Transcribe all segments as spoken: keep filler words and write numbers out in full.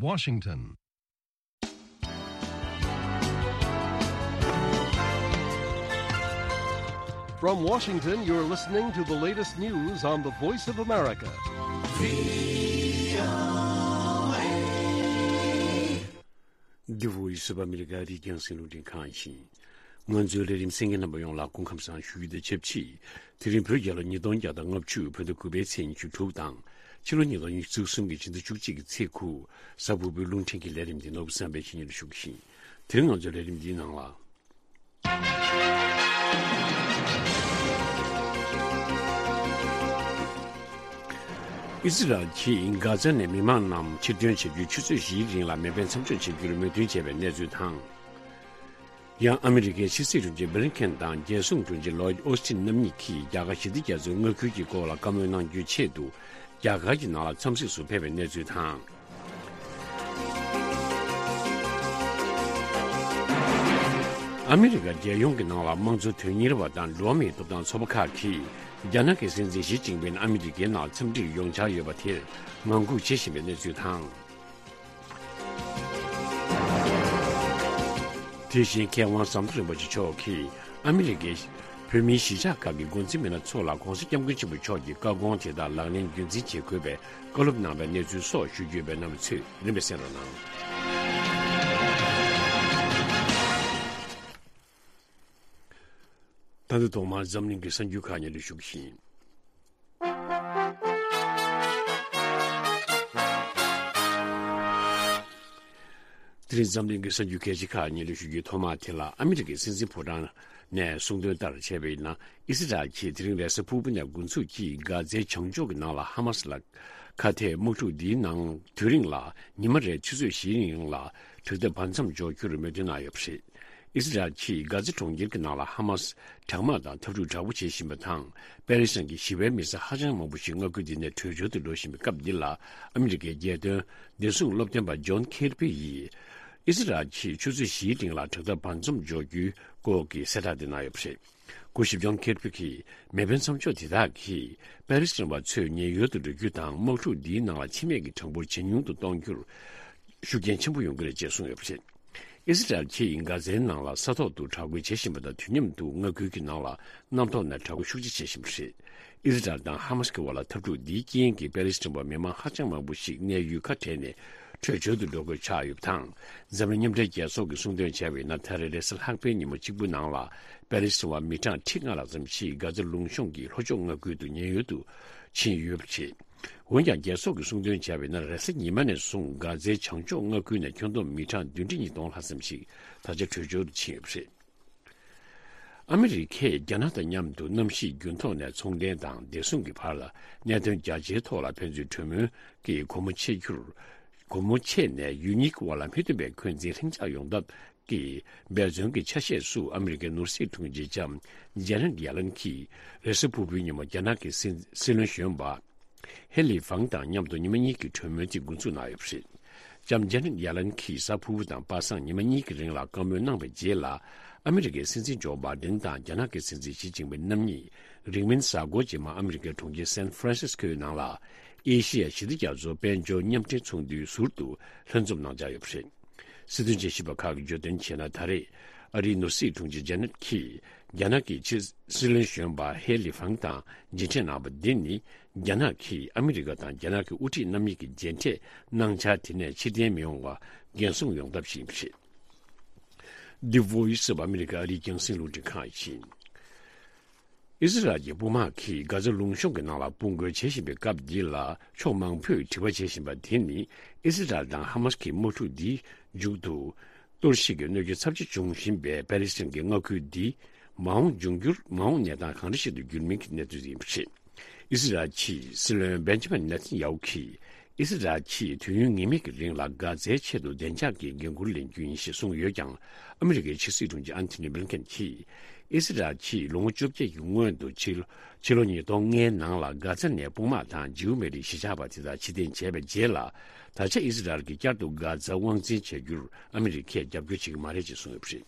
Washington. From Washington, you're listening to the latest news on the Voice of America. The Voice of America རྒྱང་སྲིང་རླུང་འཕྲིན་ཁང་ཡིན། ང་ཚོའི་ལས་རིམ་གསན་མཁན་རྣམ་པ་ཡོངས་ལ་སྐུ་ཁམས་བཟང་ཞུ་རྒྱུ་དང་ཆབས་ཅིག་དེ་རིང་བོད་རྒྱལ་ལོ་ཉིས་སྟོང་བརྒྱ་དང་ལྔ་བཅུ་བོད་ཟླ་དགུ་པའི་ཚེས་ཉི་ཤུ་དྲུག་དང་། ཕྱི་ལོ་ཉིས་སྟོང་ཉི་ཤུ་རྩ་གསུམ་གྱི་ཕྱི་ཟླ་བཅུ་གཅིག་གི་ཚེས་དགུ། གཟའ་ཕུར་བུའི་རླུང་འཕྲིན་གྱི་ལས་རིམ་འདི་ནོར་བུ་བསམ་འཕེལ་གྱིས་སྙན་སྒྲོན་ཞུ་གི་ཡིན། དེ་རིང་ང་ཚོའི་ལས་རིམ་འདིའི་ནང་ལ། ཨི་སི་རལ་གྱིས་གྷ་ཛ་ནས་མི་མང་རྣམས་ཕྱིར་ཐོན་བྱ་རྒྱུའི་ཆུ་ཚོད་བཞིའི་རིང་ལ་མེ་འཕེན་མཚམས་འཇོག་བྱ་རྒྱུར་མོས་མཐུན་བྱས་པའི་གནས་ཚུལ་དང་། ཡང་ཨ་མི་རི་ཀའི་ཕྱི་སྲིད་དྲུང་ཆེ་བྷི་ལིན་ཁེན་དང་རྒྱལ་སྲུང་དྲུང་ཆེ་ལོའིད་ཨོ་སི་ཊིན་རྣམ་གཉིས་ཀྱིས་རྒྱ་གར་ཞི་བདེ་རྒྱ་མཚོའི་མངའ་ཁུལ་གྱི་སྐོར་ལ་བཀའ་མོལ་གནང་རྒྱུའི་ཆེད་དུ་རྒྱ་གར་གྱི་ནང་ལ་འཚམས་གཟིགས་སུ་ཕེབས་པའི་གནས་ཚུལ་དང་། ཨ་མི་རི་ཀ་རྒྱལ་ཡོངས་ཀྱི་ནང་ལ་དམངས་གཙོ་དོན་གཉེར་བ་དང་འགྲོ་བ་མིའི་ཐོབ་ཐང་ཚོགས་པ་ཁག་གིས་རྒྱ་ནག་གི་སྲིད་འཛིན་ཞི་ཅིན་ཕིང་ཨ་མི་རི་ཀའི་ནང་འཚམས་འདྲིར་ཡོང་འཆར་ཡོད་པ་དེར་ངང་སྒུག་བྱེད་བཞིན་པའི་གནས་ཚུལ་དང་། དེ་བཞིན་མཁས་དབང་ཟམ་གདོང་རིན་པོ་ཆེ་མཆོག་གིས་ཨ་མི་རི་ཀའི་བོད་མིའི་གཞིས་ཆགས་ཁག་གི་འགོ་འཛིན་མི་སྣ་ཚོ་ལ་༸གོང་ས་༸སྐྱབས་མགོན་ཆེན་པོ་མཆོག་གི་བཀའ་དགོངས་དེ་དག་ལག་ལེན་རྒྱུན་འཛིན་བྱེད་དགོས་པའི་བཀའ་སློབ་གནང་བའི་གནས་ཚུལ་སོགས་ཞུ་རྒྱུ་ཡོད་པས་རྣམ་པ་ཚོས་རིམ་པས་གསན་རོགས་གནང་། ད་ལྟ་ཐོག་མར་འཛམ་གླིང་གི་གསར་འགྱུར་ཁག་སྙན་སྒྲོན་ཞུ་གི་ཡིན། དེ་རིང་འཛམ་གླིང་གི་གསར་འགྱུར་གལ་ཆེ་ཁག་སྙན་སྒྲོན་ཞུ་རྒྱུའི་ཐོག་མ་དེ་ལ། ཨ་མི་རི་ཀའི་སྲིད་འཛིན་ཕོ་བྲང་ནས་གསུངས་དོན་ལྟར་བྱས་པ་ཡིན་ན། ཨི་སི་རལ་གྱིས་དེ་རིང་རེས་གཟའ་ཕུར་བུ་ནས་འགོ་འཛུགས་ཀྱིས་གྷ་ཛའི་བྱང་ཕྱོགས་ཀྱི་ནང་ལ་ཧ་མ་སི་ལ་ཁ་གཏད་དམག་འཁྲུག་འདིའི་ནང་དུས་རིང་ལ་ཉི་མ་རེར་ཆུ་ཚོད་བཞིའི་རིང་ལ་དྲག་འཐབ་བར་མཚམས་འཇོག་རྒྱུར་མོས་མཐུན་གནང་ཡོད་པ་རེད། ཨི་སི་རལ་གྱིས་གྷ་ཛ་གྲོང་ཁྱེར་གྱི་ནང་ལ་ཧ་མ་སི་དྲག་དམག་དང་འཐབ་འཁྲུག་དྲག་པོ་བྱེད་བཞིན་པ་དང་། པེ་ལི་སི་ཐན་གྱི་ཞི་བའི་མི་སེར་ཧ་ཅང་མང་པོ་ཞིག་མངའ་ཁུལ་འདི་ནས་བྲོས་བྱོལ་དུ་འགྲོ་བཞིན་པའི་སྐབས་འདི་ལ། ཨ་མི་རི་ཀའི་རྒྱལ་དོན་བདེ་སྲུང་སློབ་སྟོན་པ་ཇོན་ཁེར་པི་ཡིས་ཨི་སི་རལ་གྱིས་ཆུ་ཚོད་བཞིའི་རིང་ལ་དྲག་འཐབ་བར་མཚམས་འཇོག་རྒྱུའི་སྐོར་གྱི་གསལ་བསྒྲགས་འདི་གནང་ཡོད་པ་རེད། སྐུ་ཞབས་ཇོན་ཁེར་པི་གིས་མེ་འཕེན་མཚམས་འཇོག་དེ་དག་གིས་པེ་ལི་སི་ཐན་པ་ཚོས་ཉེན་གཡོལ་དུ་འགྲོ་རྒྱུ་དང་། དམག་འཁྲུག་འདིའི་ནང་ལ་འཆི་རྨས་ཀྱི་གྲངས་འབོར་ཇེ་ཉུང་དུ་གཏོང་རྒྱུར་ཤུགས་རྐྱེན་ཆེན་པོ་ཡོང་གི་རེད་ཅེས་གསུངས་ཡོད་པ་རེད། ཨི་སི་རལ་གྱིས་གྷ་ཛའི་ནང་ལ་ས་ཐོག་ཏུ་དྲག་རྒོལ་བྱེད་བཞིན་པ་དང་། དུས་མཉམ་དུ་མངའ་ཁུལ་གྱི་ནང་ལ་གནམ་ཐོག་ནས་དྲག་རྒོལ་ཤུགས་ཆེ་བྱེད་བཞིན་པ་རེད། ཨི་སི་རལ་དང་ཧ་མ་སི་ཀྱི་བར་ལ་འཐབ་འཁྲུག་འདིའི་རྐྱེན་གྱིས་པེ་ལི་སི་ཐན་པ་མི་མང་ཧ་ཅང་མང་པོ་ཞིག་གནས་ཡུལ་ཁ་བྲལ་ནས་བྲོས་བྱོལ་དུ་འགྲོ་དགོས་ཆགས་ཡོད་པ་དང་། འཛམ་གླིང་མཉམ་འབྲེལ་རྒྱལ་ཚོགས་ཀྱིས་གསུངས་དོན་བྱས་པ་ཡིན་ན། ད་རེས་རེས་གཟའ་ལྷག་པའི་ཉིན་མོ་གཅིག་པུ་ནང་ལ་པེ་ལི་སི་ཐན་པ་མི་གྲངས་ཁྲི་ལྔ་ལྷག་ཙམ་ཞིག་གྷ་ཛ་ལུང་གཤོང་གི་ལྷོ་ཕྱོགས་མངའ་ཁུལ་དུ་ཉེན་གཡོལ་དུ་ཕྱིན་ཡོད་པ་རེད། འོན་ཀྱང་། རྒྱལ་ཚོགས་ཀྱིས་གསུངས་དོན་བྱས་པ་ཡིན་ན། རེས་གཟའ་ཉི་མ་ནས་བཟུང་གྷ་ཛའི་བྱང་ཕྱོགས་མངའ་ཁུལ་ནས་ཁྱོན་བསྡོམས་མི་གྲངས་བདུན་ཁྲི་ཉིས་སྟོང་ལྷག་ཙམ་ཞིག་ད་ཆ་བྲོས་བྱོལ་དུ་ཕྱིན་ཡོད་པ་རེད། ཨ་མི་རི་ཀས་རྒྱ་ནག་དང་མཉམ་དུ་གནམ་གཤིས་འགྱུར་ལྡོག་ནས་ཚོང་འབྲེལ་དང་བདེ་སྲུང་གི་བར་ལ་གནད་དོན་རྒྱ་ཆེའི་ཐོག་ལ་ཕན་ཚུན་གྲོས་མོལ་གྱིས་སྒོ་མོ་ཕྱེ་རྒྱུར། སྒོ་མོ་ཕྱེ་ནས་ཡུལ་གཉིས་ཀྱི་དབར་ལ་མི་མཐུན་པའི་འཁོན་འཛིན་ལྷིང་འཇགས་ཡོང་ཐབས་ཀྱི་འབད་བརྩོན་གྱི་ཆ་ཤས་སུ། ཨ་མི་རི་ཀའི་ནོར་སྲིད་དྲུང་ཆེ་ལྕམ་ཇེ་ནེད་ཡེ་ལན་གྱིས་རེས་གཟའ་ཕུར་བུའི་ཉིན་མོ་རྒྱ་ནག་གི་སྲིད་སྲིད་བློན་གཞོན་པ་ཧེ་ལི་ཧྥང་དང་མཉམ་དུ་ཉི་མ་གཉིས་ཀྱི་གྲོས་མོལ་དེ་འགོ་འཛུགས་གནང་ཡོད་པ་རེད། ལྕམ་ཇེ་ནེད་ཡེ་ལན་གྱིས་གཟའ་ཕུར་བུ་དང་པ་སངས་ཉི་མ་གཉིས་ཀྱི་རིང་ལ་བཀའ་མོལ་གནང་བའི་རྗེས་ལ། ཨ་མི་རི་ཀའི་སྲིད་འཛིན་ཇོ་བྷའི་ཌེན་དང་རྒྱ་ནག་གི་སྲིད་འཛིན་ཞི་ཅིན་ཕིང་རྣམ་གཉིས་རིང་མིན་གཟའ་འཁོར་རྗེས་མ་ཨ་མི་རི་ཀའི་གྲོང་ཁྱེར་སན་ཧྥ་རན་སིས་ཀོའི་ནང་ལ་ཨེ་ཤི་ཡ་ཞི་བདེ་རྒྱ་མཚོ་དཔལ་འབྱོར་མཉམ་འབྲེལ་ཚོགས་འདུའི་ཟུར་དུ་ལྷན་འཛོམས་གནང་འཆར་ཡོད་པ་རེད། སྲིད་དོན་དཔྱད་ཞིབ་པ་ཁག་གིས་བརྗོད་དོན་བྱས་ན། ད་རེས་ཨ་རིའི་ནོར་སྲིད་དྲུང་ཆེ་ཇེ་ནེད་ཀྱིས་རྒྱ་ནག་གི་ཕྱི་སྲིད་བློན་གཞོན་པ་ཧེ་ལི་ཧྥང་དང་མཇལ་འཕྲད་གནང་བ་འདི་ནི། རྒྱ་ནག་གིས་ཨ་མི་རི་ཀ་དང་རྒྱ་ནག་གི་དབུ་ཁྲིད་རྣམ་གཉིས་ཀྱི་མཇལ་འཕྲད་གནང་འཆར་དེ་ནས་ཕྱིར་འཐེན་མི་ཡོང་བར་འགན་སྲུང་ཡོང་ཐབས་ཤིག་ཡིན་པ་རེད། The Voice of America ཨ་རིའི་རྒྱང་སྲིང་རླུང་འཕྲིན་ཁང་ཡིན། ཨི་སི་རལ་གྱི་དཔུང་དམག་གིས་གྷ་ཛ་ལུང་གཤོང་གི་ནང་ལ་དཔུང་རྒོལ་བྱེད་བཞིན་པའི་སྐབས་འདི་ལ། ཕྱོགས་མང་པོས་དྲི་བ་བྱེད་བཞིན་པ་དེ་ནི། ཨི་སི་རལ་དང་ཧ་མ་སི་ཀྱི་དམག་འཁྲུག་འདིའི་མཇུག་ཏུ་གཏོར་བཤིག་གི་གནོད་སྐྱོན་ཚབས་ཆེ་འབྱུང་བཞིན་པའི་པེ་ལི་སི་ཐན་གྱི་མངའ་ཁུལ་འདི་མ་འོངས་འབྱུང་འགྱུར་མ་འོངས་གནས་སྟངས་གང་འདྲ་ཞིག་ཏུ་འགྱུར་མིན་གྱི་གནས་ཚུལ་ཡིན་པ་རེད། ཨི་སི་རལ་གྱི་སྲིད་བློན་བེན་ཇ་མིན་ནེ་ཐན་ཡ་ཧུ་གིས། ཨི་སི་རལ་གྱིས་དུས་ཡུན་ངེས་མེད་ཀྱི་རིང་ལ་གྷ་ཛའི་ཆེད་དུ་བདེ་འཇགས་ཀྱི་འགན་འཁུར་ལེན་རྒྱུ་ཡིན་ཞེས་གསུངས་ཡོད་ཀྱང་། ཨ་མི་རི་ཀའི་ཕྱི་སྲིད་དྲུང་ཆེ་ཨན་ཐོ་ནི་བྷི་ལིན་ཀེན་གྱིས། ཨི་སི་རལ་གྱིས་ལོ་ངོ་བཅོ་བརྒྱད་ཀྱི་སྔོན་དུ་ཕྱི་ཕྱི་ལོ་ཉིས་སྟོང་ལྔའི་ནང་ལ་གྷ་ཛ་ནས་དཔུང་དམག་དང་ཇིའུ་མེ་རི་གཞིས་ཆགས་པ་དེ་དག་ཕྱིར་འཐེན་བྱས་པའི་རྗེས་ལ། ད་ཆ་ཨི་སི་རལ་གྱིས་བསྐྱར་དུ་གྷ་ཛ་དབང་འཛིན་བྱ་རྒྱུར་ཨ་མི་རི་ཀས་རྒྱབ་སྐྱོར་བྱེད་ཀྱི་མ་རེད་ཅེས་གསུངས་ཡོད་པ་རེད།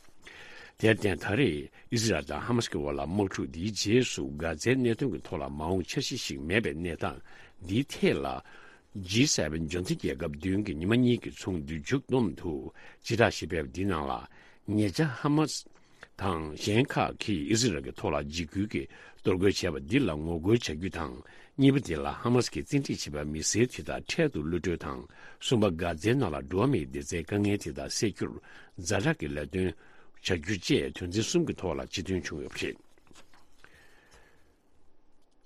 དེར་བརྟེན། ད་རེས་ཨི་སི་རལ་དང་ཧ་མ་སི་ཀྱི་དབར་ལ་དམག་འཁྲུག་འདིའི་རྗེས་སུ་གྷ་ཛའི་གནད་དོན་གྱི་ཐོག་ལ་མ་འོངས་འཆར་གཞི་ཞིག་མེད་པའི་གནས་སྟངས་འདིའི་ཐད་ལ། ཇི་སེ་བེན་འབྱོར་ལྡན་རྒྱལ་ཁབ་བདུན་གྱི་ཉི་མ་གཉིས་ཀྱི་ཚོགས་འདུ་མཇུག་བསྡོམས་དུ་སྤྱི་བསྒྲགས་ཤིག་སྤེལ་བ་འདིའི་ནང་ལ། ཉེ་ཆར་ཧ་མ་སི་དང་གཞན་ཁག་གིས་ཨི་སི་རལ་གྱི་ཐོག་ལ་འཇིགས་སྐུལ་གྱི་གཏོར་རྒོལ་བྱས་པ་འདི་ལ་ངོ་རྒོལ་བྱ་རྒྱུ་དང་། གཉིས་པ་དེ་ལ་ཧ་མ་སི་གིས་བཙན་ཁྲིད་བྱས་པའི་མི་སེར་དེ་དག་འཕྲལ་དུ་གློད་གྲོལ་དང་། གསུམ་པ། གྷ་ཛའི་ནང་ལ་འགྲོ་བ་མིའི་བདེ་རྩའི་དཀའ་ངལ་དེ་དག་སེལ་རྒྱུར་ཛ་དྲག་གི་ལས་དོན་བྱ་རྒྱུ་བཅས་དོན་ཚན་གསུམ་གྱི་ཐོག་ལ་སྤྱི་མཐུན་བྱུང་ཡོད་པ་རེད།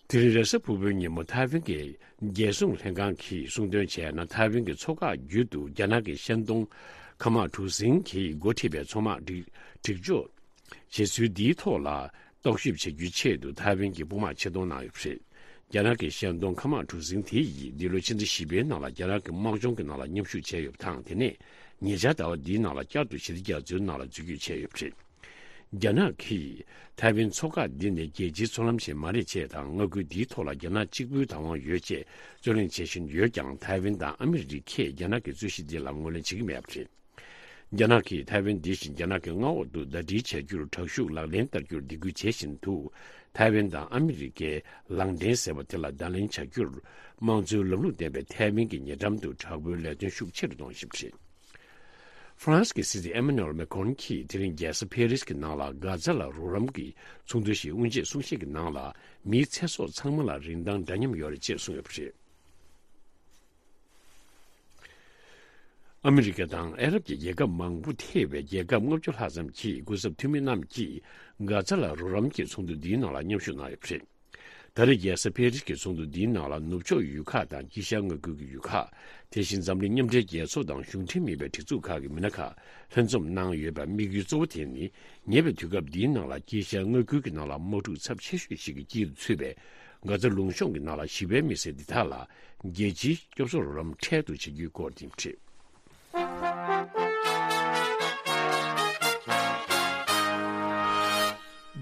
དེ་རིང་རེས་གཟའ་ཕུར་བུའི་ཉིན་མོ་ཐའེ་ཝན་གྱི་རྒྱལ་སྲུང་ལྷན་ཁང་གིས་གསུངས་དོན་བྱས་ན། ཐའེ་ཝན་གྱི་མཚོ་འགག་རྒྱུད་དུ་རྒྱ་ནག་གི་ཤན་སྡོང་ཁ་མག་གྲུ་གཟིངས་ཀྱིས་འགོ་ཁྲིད་པའི་མཚོ་དམག་སྒྲིག་སྒྲིག་འཇོག་བྱེད་ཚུལ་འདིའི་ཐོག་ལ་རྟོག་ཞིབ་བྱ་རྒྱུའི་ཆེད་དུ་ཐའེ་ཝན་གྱི་དཔུང་དམག་ཆེད་གཏོང་གནང་ཡོད་པ་རེད། རྒྱ་ནག་གི་ཤན་སྡོང་ཁ་མག་གྲུ་གཟིངས་དེ་ཡིས་འདི་ལོའི་ཕྱི་ཟླ་བཞི་པའི་ནང་ལ་རྒྱ་ནག་གི་དམག་སྦྱོང་གི་ནང་ལ་མཉམ་ཞུགས་བྱས་ཡོད་པ་དང་། དེ་ནས་ཉེ་ཆར་ཟླ་བ་འདིའི་ནང་ལ་བསྐྱར་དུ་ཞི་བདེ་རྒྱ་མཚོའི་ནང་ལ་འཛུལ་སྐྱོད་བྱས་ཡོད་པ་རེད། རྒྱ་ནག་གིས་ཐའེ་ཝན་མཚོ་འགག་འདི་ནི་རྒྱལ་སྤྱིའི་མཚོ་ལམ་ཞིག་མ་རེད་ཅེས་དང་། མངའ་ཁུལ་འདིའི་ཐོག་ལ་རྒྱ་ནག་གཅིག་པུའི་བདག་དབང་ཡོད་ཅེས་རྩོད་གླེང་བྱེད་བཞིན་ཡོད་ཀྱང་། ཐའེ་ཝན་དང་ཨ་མི་རི་ཀས་རྒྱ་ནག་གི་རྩོད་གཞི་འདི་ལ་ངོས་ལེན་བྱེད་ཀྱི་མེད་པ་རེད། རྒྱ་ནག་གིས་ཐའེ་ཝན་འདི་བཞིན་རྒྱ་ནག་གི་མངའ་འོག་ཏུ་ཟླ་སྒྲིལ་བྱ་རྒྱུར་དྲག་ཤུགས་ལག་ལེན་བསྟར་རྒྱུར་སྡིགས་སྐུལ་བྱེད་བཞིན་འདུག། ཐའེ་ཝན་དང་ཨ་མི་རི་ཀའི་ལག་འབྲེལ་ཟེར་བ་དེ་ལ་བརྡ་ལན་བྱ་རྒྱུར། དམངས་གཙོའི་ལམ་ལུགས་ལྡན་པའི་ཐའེ་ཝན་གྱི་ཉེ་འགྲམ་དུ་དྲག་པོའི་ལས་དོན་ཤུགས་ཆེ་རུ་གཏོང་བཞིན་པ་རེད། ཧྥ་རན་སི་གི་སྲིད་འཛིན་ཨེ་མ་ནུ་ཨེལ་མེ་ཁོན་གྱིས་དེ་རིང་རྒྱལ་ས་ཕེ་རིས་ཀྱི་ནང་ལ་གྷ་ཛ་ལ་རོགས་རམ་གྱི་ཚོགས་འདུ་ཞིག་དབུ་འབྱེད་གསུང་བཤད་ཀྱི་ནང་ལ། མིའི་ཚེ་སྲོག་ཚང་མ་ལ་རིན་ཐང་འདྲ་མཉམ་ཡོད་རེད་ཅེས་གསུངས་ཡོད་པ་རེད། ཨ་མི་རི་ཀ་དང་ཨ་རབ་ཀྱི་རྒྱལ་ཁབ་མང་པོ་ཐེ་བའི་རྒྱལ་ཁབ་ལྔ་བཅུ་ལྷག་ཙམ་གྱི་སྐུ་ཚབ་འཐུས་མི་རྣམས་ཀྱིས་གྷ་ཛ་ལ་རོགས་རམ་གྱི་ཚོགས་འདུ་འདིའི་ནང་ལ་མཉམ་ཞུགས་གནང་ཡོད་པ་རེད། ད་རེས་རྒྱལ་ས་ཕེ་རིས་ཀྱི་ཚོགས་འདུ་འདིའི་ནང་ལ་ནུབ་ཕྱོགས་ཡུལ་ཁག་དང་དཀྱིལ་ཤར་མངའ་ཁུལ་གྱི་ཡུལ་ཁག། དེ་བཞིན་འཛམ་གླིང་མཉམ་འབྲེལ་རྒྱལ་ཚོགས་དང་གཞུང་འབྲེལ་མིན་པའི་སྒྲིག་འཛུགས་ཁག་གི་མི་སྣ་ཁག་ལྷན་འཛོམས་གནང་ཡོད་པའི་དམིགས་ཡུལ་གཙོ་བོ་དེ་ནི། ཉེ་བའི་དུས་སྐབས་འདིའི་ནང་ལ་དཀྱིལ་ཤར་མངའ་ཁུལ་གྱི་ནང་ལ་དམག་འཁྲུག་ཚབས་ཆེ་ཤོས་ཤིག་གི་དཀྱིལ་དུ་ཚུད་པའི་གྷ་ཛ་ལུང་གཤོང་གི་ནང་ལ་ཞི་བའི་མི་སེར་འདི་དག་ལ་རྒྱལ་སྤྱིའི་སྐྱོབ་གསོ་རོགས་རམ་འཕྲལ་དུ་བྱེད་རྒྱུའི་སྐོར་ཡིན་པ་རེད།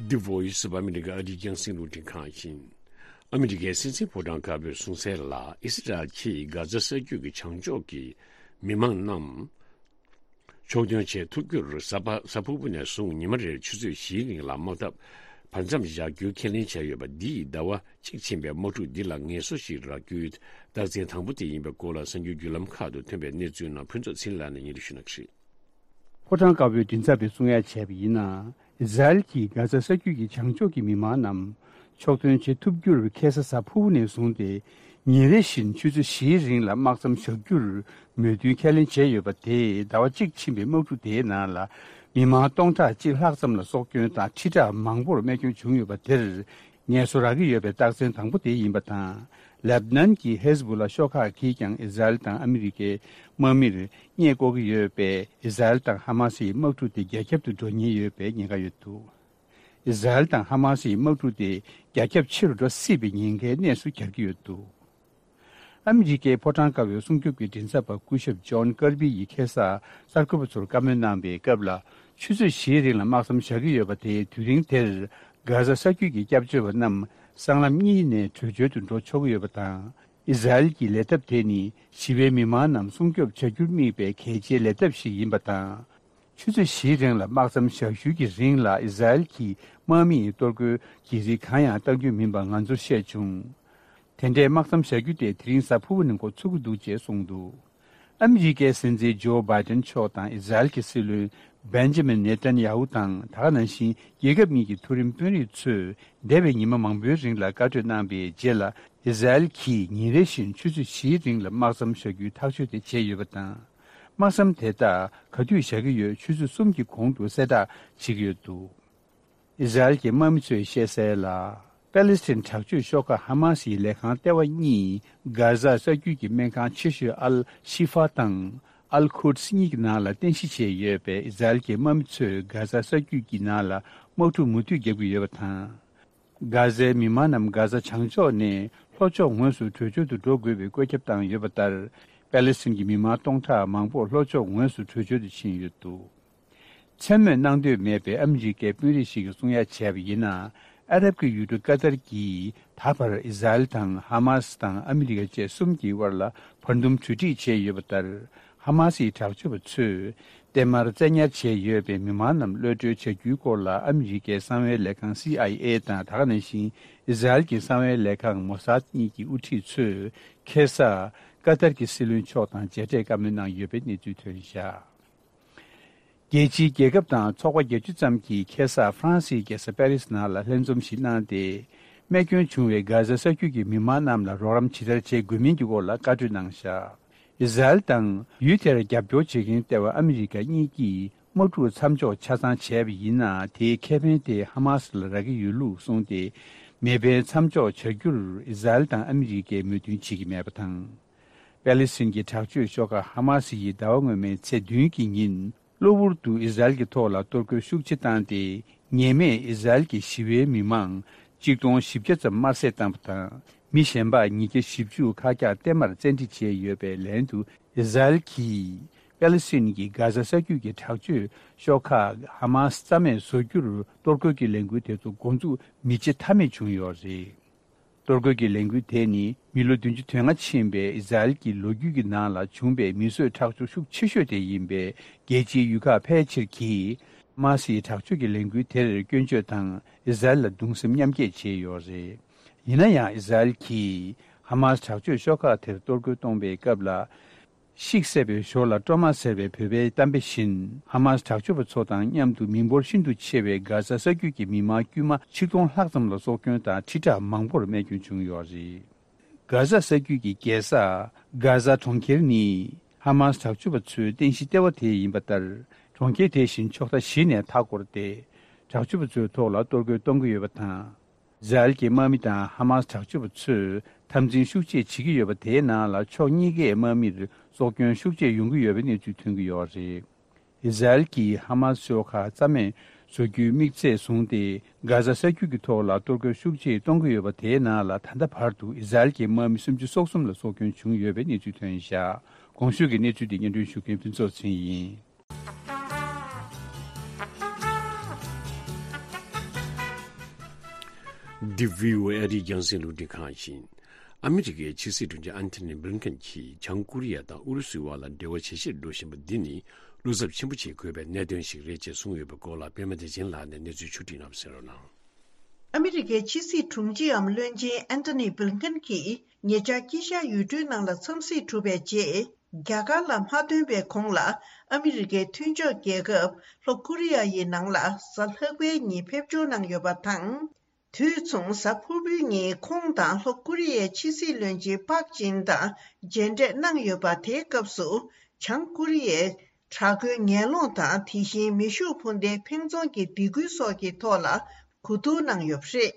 The Voice of America ཨ་རིའི་རྒྱང་སྲིང་རླུང་འཕྲིན་ཁང་ཡིན། ཨ་མི་རི་ཀའི་སྲིད་འཛིན་ཕོ་བྲང་དཀར་པོས་གསུངས་གསལ་ལ། ཨི་སི་རལ་གྱིས་གྷ་ཛ་ས་རྒྱུད་ཀྱི་བྱང་ཕྱོགས་ཀྱི་མི་མང་རྣམས་ཕྱོགས་ཐོན་བྱེད་ཐུབ་རྒྱུར། གཟའ་པ་གཟའ་ཕུར་བུ་ནས་བཟུང་ཉི་མ་རེར་ཆུ་ཚོད་བཞིའི་རིང་ལ་དམག་འཐབ་བར་མཚམས་བཞག་རྒྱུའི་ཁས་ལེན་བྱས་ཡོད་པ་འདིས། ཟླ་བ་གཅིག་ཕྱིན་པའི་དམག་འཁྲུག་འདི་ལ་ངལ་གསོ་ཞིག་རག་རྒྱུའི་རྟགས་མཚན་དང་པོ་དེ་ཡིན་པའི་སྐོར་ལ་གསར་འགྱུར་བརྒྱུད་ལམ་ཁག་ཏུ་ཐོན་པའི་གནས་ཚུལ་རྣམས་ཕུན་ཚོགས་ཚེ་རིང་ལགས་ནས་སྙན་སྒྲོན་ཞུ་གནང་གི་རེད། ཕོ་བྲང་དཀར་པོའི་མགྲིན་ཚབ་པས་གསུང་ཡ་བྱས་པ་ཡིན་ན། ཨི་ཟ་རེལ་གྱིས་གྷ་ཛ་ས་རྒྱུད་ཀྱི་བྱང་ཕྱོགས་ཀྱི་མི་མང་རྣམས་ཕྱོགས་ཐོན་བྱེད་ཐུབ་རྒྱུར། ཁ་སང་གཟའ་ཕུར་བུ་ནས་བཟུང་སྟེ་ཉིན་རེ་བཞིན་ཆུ་ཚོད་བཞིའི་རིང་ལ་དམག་མཚམས་བཞག་རྒྱུར་མོས་མཐུན་ཁས་ལེན་བྱས་ཡོད་པ་དེས། ཟླ་བ་གཅིག་ཕྱིན་པའི་དམག་འཁྲུག་དེའི་ནང་ལ་མི་མང་སྟོང་ཕྲག་གཅིག་ལྷག་ཙམ་ལ་སྲོག་སྐྱོན་དང་ཁྲི་ཕྲག་མང་པོར་རྨས་སྐྱོན་བྱུང་ཡོད་པ་དེར། ངལ་གསོ་རག་གི་ཡོད་པའི་རྟགས་མཚན་དང་པོ་དེ་ཡིན་པ་དང་། ལེབ་ནན་གྱི་ཧེ་ཟ་བུ་ལ་ཤོག་ཁག་གིས་ཀྱང་ཨི་ཟ་རེལ་དང་ཨ་མི་རི་ཀའི་དམག་མིར་བརྙས་བཀོག་གི་ཡོད་པས། ཨི་ཟ་རེལ་དང་ཧ་མ་སིའི་དམག་འཁྲུག་དེ་རྒྱ་ཁྱབ་ཏུ་འགྲོ་ཉེན་ཡོད་པའི་ཉེན་ཁ་ཡོད་འདུག། ཨི་ཟ་རེལ་དང་ཧ་མ་སིའི་དམག་འཁྲུག་དེ་རྒྱ་ཁྱབ་ཆེ་རུ་འགྲོ་སྲིད་པའི་ཉེན་ཁའི་གནས་སུ་གྱར་གྱི་ཡོད་འདུག། ཨ་མི་རི་ཀའི་ཕོ་བྲང་དཀར་པོའི་སྲུང་སྐྱོབ་ཀྱི་མགྲིན་ཚབ་པ་སྐུ་ཞབས་ཇོན་ཀར་པི་ཡིས་ཁ་སང་གསར་འགོད་པ་ཚོར་བཀའ་མོལ་གནང་བའི་སྐབས་ལ། ཆུ་ཚོད་བཞིའི་རིང་ལ་དམག་མཚམས་བཞག་གི་ཡོད་པ་དེས། དུས་རིང་དེར་གྷ་ཟ་ས་རྒྱུད་ཀྱི་སྐྱབས་བཅོལ་བ་རྣམས་སྲང་ལམ་གཉིས་ནས་བྲོས་བྱོལ་དུ་འགྲོ་ཆོག་གི་ཡོད་པ་དང་། ཨི་ཟ་རེལ་གྱི་ལས་ཐབས་དེ་ནི་ཞི་བའི་མི་མང་རྣམས་སྲུང་སྐྱོབ་བྱ་རྒྱུར་དམིགས་པའི་གལ་ཆེའི་ལས་ཐབས་ཤིག་ཡིན་པ་དང་། ཆུ་ཚོད་བཞིའི་རིང་ལ་དམག་མཚམས་བཞག་ཞུ་གི་རིང་ལ་ཨི་ཟ་རེལ་གྱི་དམག་མིས་གཏོར་རྒོལ་གྱི་རིགས་གང་ཡང་གཏང་རྒྱུ་མིན་པ་ང་ཚོར་བཤད་བྱུང་། དེ་འདྲའི་དམག་མཚམས་བཞག་རྒྱུ་དེ་དེ་རིང་གཟའ་ཕུར་བུ་ནས་འགོ་ཚུགས་ཀྱི་འདུག་ཅེས་གསུངས་འདུག། ཨ་མི་རི་ཀའི་སྲིད་འཛིན་ཇོ་བྷའི་ཏན་མཆོག་དང་ཨི་ཟ་རེལ་གྱི་སྲིད་བློན་བེན་ཇི་མིན་ནེ་ཏན་ཡ་ཧུ་དང་། ད་ག་ནང་བཞིན་རྒྱལ་ཁབ་གཉིས་ཀྱི་མཐོ་རིམ་དཔོན་རིགས་ཚོས་འདས་པའི་ཉི་མ་མང་པོའི་རིང་ལ་བཀའ་གྲོས་གནང་བའི་རྗེས་ལ། ཨི་ཟ་རེལ་གྱིས་ཉིན་རེ་བཞིན་ཆུ་ཚོད་བཞིའི་རིང་ལ་དམག་མཚམས་བཞག་རྒྱུའི་ཐག་གཅོད་དེ་བྱས་ཡོད་པ་དང་། དམག་མཚམས་དེ་དག་ག་དུས་བཞག་གི་ཡོད། ཆུ་ཚོད་གསུམ་གྱི་གོང་དུ་གསལ་བསྒྲགས་བྱེད་ཀྱི་ཡོད་འདུག། ཨི་ཟ་རེལ་གྱི་དམག་མི་ཚོས་བཤད་གསལ་ལ། པེ་ལེ་སི་ཐན་དྲག་སྤྱོད་ཤོག་ཁག་ཧ་མ་སིའི་ལས་ཁང་ལྟེ་བ་གཉིས་གྷ་ཟ་ས་རྒྱུད་ཀྱི་སྨན་ཁང་ཆེ་ཤོས་ཨལ་ཤི་ཧྥ་དང་ཨལ་ཁུ་ཌི་སི་གཉིས་ཀྱི་ནང་ལ་རྟེན་གཞི་བྱས་ཡོད་པས། ཨི་ཟ་རེལ་གྱི་དམག་མི་ཚོས་གྷ་ཟ་ས་རྒྱུད་ཀྱི་ནང་ལ་དམག་འཁྲུག་མུ་མཐུད་བརྒྱབ་ཀྱི་ཡོད་པ་དང་། གྷ་ཟའི་མི་མང་རྣམས་གྷ་ཟ་བྱང་ཕྱོགས་ནས་ལྷོ་ཕྱོགས་ངོས་སུ་བྲོས་བྱོལ་དུ་འགྲོ་དགོས་པའི་བཀོད་ཁྱབ་བཏང་ཡོད་པ་ལྟར། པེ་ལེ་སི་ཐན་གྱི་མི་མང་སྟོང་ཕྲག་མང་པོ་ལྷོ་ཕྱོགས་ངོས་སུ་བྲོས་བྱོལ་དུ་ཕྱིན་ཡོད་འདུག། མཚན་སྨོས་གནང་འདོད་མེད་པའི་ཨ་མི་རི་ཀའི་དཔོན་རིགས་ཤིག་གིས་གསུང་ཡ་བྱས་པ་ཡིན་ན། ཨ་རབ་ཀྱི་ཡུལ་གྲུ་ཀ་ཏར་གྱིས་ད་བར་ཨི་ཟ་རེལ་དང་ཧ་མ་སི་དང་ཨ་མི་རི་ཀ་བཅས་གསུམ་གྱི་དབར་ལ་བར་འདུམ་གྲོས་འགྲིག་བྱས་ཡོད་པ་ལྟར། ཧ་མ་སིའི་དྲག་སྤྱོད་པ་ཚོས་བརྟན་མར་བཙན་ཉར་བྱས་ཡོད་པའི་མི་མང་རྣམས་གློད་གྲོལ་བྱ་རྒྱུའི་སྐོར་ལ། ཨ་མི་རི་ཀའི་གསང་བའི་ལས་ཁང་སི་ཨའི་ཨེ་དང་། ད་ག་ནང་བཞིན་ཨི་ཟ་རེལ་གྱི་གསང་བའི་ལས་ཁང་མོ་སཱད་གཉིས་ཀྱི་དབུ་ཁྲིད་ཚོས་ཁ་སང་ ཀ་ཏར་གྱི་སྲིད་བློན་མཆོག་དང་མཇལ་འཕྲད་བཀའ་མོལ་གནང་ཡོད་པའི་གནས་ཚུལ་ཐོན་བཞག་རྒྱལ་སྤྱིའི་རྒྱལ་ཁབ་དང་ཚོགས་པ་བརྒྱད་ཅུ་ཙམ་གྱིས་ཁ་སང་ཧྥ་རན་སིའི་རྒྱལ་ས་པེ་རིས་ནང་ལ་ལྷན་འཛོམས་ཤིག་གནང་སྟེ། རྨས་སྐྱོན་བྱུང་བའི་གྷ་ཟ་ས་རྒྱུད་ཀྱི་མི་མང་རྣམས་ལ་རོགས་རམ་ཇི་ལྟར་བྱེད་དགོས་མིན་གྱི་སྐོར་ལ་བཀའ་གྲོས་གནང་བཞག་ཨི་ཟ་རེལ་དང་ཡུལ་དེར་རྒྱབ་སྐྱོར་བྱེད་མཁན་ལྟེ་བ་ཨ་མི་རི་ཀ་གཉིས་ཀྱིས་དམག་འཁྲུག་མཚམས་འཇོག་ཆ་ཚང་བྱས་པ་ཡིན་ན། དེའི་ཁེ་ཕན་དེ་ཧ་མ་སི་ལ་རག་གི་ཡོད་ལུགས་གསུངས་ཏེ། མེ་འཕེན་མཚམས་འཇོག་བྱ་རྒྱུར་ཨི་ཟ་རེལ་དང་ཨ་མི་རི་ཀས་མོས་མཐུན་བྱེད་ཀྱི་མེད་པ་དང་། པེ་ལི་སི་ཐན་གྱི་དྲག་སྤྱོད་ཤོག་ཁག་ཧ་མ་སི་ཡིས་ཟླ་བ་སྔོན་མའི་ཚེས་བདུན་གྱི་ཉིན། གློ་བུར་དུ་ཨི་ཟ་རེལ་གྱི་ཐོག་ལ་གཏོར་རྒོལ་ཤུགས་ཆེ་བཏང་སྟེ། ཉེས་མེད་ཨི་ཟ་རེལ་གྱི་ཞི་བའི་མི་མང་གཅིག་སྟོང་བཞི་བརྒྱ་ཙམ་དམར་བསད་བཏང་བ་དང་། མི་གཞན་པ་ཉིས་བརྒྱ་བཞི་བཅུ་ཁག་ཀྱང་བརྟན་མར་བཙན་ཁྲིད་བྱས་ཡོད་པའི་ལན་དུ། ཨི་ཟ་རེལ་གྱིས་པེ་ལི་སི་ཐན་གྱི་གྷ་ཟ་ས་རྒྱུད་ཀྱི་དྲག་སྤྱོད་ཤོག་ཁག་ཧ་མ་སི་རྩ་མེད་བཟོ་རྒྱུར་གཏོར་རྒོལ་གྱི་ལས་འགུལ་དེ་ཚོ་འགོ་འཛུགས་མི་བྱེད་ཐབས་མེད་བྱུང་ཡོད་རེད། གཏོར་རྒོལ་གྱི་ལས་འགུལ་དེ་ནི་མི་ལོ་བདུན་ཅུ་དོན་ལྔ་ཕྱིན་པའི་ཨི་ཟ་རེལ་གྱི་ལོ་རྒྱུས་ཀྱི་ནང་ལ་བྱུང་པའི་མི་གསོད་ཁྲག་སྦྱོར་ཤུགས་ཆེ་ཤོས་དེ་ཡིན་པས། རྒྱལ་སྤྱིའི་ཡུལ་ཁག་ཕལ་ཆེར་གྱིས་ཧ་མ་སིའི་དྲག་སྤྱོད་ཀྱི་ལས་འགུལ་དེར་སྐྱོན་བརྗོད་དང་ཨི་ཟ་རེལ་ལ་གདུང་སེམས་མཉམ་སྐྱེད་བྱས་ཡོད་རེད། ཡིན་ན་ཡང་ཨི་ཟ་རེལ་གྱིས་ཧ་མ་སི་དྲག་སྤྱོད་ཤོག་ཁག་དེར་གཏོར་རྒོལ་གཏོང་པའི་སྐབས་ལ། ཤིག་བསད་པའི་ཞོར་ལ་སྤྲོ་མ་ཟེར་བའི་བོད་པའི་གཏམ་དཔེ་བཞིན། ཧ་མ་སི་དྲག་སྤྱོད་པ་ཚོ་དང་མཉམ་དུ་མི་འབོར་ཤིན་ཏུ་ཆེ་བའི་གྷ་ཟ་ས་རྒྱུད་ཀྱི་མི་མང་དཀྱུས་མ་ཆིག་སྟོང་ལྷག་ཙམ་ལ་སྲོག་སྐྱོན་དང་ཁྲི་ཕྲག་མང་པོར་རྨས་སྐྱོན་བྱུང་ཡོད་རེད། གྷ་ཟ་ས་རྒྱུད་ཀྱི་རྒྱལ་ས་གྷ་ཟ་གྲོང་ཁྱེར་ནི་ཧ་མ་སི་དྲག་སྤྱོད་པ་ཚོའི་རྟེན་གཞི་ལྟེ་བ་དེ་ཡིན་པ་ལྟར། གྲོང་ཁྱེར་དེ་བཞིན་ཕྱོགས་མཐའ་བཞི་ནས་མཐའ་བསྐོར་ཏེ། དྲག་སྤྱོད་པ་ཚོའི་ཐོག་ལ་གཏོར་རྒོལ་གཏོང་གི་ཡོད་པ་དང་། ཨི་ཟ་རེལ་གྱི་དམག་མི་དང་ཧ་མ་སི་དྲག་སྤྱོད་པ་ཚོས་འཐབ་འཛིང་ཤུགས་ཆེ་བྱེད་ཀྱི་ཡོད་པ་དེའི་ནང་ལ་ཕྱོགས་གཉིས་ཀའི་དམག་མིར་སྲོག་སྐྱོན་ཤུགས་ཆེ་ཡོང་གི་ཡོད་པའི་གནས་ཚུལ་ཐོན་གྱི་ཡོད་རེད། ཨི་ཟ་རེལ་གྱིས་ཧ་མ་སི་ཤོག་ཁག་རྩ་མེད་བཟོ་རྒྱུའི་དམིགས་ཚད་བཟུང་སྟེ། གྷ་ཟ་ས་རྒྱུད་ཀྱི་ཐོག་ལ་གཏོར་རྒོལ་ཤུགས་ཆེ་གཏོང་གི་ཡོད་པ་དེའི་ནང་ལ་ད་ལྟ་བར་དུ་ཨི་ཟ་རེལ་གྱི་དམག་མི་སུམ་ཅུ་སོ་གསུམ་ལ་སྲོག་སྐྱོན་བྱུང་ཡོད་པའི་གནས་ཚུལ་ཐོན་བཞག་གོང་ཞུས་ཀྱི་གནས་ཚུལ་འདི་སྙན་སྒྲོན་ཞུ་མཁན་ཕུན་ཚོགས་ཚེ་རིང་ཡིན། འདི་བྷི་ཨོ་ཨེ་ཨ་རིའི་རྒྱང་སྲིང་རླུང་འཕྲིན་ཁང་ཡིན། ཨ་མི་རི་ཀའི་ཕྱི་སྲིད་དྲུང་ཆེ་ཨན་ཐོ་ནི་བྷི་ལིན་ཀེན་གྱིས་བྱང་ཀོ་རི་ཡ་དང་ཨུ་རུ་སུའི་དབར་ལ་འབྲེལ་བ་ཇེ་ཆེར་འགྲོ་བཞིན་པ་འདི་ནི་བློ་འཚབ་ཆེན་པོ་བྱེད་དགོས་པའི་གནད་དོན་ཞིག་རེད་ཅེས་གསུངས་ཡོད་པའི་སྐོར་ལ་པད་མ་བདེ་ཆེན་ལགས་ནས་གནས་ཚུལ་ཕྱོགས་བསྒྲིགས་གནང་བ་གསན་རོགས་གནང་། ཨ་མི་རི་ཀའི་ཕྱི་སྲིད་དྲུང་ཆེའམ་བློན་ཆེན་ཨན་ཐོ་ནི་བྷི་ལིན་ཀེན་གྱིས་ཉེ་ཆར་དཀྱིལ་ཤར་ཡུལ་གྲུའི་ནང་ལ་འཚམས་གཟིགས་གྲུབ་པའི་རྗེས། རྒྱ་གར་ལ་མ་ཐོན་པའི་གོང་ལ་ཨ་མི་རི་ཀའི་མཐུན་ཕྱོགས་རྒྱལ་ཁབ་ལྷོ་ཀོ་རི་ཡ་ཡི་ནང་ལ་གཟའ་ལྷག་པའི་ཉིན་ཕེབས་འབྱོར་གནང་ཡོད་པ་དང་། དུས་མཚུངས་གཟའ་ཕུར་བུའི་ཉིན་ཁོང་དང་ལྷོ་ཀོ་རི་ཡའི་ཕྱི་སྲིད་བློན་ཆེན་པག་ཅིན་དང་མཇལ་འཕྲད་གནང་ཡོད་པ། དེའི་སྐབས་སུ་བྱང་ཀོ་རི་ཡའི་དྲག་རྒོལ་ངན་སློང་དང་། དེ་བཞིན་མེ་ཤུགས་འཕུར་མདེལ་འཕེན་རྫོང་གི་སྡིགས་སྐུལ་སོགས་ཀྱི་ཐོག་ལ་གོ་བསྡུར་གནང་ཡོད་པ་རེད།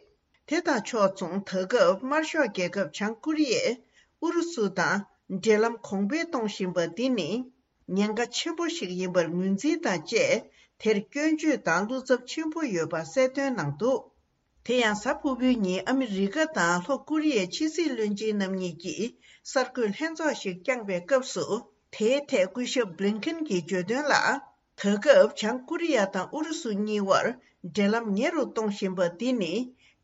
དེ་དང་ཕྱོགས་མཚུངས། ད་སྐབས་དམར་ཤོག་རྒྱལ་ཁབ་བྱང་ཀོ་རི་ཡས་ཨུ་རུ་སུ་དང་འབྲེལ་ལམ་གོང་འཕེལ་གཏོང་བཞིན་པ་འདི་ནི་ཉེན་ཁ་ཆེན་པོ་ཞིག་ཡིན་པར་ངོས་འཛིན་དང་བཅས། དེར་སྐྱོན་བརྗོད་དང་བློ་འཚབ་ཆེན་པོ་ཡོད་པ་གསལ་སྟོན་གནང་འདུག་དེ་ཡང་གཟའ་ཕུར་བུའི་ཉིན་ཨ་མི་རི་ཀ་དང་ལྷོ་ཀོ་རི་ཡའི་ཕྱི་སྲིད་བློན་ཆེན་རྣམ་གཉིས་ཀྱིས་གསར་འགོད་ལྷན་ཚོགས་ཤིག་བསྐྱངས་པའི་སྐབས་སུ། དེའི་ཐད་སྐུ་ཞབས་བྷི་ལིན་ཀེན་གྱིས་བརྗོད་དོན་ལ། ད་སྐབས་བྱང་ཀོ་རི་ཡ་དང་ཨུ་རུ་སུ་གཉིས་དབར་འབྲེལ་ལམ་ཉེ་རུ་གཏོང་བཞིན་པ་འདི་ནི་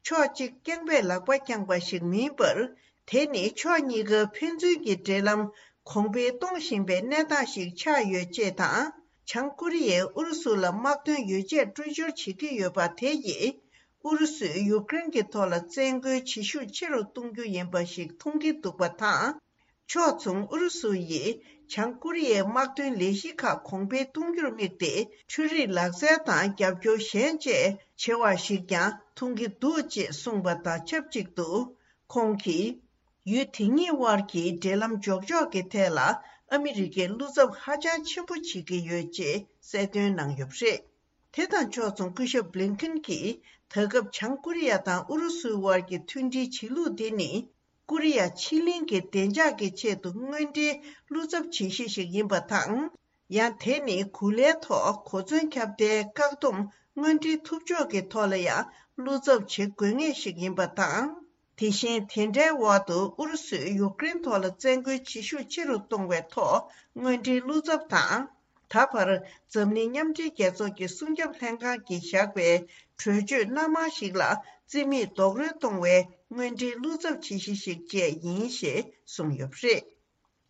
ཕྱོགས་གཅིག་རྐྱང་པས་ལག་པ་བརྐྱངས་པ་ཞིག་མིན་པར། དེ་ནི་ཕྱོགས་གཉིས་ཀ་ཕན་ཚུན་གྱི་འབྲེལ་ལམ་གོང་འཕེལ་གཏོང་བཞིན་པའི་གནས་སྟངས་ཤིག་ཆགས་ཡོད་ཅེས་དང་། བྱང་ཀོ་རི་ཡས་ཨུ་རུ་སུ་ལ་དམག་དོན་ཡོ་བྱད་སྤྲོད་སྦྱོར་བྱེད་ཀྱི་ཡོད་པ་དེ་ཡིས་ཨུ་རུ་སུས་ཡུཀ་རེན་གྱི་ཐོག་ལ་བཙན་རྒོལ་བྱེད་ཤུགས་ཆེ་རུ་གཏོང་རྒྱུ་ཡིན་པ་ཞིག་མཐོང་གི་འདུག་པ་དང་། ཕྱོགས་མཚུངས། ཨུ་རུ་སུ་ཡིས་བྱང་ཀོ་རི་ཡའི་དམག་དོན་ལས་གཞི་ཁག་གོང་འཕེལ་གཏོང་རྒྱུར་དམིགས་ཏེ། འཕྲུལ་རིག་ལག་རྩལ་དང་རྒྱབ་སྐྱོར་གཞན་བཅས་བྱེད་པ་ཞིག་ཀྱང་མཐོང་གི་འདུག་ཅེས་གསུངས་པ་དང་ཆབས་ཅིག་ཏུ། ཁོང་གིས། ཡུལ་དེ་གཉིས་དབར་གྱི་འབྲེལ་ལམ་འཇོག་ཕྱོགས་ཀྱི་ཐད་ལ་ཨ་མི་རི་ཀས་བློ་འཚབ་ཧ་ཅང་ཆེན་པོ་བྱེད་ཀྱི་ཡོད་ཅེས་གསལ་སྟོན་གནང་ཡོད་པ་རེད། དེ་དང་ཕྱོགས་མཚུངས། སྐུ་ཞབས་བྷི་ལིན་ཀེན་གྱིས་ད་སྐབས་བྱང་ཀོ་རི་ཡ་དང་ཨུ་རུ་སུའི་དབར་གྱི་མཐུན་སྒྲིལ་བྱེད་ལུགས་འདི་ནི། ཀོ་རི་ཡ་ཕྱེད་གླིང་གི་བདེ་འཇགས་ཀྱི་ཆེད་དུ་དངོས་འབྲེལ་བློ་འཚབ་བྱེད་གཞི་ཞིག་ཡིན་པ་དང་། ཡང་དེ་ནི་གོ་ལའི་ཐོག་གོ་མཚོན་ཁྱབ་གདལ་བཀག་སྡོམ་དངོས་འབྲེལ་ཐུབ་ཕྱོགས་ཀྱི་ཐོག་ལ་ཡང་བློ་འཚབ་བྱེད་དགོས་ངེས་ཤིག་ཡིན་པ་དང་། དེ་བཞིན་དེ་འདྲའི་འོག་ཏུ་ཨུ་རུ་སུས་ཡུཀ་རེན་ཐོག་ལ་བཙན་རྒོལ་བྱེད་ཤུགས་ཆེ་རུ་གཏོང་བའི་ཐོག་དངོས་འབྲེལ་བློ་འཚབ་དང་། ད་བར་འཛམ་གླིང་མཉམ་འབྲེལ་རྒྱལ་ཚོགས་ཀྱི་སྲུང་སྐྱོབ་ལྷན་ཁང་གིས་བཞག་པའི་གྲོས་ཆོད་སྣ་མང་ཞིག་ལ་རྩིས་མེད་རྡོག་རོལ་གཏོང་བའི་དངོས་འབྲེལ་བློ་འཚབ་བྱེད་གཞི་ཞིག་བཅས་ཡིན་ཞེས་གསུངས་ཡོད་པ་རེད།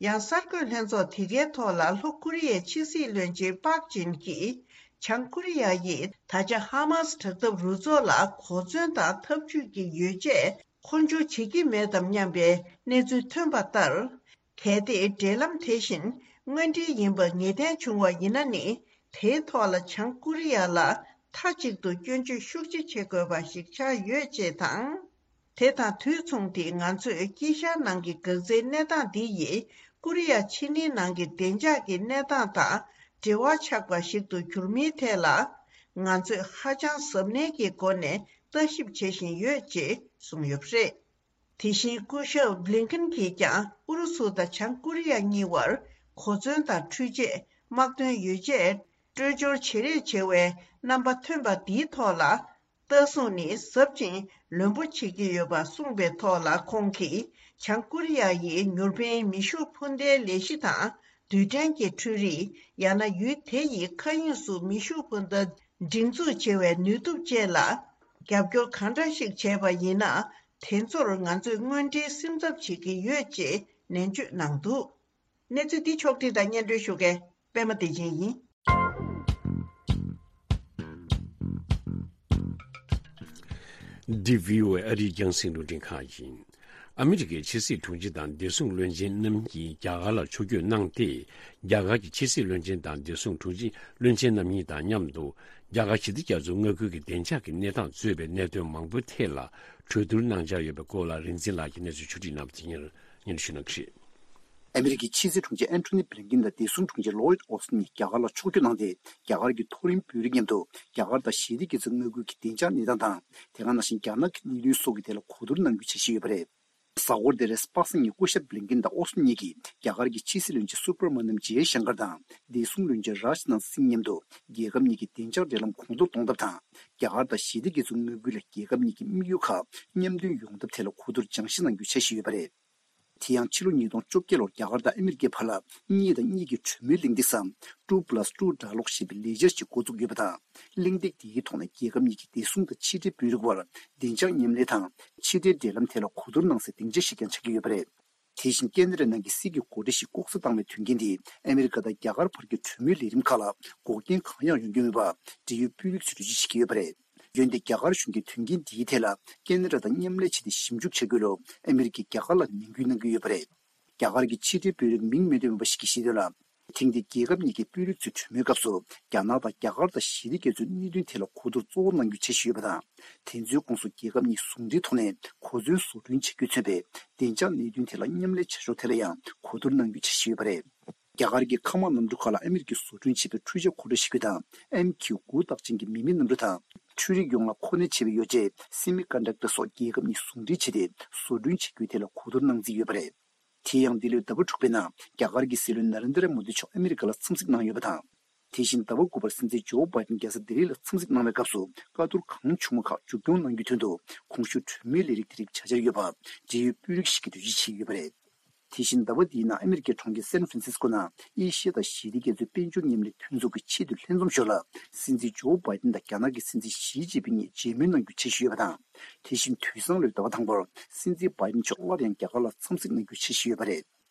ཡང་གསར་འགོད་ལྷན་ཚོགས་དེ་གའི་ཐོག་ལ་ལྷོ་ཀོ་རི་ཡའི་ཕྱི་སྲིད་བློན་ཆེན་པག་ཅིན་གྱིས། བྱང་ཀོ་རི་ཡ་ཡིས་ད་ཆ་ཧ་མ་སི་དྲག་འཐབ་རུ་ཚོགས་ལ་གོ་མཚོན་དང་འཐབ་ཇུས་ཀྱི་ཡོ་བྱད་མཁོ་སྦྱོར་བྱེད་ཀྱི་མེད་དམ་སྙམ་པའི་གནས་ཚུལ་ཐོན་པ་ལྟར། གལ་ཏེ་འབྲེལ་ལམ་དེ་བཞིན་དངོས་འབྲེལ་ཡིན་པ་ངེས་གཏན་བྱུང་བ་ཡིན་ན་ནི། དེའི་ཐོག་ལ་བྱང་ཀོ་རི་ཡ་ལ་མཐའ་གཅིག་ཏུ་སྐྱོན་བརྗོད་ཤུགས་ཆེ་བྱེད་དགོས་པ་ཞིག་ཆགས་ཡོད་ཅེས་དང་། དེ་དང་དུས་མཚུངས་ཏེ་ང་ཚོས་དཀྱིལ་ཤར་ནང་གི་འགག་རྩའི་གནས་སྟངས་འདི་ཡིས་ཀོ་རི་ཡ་ཕྱེད་གླིང་ནང་གི་བདེ་འཇགས་ཀྱི་གནས་སྟངས་དང་འབྲེལ་བ་ཆགས་པ་ཞིག་ཏུ་གྱུར་མིའི་ཐད་ལ། ང་ཚོས་ཧ་ཅང་གཟབ་ནན་གྱི་སྒོ་ནས་ལྟ་ཞིབ་བྱེད་བཞིན་ཡོད་ཅེས་གསུངས་ཡོད་པ་རེད། དེ་བཞིན་སྐུ་ཞབས་བྷི་ལིན་ཀེན་གྱིས་ཀྱང་ཨུ་རུ་སུ་དང་བྱང་ཀོ་རི་ཡ་གཉིས་བར་གོ་མཚོན་དང་འཕྲུལ་ཆས། དམག་དོན་ཡོ་བྱད། སྤྲོད་སྦྱོར་བྱེད་རེས་བྱེད་པའི་རྣམ་པ་ཐོན་པ་འདིའི་ཐོག་ལ། ལྟ་སྲུང་ནི་ཟབ་ཅིང་རློན་པོ་བྱེད་ཀྱི་ཡོད་པ་གསུངས་པའི་ཐོག་ལ། ཁོང་གིས་བྱང་ཀོ་རི་ཡ་ཡིས་མྱུར་ཕན་མེ་ཤུགས་འཕུར་མདའི་ལས་གཞི་དང་། རྡུལ་ཕྲན་གྱི་འཕྲུལ་རིག་ཡང་ན་ཡུལ་དེ་ཡི་མཁའ་དབྱིངས་སུ་མེ་ཤུགས་འཕུར་མདའ་སྒྲིག་འཛུགས་བྱེད་པའི་ནུས་སྟོབས་བཅས་ལ་རྒྱབ་སྐྱོར་གང་འདྲ་ཞིག་བྱས་པ་ཡིན་ན། དེ་ཚོར་ང་ཚོས་དངོས་འབྲེལ་སེམས་འཚབ་བྱེད་ཀྱི་ཡོད་ཅེས་ནན་བརྗོད་གནང་འདུག་གནས་ཚུལ་འདི་ཕྱོགས་བསྒྲིགས་དང་སྙན་སྒྲོན་ཞུ་མཁན་པད་མ་བདེ་ཆེན་ཡིན། འདི་བྷི་ཨོ་ཨེ་ཨ་རིའི་རྒྱང་སྲིང་རླུང་འཕྲིན་ཁང་ཡིན། ཨ་མི་རི་ཀའི་ཕྱི་སྲིད་དྲུང་ཆེ་དང་བདེ་སྲུང་བློན་ཆེན་རྣམ་གཉིས་རྒྱ་གར་ལ་ཕྱོགས་བསྐྱོད་གནང་སྟེ། རྒྱ་གར་གྱི་ཕྱི་སྲིད་བློན་ཆེན་དང་བདེ་སྲུང་དྲུང་ཆེ་བློན་ཆེན་རྣམ་གཉིས་དང་མཉམ་དུ། རྒྱ་གར་ཞི་བདེ་རྒྱ་མཚོའི་མངའ་ཁུལ་གྱི་བདེ་འཇགས་ཀྱི་གནས་སྟངས་གཙོས་པའི་གནད་དོན་མང་པོའི་ཐད་ལ་གྲོས་བསྡུར་གནང་འཆར་ཡོད་པའི་སྐོར་ལ། རིག་འཛིན་ལགས་ཀྱིས་གནས་ཚུལ་ཕྱོགས་སྒྲིག་གནང་བ་དེ་སྙན་སྙན་ཞུ་གནང་གི་རེད། ཨ་མི་རི་ཀའི་ཕྱི་སྲིད་དྲུང་ཆེ་ཨན་ཐོ་ནི་བྷི་ལིན་ཀིན་དང་བདེ་སྲུང་དྲུང་ཆེ་ལོ་ཡིད་ཨོ་སི་ཊིན་གཉིས་རྒྱ་གར་ལ་ཕྱོགས་བསྐྱོད་གནང་སྟེ། རྒྱ་གར་གྱི་མཐོ་རིམ་དཔོན་རིགས་མཉམ་དུ་རྒྱ་གར་དང་ཞི་བདེ་རྒྱ་མཚོའི་མངའ་ཁུལ་གྱི་བདེ་འཇགས་གནས་སྟངས་དང་། དེ་ག་ནང་བཞིན་རྒྱ་ནག་གི་གནད་དོན་སོགས་ཀྱི་ཐད་ལ་གོ་བསྡུར་གནང་རྒྱུའི་འཆར་གཞི་ཡོད་པ་རེད། གཟའ་འཁོར་འདིར་པ་སངས་ཉིན་སྐུ་ཞབས་བྷི་ལིན་ཀིན་དང་ཨོ་སི་ཊིན་གཉིས་ཀྱིས་རྒྱ་གར་གྱི་ཕྱི་སྲིད་བློན་ཆེན་སུ་བྷར་མ་ནམ་ཇེ་ཤང་ཀར་དང་བདེ་སྲུང་བློན་ཆེན་རཱཇ་ནཱཐ་སིང་མཉམ་དུ་རྒྱལ་ཁབ་གཉིས་ཀྱི་བདེ་འཇགས་འབྲེལ་ལམ་གོང་མཐོར་གཏོང་ཐབས་དང་། རྒྱ་གར་དང་ཞི་བདེ་རྒྱ་མཚོའི་མངའ་ཁུལ་ལ་རྒྱལ་ཁབ་གཉིས་ཀྱི་དམིགས་ཡུལ་ཁག་མཉམ་འདོན་ཡོང་ཐབས་ཐད་ལ་གོ་བསྡུར་སྦྱང་བཤད་གནང་རྒྱུའི་འཆར་གཞི་ཡོད་པ་རེད། དེ་ཡང་ཕྱི་ལོ་ཉིས་སྟོང་བཅོ་བརྒྱད་ལོར་རྒྱ་གར་དང་ཨ་མི་རི་ཀའི་བར་ལ་གཉིས་དང་གཉིས་ཀྱི་གྲོས་མོལ་གླེང་སྟེགས་སམ། ཊུ་པ་ལ་སི་ཊུ་དྲ་ལོག་ཞེས་པའི་ལས་འཆར་ཞིག་འགོ་བཙུགས་ཡོད་པ་དང་། གླེང་སྟེགས་དེའི་ཐོག་ནས་རྒྱལ་ཁབ་གཉིས་ཀྱི་བདེ་སྲུང་དང་ཕྱི་འབྲེལ་དཔོན་རིགས་དབར་བདེ་འཇགས་མཉམ་ལས་དང་ཕྱི་འབྲེལ་འབྲེལ་ལམ་ཐད་ལ་གོ་བསྡུར་གནང་སའི་སྡིངས་ཆ་ཞིག་ཀྱང་ཆགས་ཀྱི་ཡོད་པ་རེད། དེ་བཞིན་ཁེ་ན་ཌ་ནང་གི་སྲིད་ཀྱི་འགོ་ཁྲིད་ཞིག་ལྐོག་ཟ་བཏང་བའི་དོན་རྐྱེན་དེས་ཨ་མི་རི་ཀ་དང་རྒྱ་གར་བར་གྱི་གྲོས་མོལ་ལས་རིམ་ཁག་ལ་འགོག་རྐྱེན་གང་ཡང་ཡོང་རྒྱུ་མེད་པ་འབྲེལ་ཡོད་དཔོན་རིགས་ཚོས་འགྲེལ་བརྗོད་བྱེད་ཀྱི་ཡོད་པ་རེད། འོན་ཏེ་རྒྱ་གར་གཞུང་གིས་དོན་རྐྱེན་འདིའི་ཐད་ལ་ཁེ་ན་ཌ་དང་མཉམ་ལས་བྱས་ཏེ་ཞིབ་འཇུག་བྱ་དགོས་ལུགས་ཨ་མི་རི་ཀས་རྒྱ་གར་ལ་ནན་སྐུལ་གནང་གི་ཡོད་པ་རེད། རྒྱ་གར་གྱི་ཕྱི་འབྲེལ་དཔོན་རིགས་མིང་མི་འདོན་པ་ཞིག་གིས་བཤད་དོན་ལ། ཐེངས་འདིའི་རྒྱལ་ཁབ་གཉིས་ཀྱི་དཔོན་རིགས་ཚོའི་གྲོས་མོལ་སྐབས་སུ་རྒྱ་ནག་དང་རྒྱ་གར་དང་ཞི་བདེ་རྒྱ་མཚོའི་གནད་དོན་ཐད་ལ་གོ་བསྡུར་གཙོ་བོ་གནང་རྒྱུའི་འཆར་གཞི་ཡོད་པ་དང་། དེ་ཚོའི་ཁོངས་སུ་རྒྱལ་ཁབ་གཉིས་ཟུང་འབྲེལ་ཐོག་ནས་གོ་མཚོན་བཟོ་སྐྲུན་བྱ་རྒྱུས་མཚོན་པའི་བདེ་འཇགས་གནད་དོན་ཐད་ལ་མཉམ་ལས་བྱ་ཕྱོགས་ཐད་ལ་ཡང་གོ་བསྡུར་གནང་རྒྱུའི་འཆར་གཞི་ཡོད་པ་རེད། རྒྱ་གར་གྱི་མཁའ་དམག་གནམ་གྲུ་ཁག་ལ་ཨ་མི་རི་ཀས་བཟོ་སྐྲུན་བྱས་པའི་འཕྲུལ་ཆས་མཁོ་སྤྲོད་ཞིག་དང་། ཨེམ་ཁྱུ་དགུ་རྟགས་ཅན་གྱི་མི་མེད་གནམ་གྲུ་དང་། འཕྲུལ་རིག་ཡོངས་ལ་མཁོ་གནད་ཆེ་བའི་ཡོ་བྱད་སེ་མི་ཀོན་ཌག་ཊར་སོགས་རྒྱལ་ཁབ་གཉིས་ཟུང་འབྲེལ་བྱས་ཏེ་བཟོ་སྐྲུན་བྱ་རྒྱུའི་ཐད་ལ་གོ་བསྡུར་གནང་རྩིས་ཡོད་པ་རེད། དེ་ཡང་འདི་ལོའི་ཟླ་བ་དྲུག་པའི་ནང་རྒྱ་གར་གྱི་སྲིད་བློན་ནཱ་རེན་དྲ་མོ་དི་མཆོག་ཨ་མི་རི་ཀ་ལ་འཚམས་གཟིགས་གནང་ཡོད་པ་དང་། དེ་བཞིན་ཟླ་བ་དགུ་པར་སྲིད་འཛིན་ཇོ་བྷའི་ཌེན་རྒྱལ་ས་ལྡི་ལི་ལ་འཚམས་གཟིགས་གནང་བའི་སྐབས་སུ་བཀའ་བསྡུར་གང་བྱུང་བ་ཁག་མཇུག་སྐྱོང་གནང་རྒྱུའི་དོན་དུ་གོང་ཞུས་གྲོས་མོལ་ལས་རིགས་དེ་རིགས་བྱ་འཆར་ཡོད་པ་འབྲེལ་ཡོད་དཔོན་རིགས་ཤིག་གིས་འགྲེལ་བརྗོད་བྱས་ཡོད་པ་རེད། དེ་བཞིན་ཟླ་བ་འདིའི་ནང་ཨ་མི་རི་ཀའི་གྲོང་ཁྱེར་སན་ཧྥ་རན་སིས་ཀོ་ནང་ཨེ་ཤི་ཡ་དང་ཞི་བདེ་རྒྱ་མཚོའི་དཔལ་འབྱོར་མཉམ་ལས་མཐུན་ཚོགས་ཀྱི་ཆེས་མཐོའི་ལྷན་འཛོམས་ཞོར་ལ་སྲིད་འཛིན་ཇོ་བྷའི་ཌེན་དང་རྒྱ་ནག་གི་སྲིད་འཛིན་ཞི་ཅིན་ཕིང་གཉིས་མཇལ་མོལ་གནང་རྒྱུའི་འཆར་གཞི་ཡོད་པ་དང་། དེ་བཞིན་དུས་སང་ལོའི་ཟླ་བ་དང་པོར་སྲིད་འཛིན་བྷའི་ཌེན་མཆོག་སླར་ཡང་རྒྱ་གར་ལ་འཚམས་གཟིགས་གནང་རྒྱུའི་འཆར་གཞི་ཡོད་པ་རེད།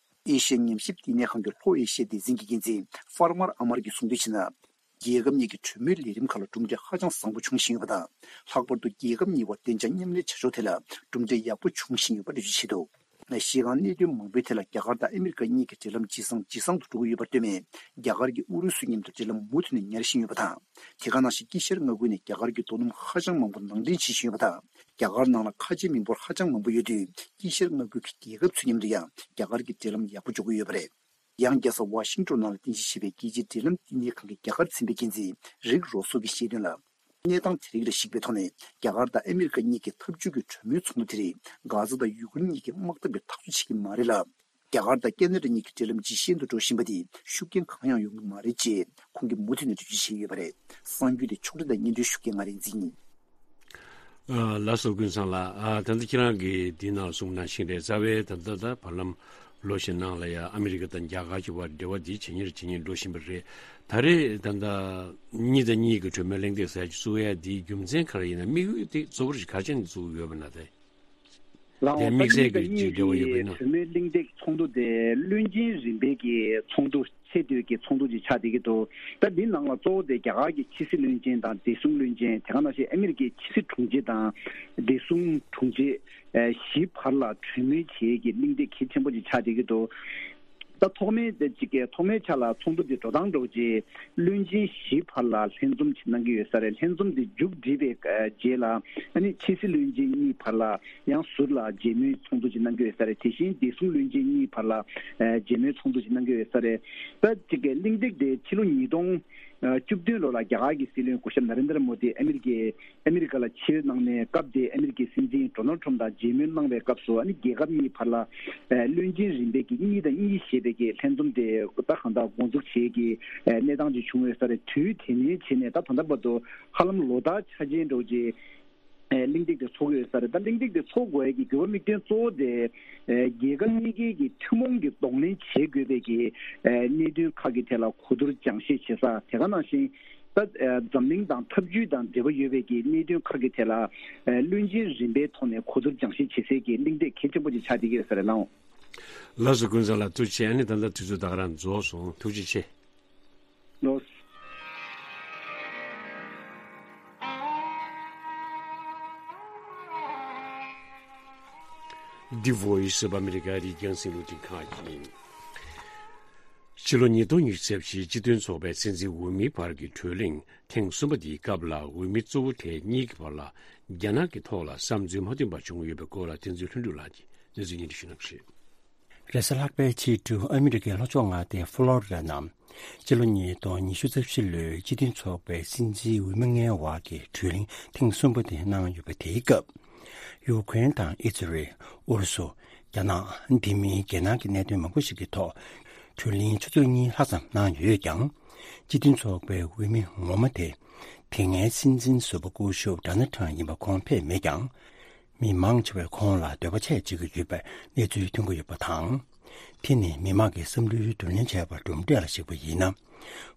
ཨེ་ཤི་ཡ་ཉམས་ཞིབ་བསྟི་གནས་ཁང་གི་ལྷོ་ཨེ་ཤི་ཡ་སྡེ་ཚན་གྱི་འགན་འཛིན་ཕར་མར་ཨ་མར་གྱིས་གསུངས་དོན་བྱས་ན། རྒྱལ་ཁབ་གཉིས་ཀྱི་གྲོས་མོལ་ལས་རིམ་ཁག་ལ་གྲུབ་འབྲས་ཧ་ཅང་བཟང་པོ་འབྱུང་བཞིན་ཡོད་པ་དང་། ལྷག་པར་དུ་རྒྱལ་ཁབ་གཉིས་བར་བདེ་འཇགས་མཉམ་ལས་བྱ་ཕྱོགས་ཐད་ལ་གྲུབ་འབྲས་ཡག་པོ་འབྱུང་བཞིན་ཡོད་པ་འགྲེལ་བརྗོད་བྱས་འདུག་གཞི་རྐང་གནད་དོན་མང་པོའི་ཐད་ལ་རྒྱ་གར་དང་ཨ་མི་རི་ཀ་གཉིས་ཀྱི་འབྲེལ་ལམ་ཇེ་བཟང་ཇེ་བཟང་དུ་འགྲོ་གི་ཡོད་པར་ལྟོས་ནས། རྒྱ་གར་གྱིས་ཨུ་རུ་སུའི་མཉམ་དུ་འབྲེལ་ལམ་མུ་མཐུད་ནས་ཉར་བཞིན་ཡོད་པ་དང་། དེ་ག་ནང་བཞིན་དཀྱིལ་ཤར་མངའ་ཁུལ་ནས་རྒྱ་གར་གྱི་རྡོ་སྣུམ་ཧ་ཅང་མང་པོ་ནང་འདྲེན་བྱེད་བཞིན་ཡོད་པ་དང་། རྒྱ་གར་ནང་ལ་ཁ་ཆེའི་མི་འབོར་ཧ་ཅང་མང་པོ་ཡོད་དུས། དཀྱིལ་ཤར་མངའ་ཁུལ་གྱི་རྒྱལ་ཁབ་ཚོའི་མཉམ་དུ་ཡང་རྒྱ་གར་གྱི་འབྲེལ་ལམ་ཡག་པོ་འཇོག་གི་ཡོད་པ་རེད། ཡང་རྒྱལ་ས་ཝ་ཤིང་ཏོན་ནང་ལ་རྟེན་གཞི་བྱས་པའི་རྒྱལ་སྤྱིའི་འབྲེལ་ལམ་བསྟི་གནས་ཁང་གི་རྒྱ་གར་ཚན་པའི་འགན་འཛིན་རིག་རོ་སོ་གིས་བཤད་དོན་ལ། གནས་སྟངས་དེ་རིགས་ལ་གཞིགས་པའི་ཐོག་ནས་རྒྱ་གར་དང་ཨ་མི་རི་ཀ་གཉིས་ཀྱིས་འཐབ་ཇུས་ཀྱི་གྲོས་མོལ་ཚོགས་འདུ་དེ་རིགས་གྷ་ཛ་དང་ཡུ་ཀེ་རེན་གཉིས་ཀྱི་དམག་འཐབ་ལ་ཐག་གཅོད་བྱེད་ཀྱི་མ་རེད་ལ། རྒྱ་གར་དང་ཁེ་ན་ཌ་གཉིས་ཀྱི་འབྲེལ་ལམ་ཇེ་ཞན་དུ་འགྲོ་བཞིན་པ་དེས་ཤུགས་རྐྱེན་གང་ཡང་ཡོང་གི་མ་རེད་ཅེས་ཁོང་གིས་མུ་མཐུད་ནས་འགྲེལ་བརྗོད་བྱས་ཡོད་པ་རེད། གསར་འགྱུར་དེ་ཕྱོགས་སྒྲིག་དང་སྙན་སྒྲོན་ཞུ་མཁན་ང་རིག་འཛིན་ཡིན། ལགས་སོ། ཀུན་བཟང་ལགས། ད་ལྟ་ཁྱེད་རང་གིས་འདི་ནང་གསུངས་ནང་བཞིན་རེད། རྩ་བའི་ད་ལྟ་ད་བར་ལམ་ལོ་ཤས་ནང་ལ་ཡང་ཨ་མི་རི་ཀ་དང་རྒྱ་གར་གྱི་བར་འབྲེལ་བ་འདི་ཇེ་ཉེར་ཇེ་ཉེར་འགྲོ་བཞིན་པ་རེད། ད་རེས་ད་ལྟ་གཉིས་དང་གཉིས་ཀྱི་གྲོས་མོལ་གླེང་སྟེགས་ཟེར་ཅིག་བཙུགས་ཡ་འདིའི་རྒྱུ་མཚན་ག་རེ་ཡིན་ན། དམིགས་ཡུལ་དེ་གཙོ་བོ་ག་རེ་བྱས་ནས་བཙུགས་ཡོད་པ་ན་དེ། ལའོ། དེ་དམིགས་བསལ་གྱི་ཅིག་འབྲེལ་བ་ཡོད་པ་ཡིན་ན། གྲོས་མོལ་གླེང་སྟེགས་ཚོགས་འདུ་དེ་བློན་ཆེན་རིམ་པའི་གི་ཚོགས་འདུ་ཆེས་མཐོའི་གི་ཚོགས་འདུ་ཅིག་ཆགས་བསྡད་ཀྱི་འདུག་ད་འདི་ནང་ལ་གཙོ་བོ་དེ་རྒྱ་གར་གྱི་ཕྱི་སྲིད་བློན་ཆེན་དང་བདེ་སྲུང་བློན་ཆེན། དེ་ག་ནང་བཞིན་ཨ་མི་རི་ཀའི་ཕྱི་སྲིད་དྲུང་ཆེ་དང་བདེ་སྲུང་དྲུང་ཆེ་བཞི་བར་ལ་གྲོས་མོལ་བྱེད་ཀྱི་གླེང་སྟེགས་གལ་ཆེན་པོ་ཅིག་ཆགས་བསྡད་ཀྱི་འདུག་ཐོག་མའི་དེ་གཅིག་གི་ཐོག་མའི་ཆ་ལ་ཚོགས་འདུ་དེ་འགྲོ་སྟངས་འདྲ་བོ་ཅིག་བློན་ཆེན་བཞི་བར་ལ་ལྷན་འཛོམས་ཅིག་གནང་གི་ཡོད་ས་རེད། ལྷན་འཛོམས་དེ་མཇུག་བསྒྲིལ་བའི་རྗེས་ལ་ཨ་ནི་ཕྱི་སྲིད་བློན་ཆེན་གཉིས་བར་ལ་ཡང་ཟུར་ལ་མཇལ་མོལ་ཚོགས་འདུ་ཅིག་གནང་གི་ཡོད་ས་རེད། དེ་བཞིན་བདེ་སྲུང་བློན་ཆེན་གཉིས་བར་ལ་ཨ་མཇལ་མོལ་ཚོགས་འདུ་ཅིག་གནང་གི་ཡོད་ས་རེད། ད་གཅིག་གི་གླེང་སྟེགས་དེ་ཕྱི་ལོ་ཉིས་སྟོང་བཅུ་བདུན་ལོ་ལ་རྒྱ་གར་གྱི་སྲིད་བློན་སྐུ་ཞབས་ན་རེན་དྲ་མོ་དི་ཨ་མི་རི་ཀའི་ཨ་མི་རི་ཀ་ལ་ཕྱིར་གནང་ནས། སྐབས་དེའི་ཨ་མི་རི་ཀའི་སྲིད་འཛིན་ཌོ་ནལ་ཊམ་དང་མཇལ་མོལ་གནང་བའི་སྐབས་སུ་ཨ་ནི་རྒྱལ་ཁབ་གཉིས་བར་ལ་ཨ་བློན་ཆེན་རིམ་པས་ཀྱི་གཉིས་དང་གཉིས་ཞེས་པའི་གི་ལྷན་འཛོམས་དེ་ད་གང་ལྟར་འགོ་འཛུགས་བྱེད་ཀྱི་ཨ་གནས་སྟངས་ཅིག་བྱུང་ཡོད་ས་རེད། དུས་དེ་ནས་བྱས་ནས་ད་ད་ལྟ་བར་དུ་ཧ་ལམ་ལོ་ལྟར་འཆར་ཅན་འདྲ་བོ་ཅིག་ཨ་གླེང་སྟེགས་དེ་ཚོགས་ཀྱི་ཡོད་ས་རེད། ད་གླེང་སྟེགས་དེ་ཚོགས་དགོས་ཡ་གི་དགོས་པ་དམིགས་དོན་གཙོ་བོ་དེ་ཨ་རྒྱལ་ཁབ་གཉིས་ཀའི་གི་ཐུན་མོང་གི་གདོང་ལེན་བྱེད་དགོས་པའི་གི་ཨ་གནད་དོན་ཁག་གི་ཐད་ལ་གོ་བསྡུར་སྦྱང་བཤད་བྱེད་ས། དེ་ག་ནང་བཞིན་ད་ཨ་འཛམ་གླིང་དང་འཐབ་ཇུས་དང་འབྲེལ་བ་ཡོད་པའི་གི་གནད་དོན་ཁག་གི་ཐད་ལ་ཨ་བློན་ཆེན་རིམ་པའི་ཐོག་ནས་གོ་བསྡུར་སྦྱང་བཤད་བྱེད་སའི་གི་གླེང་སྟེགས་གལ་ཆེན་པོ་ཅིག་ཆགས་བསྡད་ཀྱི་ཡོད་ས་རེད། ལགས་འོང་། ལགས་སོ། ཀུན་བཟང་ལགས་ཐུགས་རྗེ་ཆེ། ཨ་ནི་ད་ལྟ་དུས་ཚོད་ད་ག་རང་རྫོགས་སོང་། ཐུགས་རྗེ་ཆེ། ལགས། འདི་Voice of America རི་རྒྱང་སྲིང་རླུང་འཕྲིན་ཁང་ཡིན། ཕྱི་ལོ་ཉིས་སྟོང་ཉི་ཤུ་རྩ་བཞིའི་སྤྱི་མཐུན་ཚོགས་པའི་སྲིད་འཛིན་འོས་མིའི་བར་གྱི་གྲོས་གླེང་ཐེངས་གསུམ་པ་འདིའི་སྐབས་ལ་འོས་མི་གཙོ་བོ་དེ་གཉིས་ཀྱི་བར་ལ་རྒྱ་ནག་གི་ཐོག་ལ་བསམ་ཚུལ་མ་མཐུན་པ་བྱུང་ཡོད་པའི་སྐོར་ལ་བསྟན་འཛིན་ལྷུན་གྲུབ་ལགས་ཀྱིས་གནས་ཚུལ་སྙན་སྒྲོན་ཞུ་གནང་གི་རེད། རེས་གཟའ་ལྷག་པའི་ཕྱི་དྲོ་ཨ་མི་རི་ཀའི་ལྷོ་ཕྱོགས་མངའ་སྡེ་ཕུ་ལོ་རི་ཌ་ནང་སྤྱི་ལོ་ཉིས་སྟོང་ཉི་ཤུ་རྩ་བཞི་ལོའི་སྤྱི་མཐུན་ཚོགས་པའི་སྲིད་འཛིན་འོས་མི་ལྔའི་བར་གྱི་གྲོས་གླེང་ཐེངས་གསུམ་པ་དེ་གནང་ཡོད་པ་དེའི་སྐབས། ཡུ་ཀེ་རེན་དང་ཨི་ཛི་རེལ། ཨུ་རུ་སུ། རྒྱ་ནག་འདི་མིན་རྒྱལ་ནང་གི་གནད་དོན་མང་པོ་ཞིག་གི་ཐོག་གྲོས་གླེང་ཆུ་ཚོད་གཉིས་ལྷག་ཙམ་གནང་ཡོད་ཀྱང་། སྤྱི་མཐུན་ཚོགས་པའི་འོས་མི་ངོ་མ་དེ་དེ་སྔའི་སྲིད་འཛིན་ཟུར་པ་སྐུ་ཞབས་ཌོ་ནལ་ཊམ་ཡིན་པ་ཁོང་ཕེབས་མེད་ཀྱང་། མི་མང་ཆེ་བས་ཁོང་ལ་འདོད་པ་ཆེ་བྱེད་ཀྱི་ཡོད་པའི་གནས་ཚུལ་ཐོན་གྱི་ཡོད་པ་དང་། དེ་ནི་མི་མང་གི་བསམ་བློའི་བསྡུ་ལེན་བྱས་པ་གྲུབ་འབྲས་ལ་གཞིགས་པ་ཡིན་ན།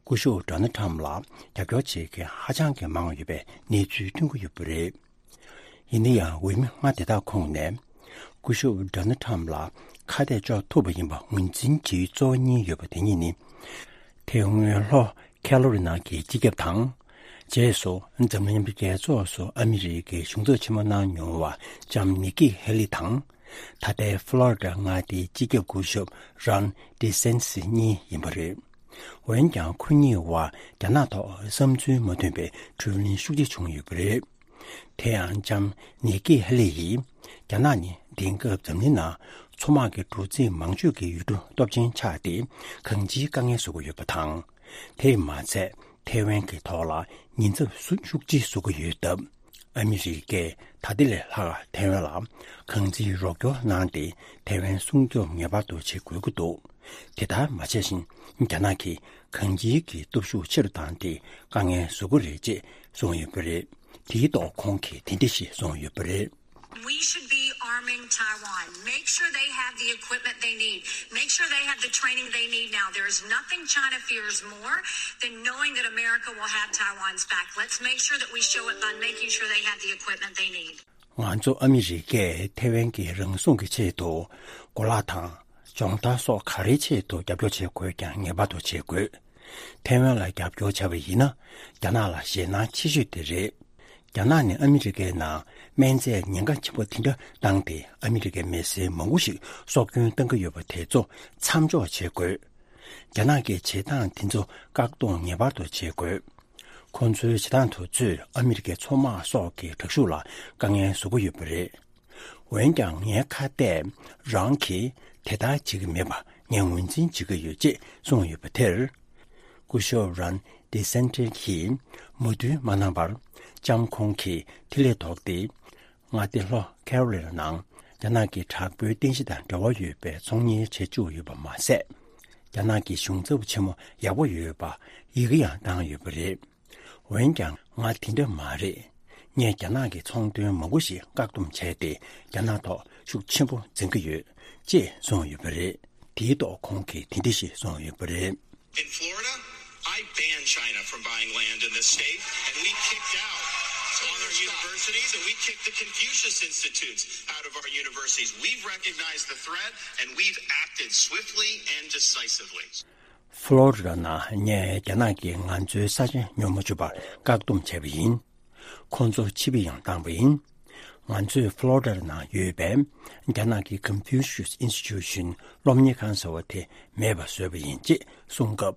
སྐུ་ཞབས་ཌོ་ནལ་ཊམ་ལ་རྒྱབ་སྐྱོར་བྱེད་མཁན་ཧ་ཅང་གི་མང་བ་ཡོད་པའི་གནས་ཚུལ་ཐོན་གྱི་ཡོད་པ་རེད། ཡིན་ན་ཡང་འོས་མི་ལྔ་དེ་དག་ཁོངས་ནས། སྐུ་ཞབས་ཌོ་ནལ་ཊམ་ལ་ཁ་གཏད་གཅོག་ཐུབ་པ་ཡིན་པ་ངོས་འཛིན་བྱེད་ཡུལ་གཙོ་བོ་གཉིས་ཡོད་པ་དེ་གཉིས་ནི། དེ་སྔོན་ལྷོ་ཁེ་ལོ་རི་ན་གི་སྤྱི་ཁྱབ་དང་། རྗེས་སུ་འཛམ་གླིང་མཉམ་འབྲེལ་རྒྱལ་ཚོགས་སུ་ཨ་མི་རི་ཀའི་གཞུང་ཚབ་ཆེན་མོ་གནང་མྱོང་བ་ལྕམ་ནིག་ཀི་ཧེ་ལི་དང་། ད་ལྟའི་ཕུ་ལོ་རི་ཌ་མངའ་སྡེའི་སྤྱི་ཁྱབ་སྐུ་ཞབས་རོན་ཌི་སན་ཊི་སི་གཉིས་ཡིན་པ་རེད། འོན་ཀྱང་ཁོ་གཉིས་བར་རྒྱ་ནག་ཐོག་བསམ་ཚུལ་མ་མཐུན་པའི་གྲོས་གླེང་ཤུགས་ཆེ་བྱུང་ཡོད་པ་རེད། དེ་ཡང་ལྕམ་ནིག་ཀི་ཧེ་ལི་ཡིས་རྒྱ་ནག་ནི་དེང་སྐབས་འཛམ་གླིང་ནང་མཚོ་དམག་གི་གྲུ་གཟིངས་མང་ཤོས་ཀྱི་ཡུལ་གྲུ་སྟོབས་ཆེན་ཆགས་ཏེ་གང་ཅིའི་དཀའ་ངལ་བཟོ་གི་ཡོད་པ་དང་། དེས་མ་ཚད་ཐའེ་ཝན་གྱི་ཐོག་ལ་ཉེན་ཚབས་སུ་ཤུགས་ཆེ་བཟོ་གི་ཡོད་སྟབས། ཨ་མི་རི་ཀས་ད་ལྟ་ལས་ལྷག་ཐའེ་ཝན་ལ་གང་ཅིའི་རོགས་སྐྱོར་གནང་སྟེ་ཐའེ་ཝན་སྲུང་སྐྱོབ་ངེས་པར་དུ་བྱེད་དགོས་ཀྱི་འདུག་དེ་ལྟར་མ་བྱས་ཤིང་རྒྱ་ནག་གིས་གང་ཅིའི་གི་སྟོབས་ཤུགས་ཆེ་རུ་བཏང་སྟེ་དཀའ་ངལ་བཟོ་གི་རེད་ཅེས་གསུངས་ཡོད་པ་རེད། དེའི་ཐོག་ཁོང་གིས་དེ་འདྲ་ཞིག་གསུངས་ཡོད་པ་རེད། We should be arming Taiwan. Make sure they have the equipment they need. Make sure they have the training they need now. There is nothing China fears more than knowing that America will have Taiwan's back. Let's make sure that we show it by making sure they have the equipment they need. ང་ཚོ་ཨ་མི་རི་ཀས་ཐའེ་ཝན་གྱི་རང་སྲུང་གི་ཆེད་དུ་གོ་ལག་དང་སྦྱོང་བརྡར་སོགས་ག་རེའི་ཆེད་དུ་རྒྱབ་སྐྱོར་བྱེད་དགོས་ཀྱང་ངེས་པར་དུ་བྱེད་དགོས། ཐའེ་ཝན་ལ་རྒྱབ་སྐྱོར་བྱ་བ་ཡིན་ན་རྒྱ་ནག་ལ་ཞེད་སྣང་ཆེ་ཤོས་དེ་རེད། རྒྱ་ནག་ནི་ཨ་མི་རི་ཀའི་ནང་སྨན་རྫས་ཉེན་ཁ་ཆེན་པོ་དེ་འདྲ་བཏང་སྟེ་ཨ་མི་རི་ཀའི་མི་སེར་མང་པོ་ཞིག་སྲོག་སྐྱོན་བཏང་གི་ཡོད་པ་དེ་ཚོ་མཚམས་འཇོག་བྱེད་དགོས། རྒྱ་ནག་གི་བྱེད་སྟངས་དེ་ཚོ་བཀག་སྡོམ་ངེས་པར་དུ་བྱེད་དགོས། ཁོང་ཚོའི་བྱེད་སྟངས་དེ་ཚོས་ཨ་མི་རི་ཀའི་མཚོ་དམག་སོགས་ཀྱི་དྲག་ཤུགས་ལ་དཀའ་ངལ་བཟོ་གི་ཡོད་པ་རེད། འོན་ཀྱང་ངའི་ཁ་གཏད་རང་གིས་དེ་ལྟར་བྱེད་ཀྱི་མེད་པ་ངས་ངོས་འཛིན་བྱེད་ཀྱི་ཡོད་ཅེས་གསུངས་ཡོད་པ་དེར། སྐུ་ཞབས་རོན་ཌི་སན་ཊི་སི་གིས་མོས་མཐུན་མ་གནང་བར་ལྕམ་ཁོང་གིས་ཐིག་ལེ་ཐོགས་ཏེ། མངའ་སྡེ་ལྷོ་ཁེ་རོ་ལི་ན་ནང་རྒྱ་ནག་གི་དྲག་པོའི་རྟེན་གཞི་དང་འབྲེལ་བ་ཡོད་པའི་ཚོང་གཉེར་བྱེད་བཅུག་ཡོད་པ་མ་ཟད། རྒྱ་ནག་གི་གཞུང་ཚབ་ཆེན་མོ་ཡག་པོ་ཡོད་པ་ཡི་གེ་ཡང་བཏང་ཡོད་པ་རེད། འོན་ཀྱང་ང་དེ་འདྲ་མ་རེད། ངས་རྒྱ་ནག་གི་ཚོང་དོན་མང་པོ་ཞིག་བཀག་སྡོམ་བྱས་ཏེ་རྒྱ་ནག་ཐོག་ཤུགས་ཆེན་པོ་འཛིན་གྱི་ཡོད་ཅེས་གསུངས་ཡོད་པ་རེད། དེའི་ཐོག་ཁོང་གིས་དེ་འདྲ་ཞིག་གསུངས་ཡོད་པ་རེད། In Florida, I banned China from buying land in this state, and we kicked out on our universities, and we kicked the Confucius Institutes out of our universities. We've recognized the threat, and we've acted swiftly and decisively. ཕུ་ལོ་རི་ཌ་ནང་ངས་རྒྱ་ནག་གིས་ང་ཚོའི་ས་ཆ་ཉོ་མ་བཅུག་པར་བཀག་སྡོམ་བྱས་པ་ཡིན། ཁོང་ཚོ་ཕྱིར་འབུད་ཡང་བཏང་བ་ཡིན། ང་ཚོས་ཕློ་རི་ཌ་ནང་ཡོད་པའི་རྒྱ་ནག་གི་Confucius Institution སློབ་གཉེར་ཁང་ཟེར་བ་དེ་མེད་པ་བཟོས་པ་ཡིན་ཅེས་གསུངས་སྐབས།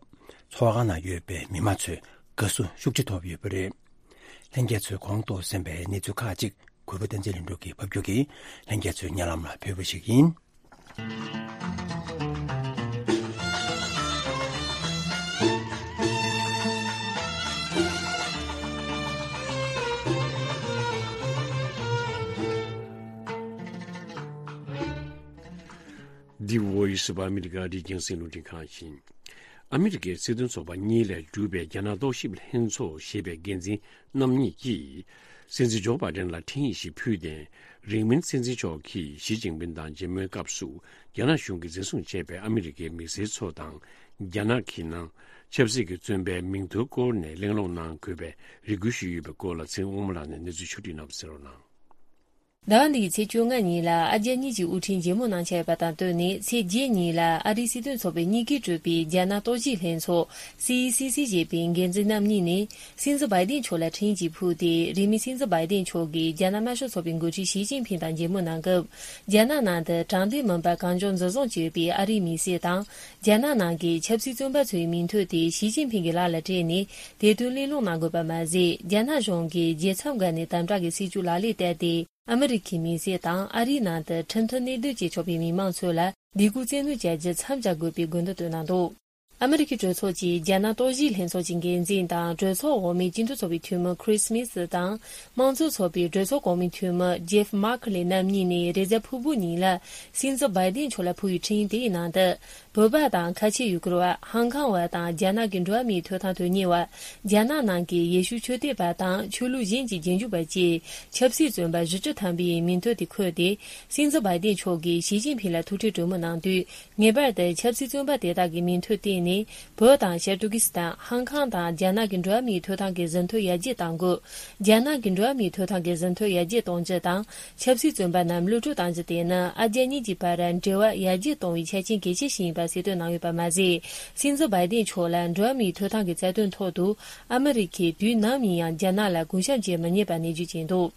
ཚོགས་ཁང་ནང་ཡོད་པའི་མི་མང་ཚོས་དགའ་བསུ་ཤུགས་ཆེ་ཐོབ་ཡོད་པ་རེད། ལྷན་རྒྱས་ཚོས་གོང་དུ་གསན་པའི་གནས་ཚུལ་ཁག་ཅིག་གུས་པ་བསྟན་འཛིན་ལྷུན་གྲུབ་ཀྱིས་ཕབ་སྒྱུར་གྱིས་ལྷན་རྒྱས་ཚོའི་སྙན་ལམ་ལ་ཕུལ་བ་ཞིག་ཡིན། The Voice of America ཨ་རིའི་རྒྱང་སྲིང་རླུང་འཕྲིན་ཁང་ཡིན། ཨ་མི་རི་ཀའི་སྲིད་དོན་ཚོགས་པ་གཉིས་ལས་གྲུབ་པའི་རྒྱ་ནག་རྟོག་ཞིབ་ལྷན་ཚོགས་ཞེས་པའི་འགན་འཛིན་རྣམ་གཉིས་ཀྱིས། སྲིད་འཛིན་ཇོ་བྷའི་ཌེན་ལ་འཕྲིན་ཡིག་ཞིག་ཕུལ་ཏེ། རིང་མིན་སྲིད་འཛིན་མཆོག་གིས་ཞི་ཅིན་ཕིན་དང་མཇལ་མོལ་སྐབས་སུ། རྒྱ་ནག་གཞུང་གིས་འཛིན་བཟུང་བྱས་པའི་ཨ་མི་རི་ཀའི་མི་སེར་ཚོ་དང་། རྒྱ་ནག་གི་ནང་ཆབ་སྲིད་ཀྱི་བཙོན་པའི་མིང་ཐོའི་སྐོར་ནས་གླེང་སློང་གནང་དགོས་པའི་རེ་སྐུལ་ཞུས་ཡོད་པའི་སྐོར་ལ། ཚེ་དབང་མོ་ལགས་ནས་གནས་ཚུལ་ཕྱོགས་བསྒྲིགས་གནང་བ་གསན་རོགས་གནང་། ཟླ་བ་འདིའི་ཚེས་བཅོ་ལྔ་ཉིན་ལ་ཨ་རྒྱ་གཉིས་ཀྱི་དབུ་ཁྲིད་མཇལ་མོལ་གནང་འཆར་ཡོད་པ་དང་བསྟུན་ནས། ཚེས་བརྒྱད་ཉིན་ལ་ཨ་རིའི་སྲིད་དོན་ཚོགས་པའི་གཉིས་ཀས་གྲུབ་པའི་རྒྱ་ནག་རྟོག་ཞིབ་ལྷན་ཚོགས་སི་ཨི་སི་སི་ཞེས་པའི་འགན་འཛིན་རྣམ་གཉིས་ནས་སྲིད་འཛིན་བྷའི་ཏིན་མཆོག་ལ་འཕྲིན་ཡིག་ཅིག་ཕུལ་ཏེ། རིང་མིན་སྲིད་འཛིན་བྷའི་ཏིན་མཆོག་གིས་རྒྱ་ནག་དམར་ཤོག་ཚོགས་པའི་འགོ་ཁྲིད་ཞི་ཅིན་ཕིན་དང་མཇལ་མོལ་གནང་སྐབས། རྒྱ་ནག་ནང་དུ་དྲང་བདེན་མིན་པ་གང་བྱུང་འཛིན་བཟུང་བྱས་ཡོད་པའི་ཨ་རིའི་མི་སེར་དང་། རྒྱ་ནག་ནང་གི་ཆབ་སྲིད་བཙོན་པ་ཚོའི་མིང་ཐོ་དེ་ཞི་ཅིན་ཕིན་གྱི་ལག་ལ་སྤྲད་ནས་དེ་དོན་གླེང་སློང་གནང་དགོས་པ་མ་ཟད། རྒྱ་ནག་གཞུང་གིས་རྒྱལ་མཚམས་བརྒལ་ནས་དམ་དྲག་གི་སྲིད་བྱུས་ལག་ལེན་བསྟར་ཏེ། ཨ་མི་རི་ཁའི་མི་སེར་དང་ཨ་རིའི་ནང་དུ་ཁྲིམས་མཐུན་གནས་སྡོད་བྱེད་ཆོག་པའི་མི་མང་ཚོ་ལ་སྡིགས་སྐུལ་བཙན་གནོན་བྱ་རྒྱུ་མཚམས་འཇོག་དགོས་པའི་དགོས་འདུན་བཏོན་གནང་འདུག་ཨ་མི་རི་ཁའི་གྲོས་ཚོགས་ཀྱི་རྒྱ་ནག་རྟོག་ཞིབ་ལྷན་ཚོགས་ཀྱི་འགན་འཛིན་དང་གྲོས་ཚོགས་འོག་མའི་སྤྱི་འཐུས་ཚོགས་པའི་འཐུས་མི་Chris Smith དང་། དམངས་གཙོ་ཚོགས་པའི་གྲོས་ཚོགས་གོང་མའི་འཐུས་མི་Jeff Merkley རྣམ་གཉིས་ནས་རེས་གཟའ་ཕུར་བུ་ཉིན་ལ་སྲིད་འཛིན་བྷའི་ཏིན་མཆོག་ལ་ཕུལ་བའི་འཕྲིན་ཡིག་དེའི་ནང་དུ། བོད་པ་དང་ཁ་ཆེ་ཡུ་གུར་བ། ཧང་ཀང་བ་དང་རྒྱ་ནག་གི་འགྲོ་བ་མིའི་ཐོབ་ཐང་དོན་གཉེར་བ། རྒྱ་ནག་ནང་གི་ཡེ་ཤུ་ཆོས་དད་པ་དང་ཆོས་ལུགས་གཞན་གྱི་རྗེས་འཇུག་པ་བཅས་ཆབ་སྲིད་བཙོན་པ་བཞི་བཅུ་ཐམ་པའི་མིང་ཐོ་དེ་འཁོད་དེ། སྲིད་འཛིན་བྷའི་ཏིན་མཆོག་གིས་ཞི་ཅིན་ཕིན་ལ་ཐུག་འཕྲད་གྲོས་མོལ་གནང་དུས། ངེས་པར་དུ་ཆབ་སྲིད་བཙོན་པ་དེ་དག་གི་མིང་ཐོ་བཏོན་ནས། བོད་དང་ཤར་ཏུར་ཀི་སི་ཐན། ཧང་ཀང་དང་རྒྱ་ནག་གི་འགྲོ་བ་མིའི་ཐོབ་ཐང་གི་ཟིན་ཐོ་ཡར་རྒྱས་གཏང་དགོས། རྒྱ་ནག་གི་འགྲོ་བ་མིའི་ཐོབ་ཐང་གི་ཟིན་ཐོ་ཡར་རྒྱས་གཏོང་རྒྱུ་དང་། ཆབ་སྲིད་བཙོན་པ་རྣམས་གློད་བཀྲོལ་གཏང་རྒྱུ་དེ་ནི་ཨ་རྒྱ་གཉིས་ཀྱི་བར་འབྲེལ་བ་ཡར་རྒྱས་གཏོང་བའི་ཆ་རྐྱེན་གལ་ཆེ་ཞིག་ཡིན་པ་གསལ་སྟོན་གནང་ཡོད་པ་མ་ཟད། སྲིད་འཛིན་བྷའི་ཏིན་མཆོག་ལ་འགྲོ་བ་མིའི་ཐོབ་ཐང་གི་རྩ་དོན་ཐོག་ཏུ་ཨ་མི་རི་ཁས་དུས་ནམ་ཡིན་ཡང་རྒྱ་ནག་ལ་གུས་ཞབས་བྱེད་མི་ཉན་པ་ནན་བརྗོད་བྱས་འདུག་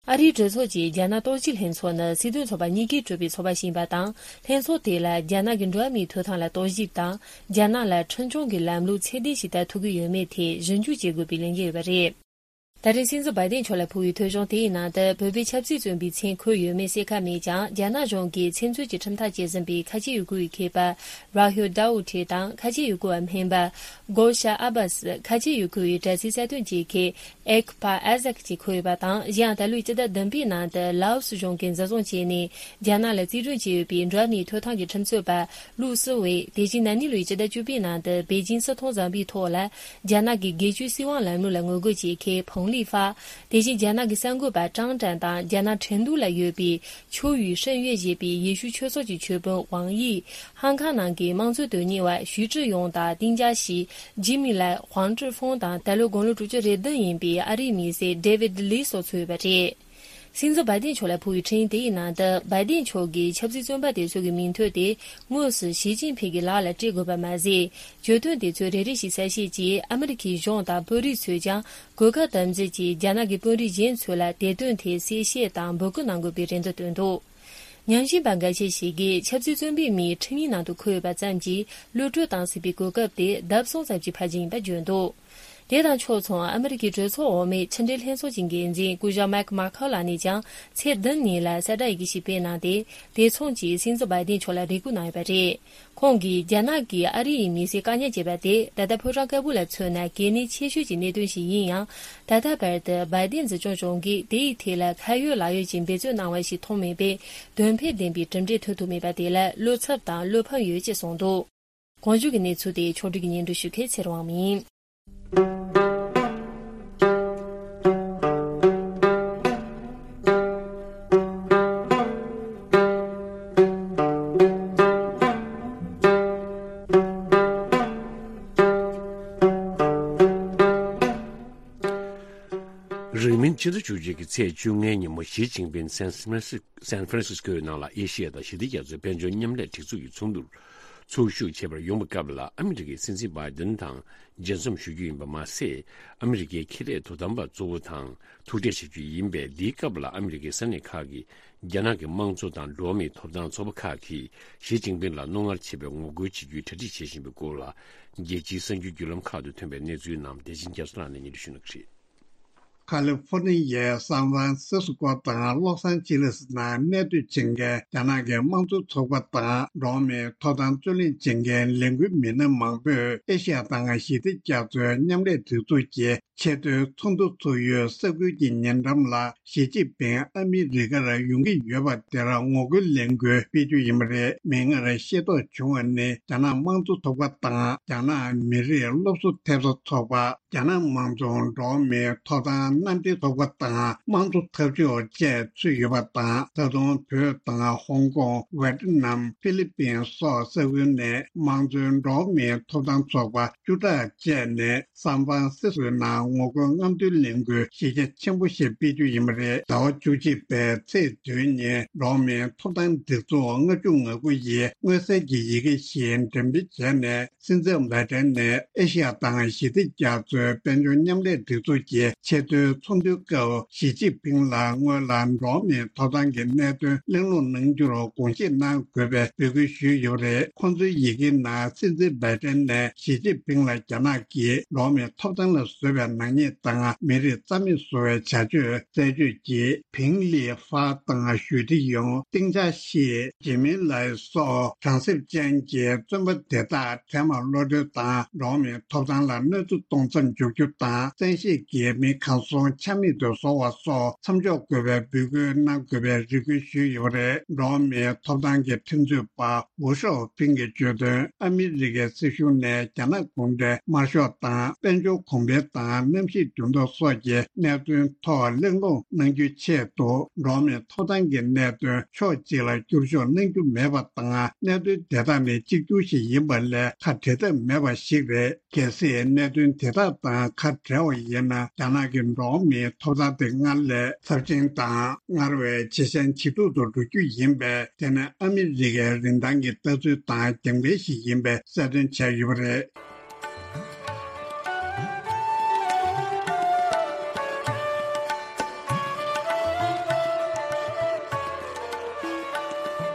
ཨ་རིའི་གྲོས་ཚོགས་ཀྱི་རྒྱ་ནག་རྟོག་ཞིབ་ལྷན་ཚོགས་ནི་སྲིད་དོན་ཚོགས་པ་གཉིས་ཀས་གྲུབ་པའི་ཚོགས་པ་ཞིག་ཡིན་པ་དང་། ལྷན་ཚོགས་དེ་ལ་རྒྱ་ནག་གི་འགྲོ་བ་མིའི་ཐོབ་ཐང་ལ་རྟོག་ཞིབ་དང་། རྒྱ་ནག་ལ་ཁྲིམས་སྐྱོང་གི་ལམ་ལུགས་ཚད་ལྡན་ཞིག་དར་ཐུབ་ཀྱི་ཡོད་མེད་ཐད་ཞིབ་འཇུག་བྱེད་དགོས་པའི་ལས་འགན་ཡོད་པ་རེད། ད་རེས་སྲིད་འཛིན་བྷའི་ཏིན་མཆོག་ལ་ཕུལ་བའི་ཐོས་བྱུང་དེའི་ནང་དུ། བོད་པའི་ཆབ་སྲིད་བཙོན་པའི་མཚན་འཁོད་ཡོད་མེད་གསལ་ཁ་མེད་ཀྱང་། རྒྱ་ནག་གཞུང་གིས་ཚེ་མཚོན་གྱི་ཁྲིམས་ཐག་བཅད་ཟིན་པའི་ཁ་ཆེ་ཡུ་གུར་བའི་མཁས་པ་ར་ཧུལ་ཌའོ་ཐེ་དང་། ཁ་ཆེ་ཡུ་གུར་བ་སྨན་པ་གོ་ཤ་ཨ་བྷ་སི། ཁ་ཆེ་ཡུ་གུར་བའི་དྲ་སའི་གསར་གཏོད་ཅིག་གི་ཨེག་པ་ཨ་ཟག་ཅིག་འཁོད་ཡོད་པ་དང་། གཞན་ཡང་། ད་ལོའི་སྤྱི་ཟླ་བདུན་པའི་ནང་དུ་ལའོ་སི་གཞུང་གིས་འཛིན་བཟུང་བྱས་ནས་རྒྱ་ནག་ལ་རྩིས་སྤྲོད་བྱས་ཡོད་པའི་འགྲོ་བ་མིའི་ཐོབ་ཐང་གི་ཁྲིམས་རྩོད་པ་ལུའུ་སི་ཝེ། དེ་བཞིན་ན་ནིང་ལོའི་སྤྱི་ཟླ་བཅུ་པའི་ནང་དུ་པེ་ཅིང་སྲིད་ཐོག་འཛོམས་པའི་ཐོག་ལ་རྒྱ་ནག་གི་སྒེར་གཅོད་སྲིད་དབང་ལམ་ལུགས་ལ་ངོ་རྒོལ་བྱེད་མཁན་ཕོང་ལི་ཧྥ། དེ་བཞིན་རྒྱ་ནག་གི་གསར་འགོད་པ་ཀྲང་ཀྲན་དང་། རྒྱ་ནག་ཁྲིན་ཏུའུ་ལ་ཡོད་པའི་秋雨圣乐ཞེས་པའི་ཡེ་ཤུ་ཆོས་ཚོགས་ཀྱི་ཆོས་དཔོན་ཝང་དབྱི། ཧང་ཀང་ནང་གི་དམངས་གཙོའི་དོན་གཉེར་བ་ཞུས་ཀྲི་ཡོང་དང་། ཏིང་ཅཱ་ཞི། ཇི་མི་ལའེ། ཧུང་ཀྲི་ཧྥུང་དང་། ད་ལོ་དགུང་ལོ་དྲུག་ཅུ་རེ་བདུན་ཡིན་པའི་ཨ་རིའི་མི་སེར་ཌེ་ཝིད་ལི་སོགས་ཚུད་ཡོད་པ་རེད། སྲིད་འཛིན་བྷའི་ཏིན་མཆོག་ལ་ཕུལ་བའི་འཕྲིན་དེའི་ནང་དུ། བྷའི་ཏིན་མཆོག་གིས་ཆབ་སྲིད་བཙོན་པ་དེ་ཚོ་གི་མིང་ཐོ་དེ་དངོས་སུ་ཞི་ཅིན་ཕིང་གི་ལག་ལ་སྤྲད་དགོས་པ་མ་ཟད། གྱོད་དོན་དེ་ཚོའི་རེ་རེ་བཞིན་གསལ་བཤད་ཀྱིས་ཨ་མི་རི་ཁའི་གཞུང་དང་དཔོན་རིགས་ཚོས་ཀྱང་གོ་སྐབས་དམ་འཛིན་གྱིས་རྒྱ་ནག་གི་དཔོན་རིགས་གཞན་ཚོ་ལ་དེ་དོན་ཐད་གསལ་བཤད་དང་འབོད་སྐུལ་གནང་དགོས་པའི་རེ་འདུན་བཏོན་འདུག་ཉམས་ཞིབ་པ་འགའ་ཤས་ཤིག་གིས་ཆབ་སྲིད་བཙོན་པའི་མིའི་ཁྲིམས་ཡིག་ནང་དུ་འཁོད་ཡོད་པ་ཙམ་གྱིས་གློད་བཀྲོལ་གཏང་སྲིད་པའི་གོ་སྐབས་དེ་ལྡབ་གསུམ་ཙམ་གྱིས་འཕར་རྒྱུ་ཡིན་པ་བརྗོད་འདུག་དེ་དང་ཕྱོགས་མཚུངས། ཨ་མི་རི་ཀའི་གྲོས་ཚོགས་འོག་མའི་ཕྱི་འབྲེལ་ལྷན་ཚོགས་ཀྱི་འགན་འཛིན་སྐུ་ཞབས་མེག་མ་ཁོ་ལགས་ནས་ཀྱང་ཚེས་བདུན་ཉིན་ལ་གསལ་བསྒྲགས་ཡི་གེ་ཞིག་སྤེལ་གནང་སྟེ། དེ་མཚུངས་ཀྱིས་སྲིད་འཛིན་བྷའི་ཏིན་མཆོག་ལ་རེ་སྐུལ་གནང་ཡོད་པ་རེད། ཁོང་གིས་རྒྱ་ནག་གིས་ཨ་རི་ཡི་མི་སེར་བཀག་ཉར་བྱས་པ་དེ་ད་ལྟ་ཕོ་བྲང་དཀར་པོ་ལ་མཚོན་ན་གལ་གནད་ཆེ་ཤོས་ཀྱི་གནད་དོན་ཞིག་ཡིན་ཡང་། ད་ལྟ་བར་དུ་བྷའི་ཏིན་འཛིན་སྐྱོང་གཞུང་གིས་དེ་ཡི་ཐད་ལ་ཁ་ཡོད་ལག་ཡོད་ཀྱི་འབད་རྩོལ་གནང་བ་ཞིག་མཐོང་མེད་པས། དོན་ཕན་ལྡན་པའི་གྲུབ་འབྲས་ཐོན་ཐུབ་མེད་པ་དེ་ལ་བློ་འཚབ་དང་བློ་ཕམ་ཡོད་ཅེས་གསུངས་འདུག་གོང་བརྗོད་ཀྱི་གནས་ཚུལ་དེ་ཕྱོགས་སྒྲིག་གིས་སྙན་སྒྲོན་ཞུ་མཁན་ཚེ་རིང་དབང་མོ་ཡིན། རིང་མིན་ཕྱི་ཟླ་བཅུ་གཅིག་གི་ཚེས་བཅོ་ལྔའི་ཉིན་མོ་ཞི་ཅིན་ཕིན་སན་ཧྥ་རན་སི་སན་ཧྥ་རན་སིས་ཀོའི་ནང་ལ་ཨེ་ཤི་ཡ་དང་ཞི་བདེ་རྒྱ་མཚོའི་དཔལ་འབྱོར་མཉམ་ལས་སྒྲིག་འཛུགས་ཀྱི་ཚོགས་འདུར་ ཚོགས་ཞུགས་བྱེད་པར་ཡོང་བའི་སྐབས་ལ་ཨ་མི་རི་ཀའི་སྲིད་འཛིན་བྷའི་ཏིན་དང་མཇལ་འཛོམས་ཞུ་རྒྱུ་ཡིན་པ་མ་ཟད། ཨ་མི་རི་ཀའི་ཁེ་ལས་དོ་དམ་པ་གཙོ་བོ་དང་ཐུག་འཕྲད་བྱ་རྒྱུ་ཡིན་པས། འདིའི་སྐབས་ལ་ཨ་མི་རི་ཀའི་ས་གནས་ཁག་གི་རྒྱ་ནག་གི་དམངས་གཙོ་དང་འགྲོ་བ་མིའི་ཐོབ་ཐང་ཚོགས་པ་ཁག་གིས་ཞི་ཅིན་ཕིང་ལ་རྣོ་ངར་ཆེ་བའི་ངོ་རྒོལ་བྱེད་རྒྱུའི་གྲ་སྒྲིག་བྱེད་བཞིན་པའི་སྐོར་ལ། རྒྱལ་སྤྱིའི་གསར་འགྱུར་བརྒྱུད་ལམ་ཁག་ཏུ་ཐོན་པའི་གནས་ཚུལ་རྣམས་བདེ་ཆེན་རྒྱ་མཚོ་ལགས་ནས་སྙན་སྒྲོན་ཞུ་གནང་གི་རེད། ཁ་ལི་ཧྥོ་ནི་ཡའི་སན་ཧྥ་རན་སིས་ཀོ་དང་ལོ་སན་ཅི་ལིས་ནང་གནས་སྡོད་བྱེད་མཁན་རྒྱ་ནག་གི་དམངས་གཙོ་ཚོགས་པ་དང་འགྲོ་བ་མིའི་ཐོབ་ཐང་རྩོད་ལེན་བྱེད་མཁན་ལས་འགུལ་མི་སྣ་མང་པོས་ཨེ་ཤི་ཡ་དང་ཞི་བདེ་རྒྱ་མཚོའི་མཉམ་ལས་སྒྲིག་འཛུགས་ཀྱི་ཆེས་མཐོའི་ཚོགས་འདུ་ཚོགས་ཡུལ་ས་ཁུལ་གྱི་ཉེ་འགྲམ་ལ་ཞི་ཅིན་ཕིང་ཨ་མི་རི་ཀར་ཡོང་གི་ཡོད་པ་དེར་ངོ་རྒོལ་ལས་འགུལ་སྤེལ་རྒྱུ་ཡིན་པ་རེད། མིག་སྔར་ཤེས་རྟོགས་བྱུང་བ་ནི། རྒྱ་ནག་དམངས་གཙོ་ཚོགས་པ་དང་རྒྱ་ནག་མི་རིགས་སློབ་གསོ་ཐེབས་རྩ་ཚོགས་པ། རྒྱ་ནག་དམངས་གཙོ་འགྲོ་བ་མིའི་ཐོབ་ཐང་མནའ་འབྲེལ་ཚོགས་པ་དང་དམངས་གཙོ་འཐབ་ཕྱོགས་བཅས་ཚུད་ཡོད་པ་དང་། ད་དུང་བོད་དང་ཧོང་ཀོང་། ཝེ་ཏི་ནམ། ཧྥི་ལི་པིན་སོགས་ས་ཁུལ་ནས་དམངས་གཙོའི་འགྲོ་བ་མིའི་ཐོབ་ཐང་ཚོགས་པ་བཅུ་ཕྲག་བཅས་ནས་སན་ཧྥ་རན་སིས་ཀོའི་ནང་ངོ་རྒོལ་རྔམ་སྟོན་ལས་འགུལ་གཞི་རྒྱ་ཆེན་པོ་ཞིག་སྤེལ་རྒྱུ་ཡིན་པ་རེད། ཟླ་བ་བཅུ་གཅིག་པའི་ཚེས་བདུན་ཉིན་འགྲོ་བ་མིའི་ཐོབ་ཐང་སྒྲིག་འཛུགས་ལྔ་བཅུ་ང་དགུ་ཡིས་མངོན་གསལ་གྱི་ཡི་གེ་ཞིག་འགྲེམས་སྤེལ་བྱས་ནས། སྲིད་འཛིན་བྷའི་ཏན་ནས་ཨེ་ཤི་ཡ་དང་ཞི་བདེ་རྒྱ་མཚོའི་དཔལ་འབྱོར་མཉམ་ལས་སྒྲིག་འཛུགས་ཀྱི་ཆེས་མཐོའི་ཚོགས་འདུའི་སྐབས། ཞི་ཅིན་ཕིང་ལ་སྔོན་ལ་འགྲོ་བ་མིའི་ཐོབ་ཐང་གི་གནད་དོན་གླེང་སློང་གནང་རྒྱུར་དགོངས་བཞེས་གནང་དགོས་པའི་འབོད་སྐུལ་ཞུས་ཡོད་པ་རེད། ཁོང་ཚོའི་ཡི་གེའི་ནང་སྲིད་འཛིན་བྷའི་ཏན་ནས་ཞི་ཅིན་ཕིང་ལ་རྒྱ་ནག་གིས་འགྲོ་བ་མིའི་ཐོབ་ཐང་ལ་བཟོས་པའི་ནག་ཉེས་དང་མི་རིགས་རྩ་མེད་བཟོ་བའི་བྱ་སྤྱོད་རྩད་གཅོད་ཀྱིས། ཕིང་ལི་ཧྥ་དང་ཞུས་ཏི་ཡོང་། ཏིང་ཅཱ་ཤི། ཇི་མིན་ལའི་སོགས་གྲངས་གསེབ་ཅན་གྱི་བཙོན་པ་དེ་དག་འཕྲལ་མར་གློད་གྲོལ་དང་། འགྲོ་བ་མིའི་ཐོབ་ཐང་ལ་གནོད་འཚེ་གཏོང་མཚམས་འཇོག་རྒྱུ་དང་། བཙན་ཤེད་ཀྱིས་མི་གང་སོང་ཆ་མེད་དུ་བཟོ་བ་སོགས་མཚམས་འཇོག་དགོས་པའི་འབོད་སྐུལ་གནང་དགོས་པའི་རེ་སྐུལ་ཞུས་ཡོད་པ་རེད། འགྲོ་བ་མིའི་ཐོབ་ཐང་གི་ཁྲིམས་རྩོད་པ་ཝུ་ཤའོ་ཕིང་གིས་བརྗོད་དོན། ཨ་མི་རི་ཀའི་སྲིད་གཞུང་ནས་རྒྱ་ནག་གུང་ཁྲན་དམར་ཤོག་དང་དཔལ་འབྱོར་གོང་འཕེལ་དང་གནམ་གཤིས་འགྱུར་ལྡོག་སོགས་ཀྱི་གནད་དོན་ཐོག་གླེང་སློང་གནང་རྒྱུའི་ཆེད་དུ། འགྲོ་བ་མིའི་ཐོབ་ཐང་གི་གནད་དོན་ཕྱོགས་གཅིག་ལ་བསྒྱུར་བཅོས་གནང་རྒྱུ་མེད་པ་དང་། གནད་དོན་དེ་དག་ནི་གཅིག་གྱུར་ཞིག་ཡིན་པ་ལས་ཁ་བྲལ་ཐབས་མེད་པ་ཞིག་རེད། གལ་སྲིད་གནད་དོན་དེ་དག་དང་ཁ་བྲལ་བ་ཡིན་ན། རྒྱ་ནག་གི་འགྲོ་བ་མིའི་ཐོབ་ཐང་དེ་སྔར་ལས་ཚབས་ཆེན་དང་། སྔར་བས་ཇེ་ཞན་ཇེ་སྡུག་ཏུ་འགྲོ་རྒྱུ་ཡིན་པས། དེ་ནི་ཨ་མི་རི་ཀའི་རིན་ཐང་གི་ལྟ་ཚུལ་དང་རྒྱབ་འགལ་ཞིག་ཡིན་པའི་གསལ་སྟོན་བྱས་ཡོད་པ་རེད།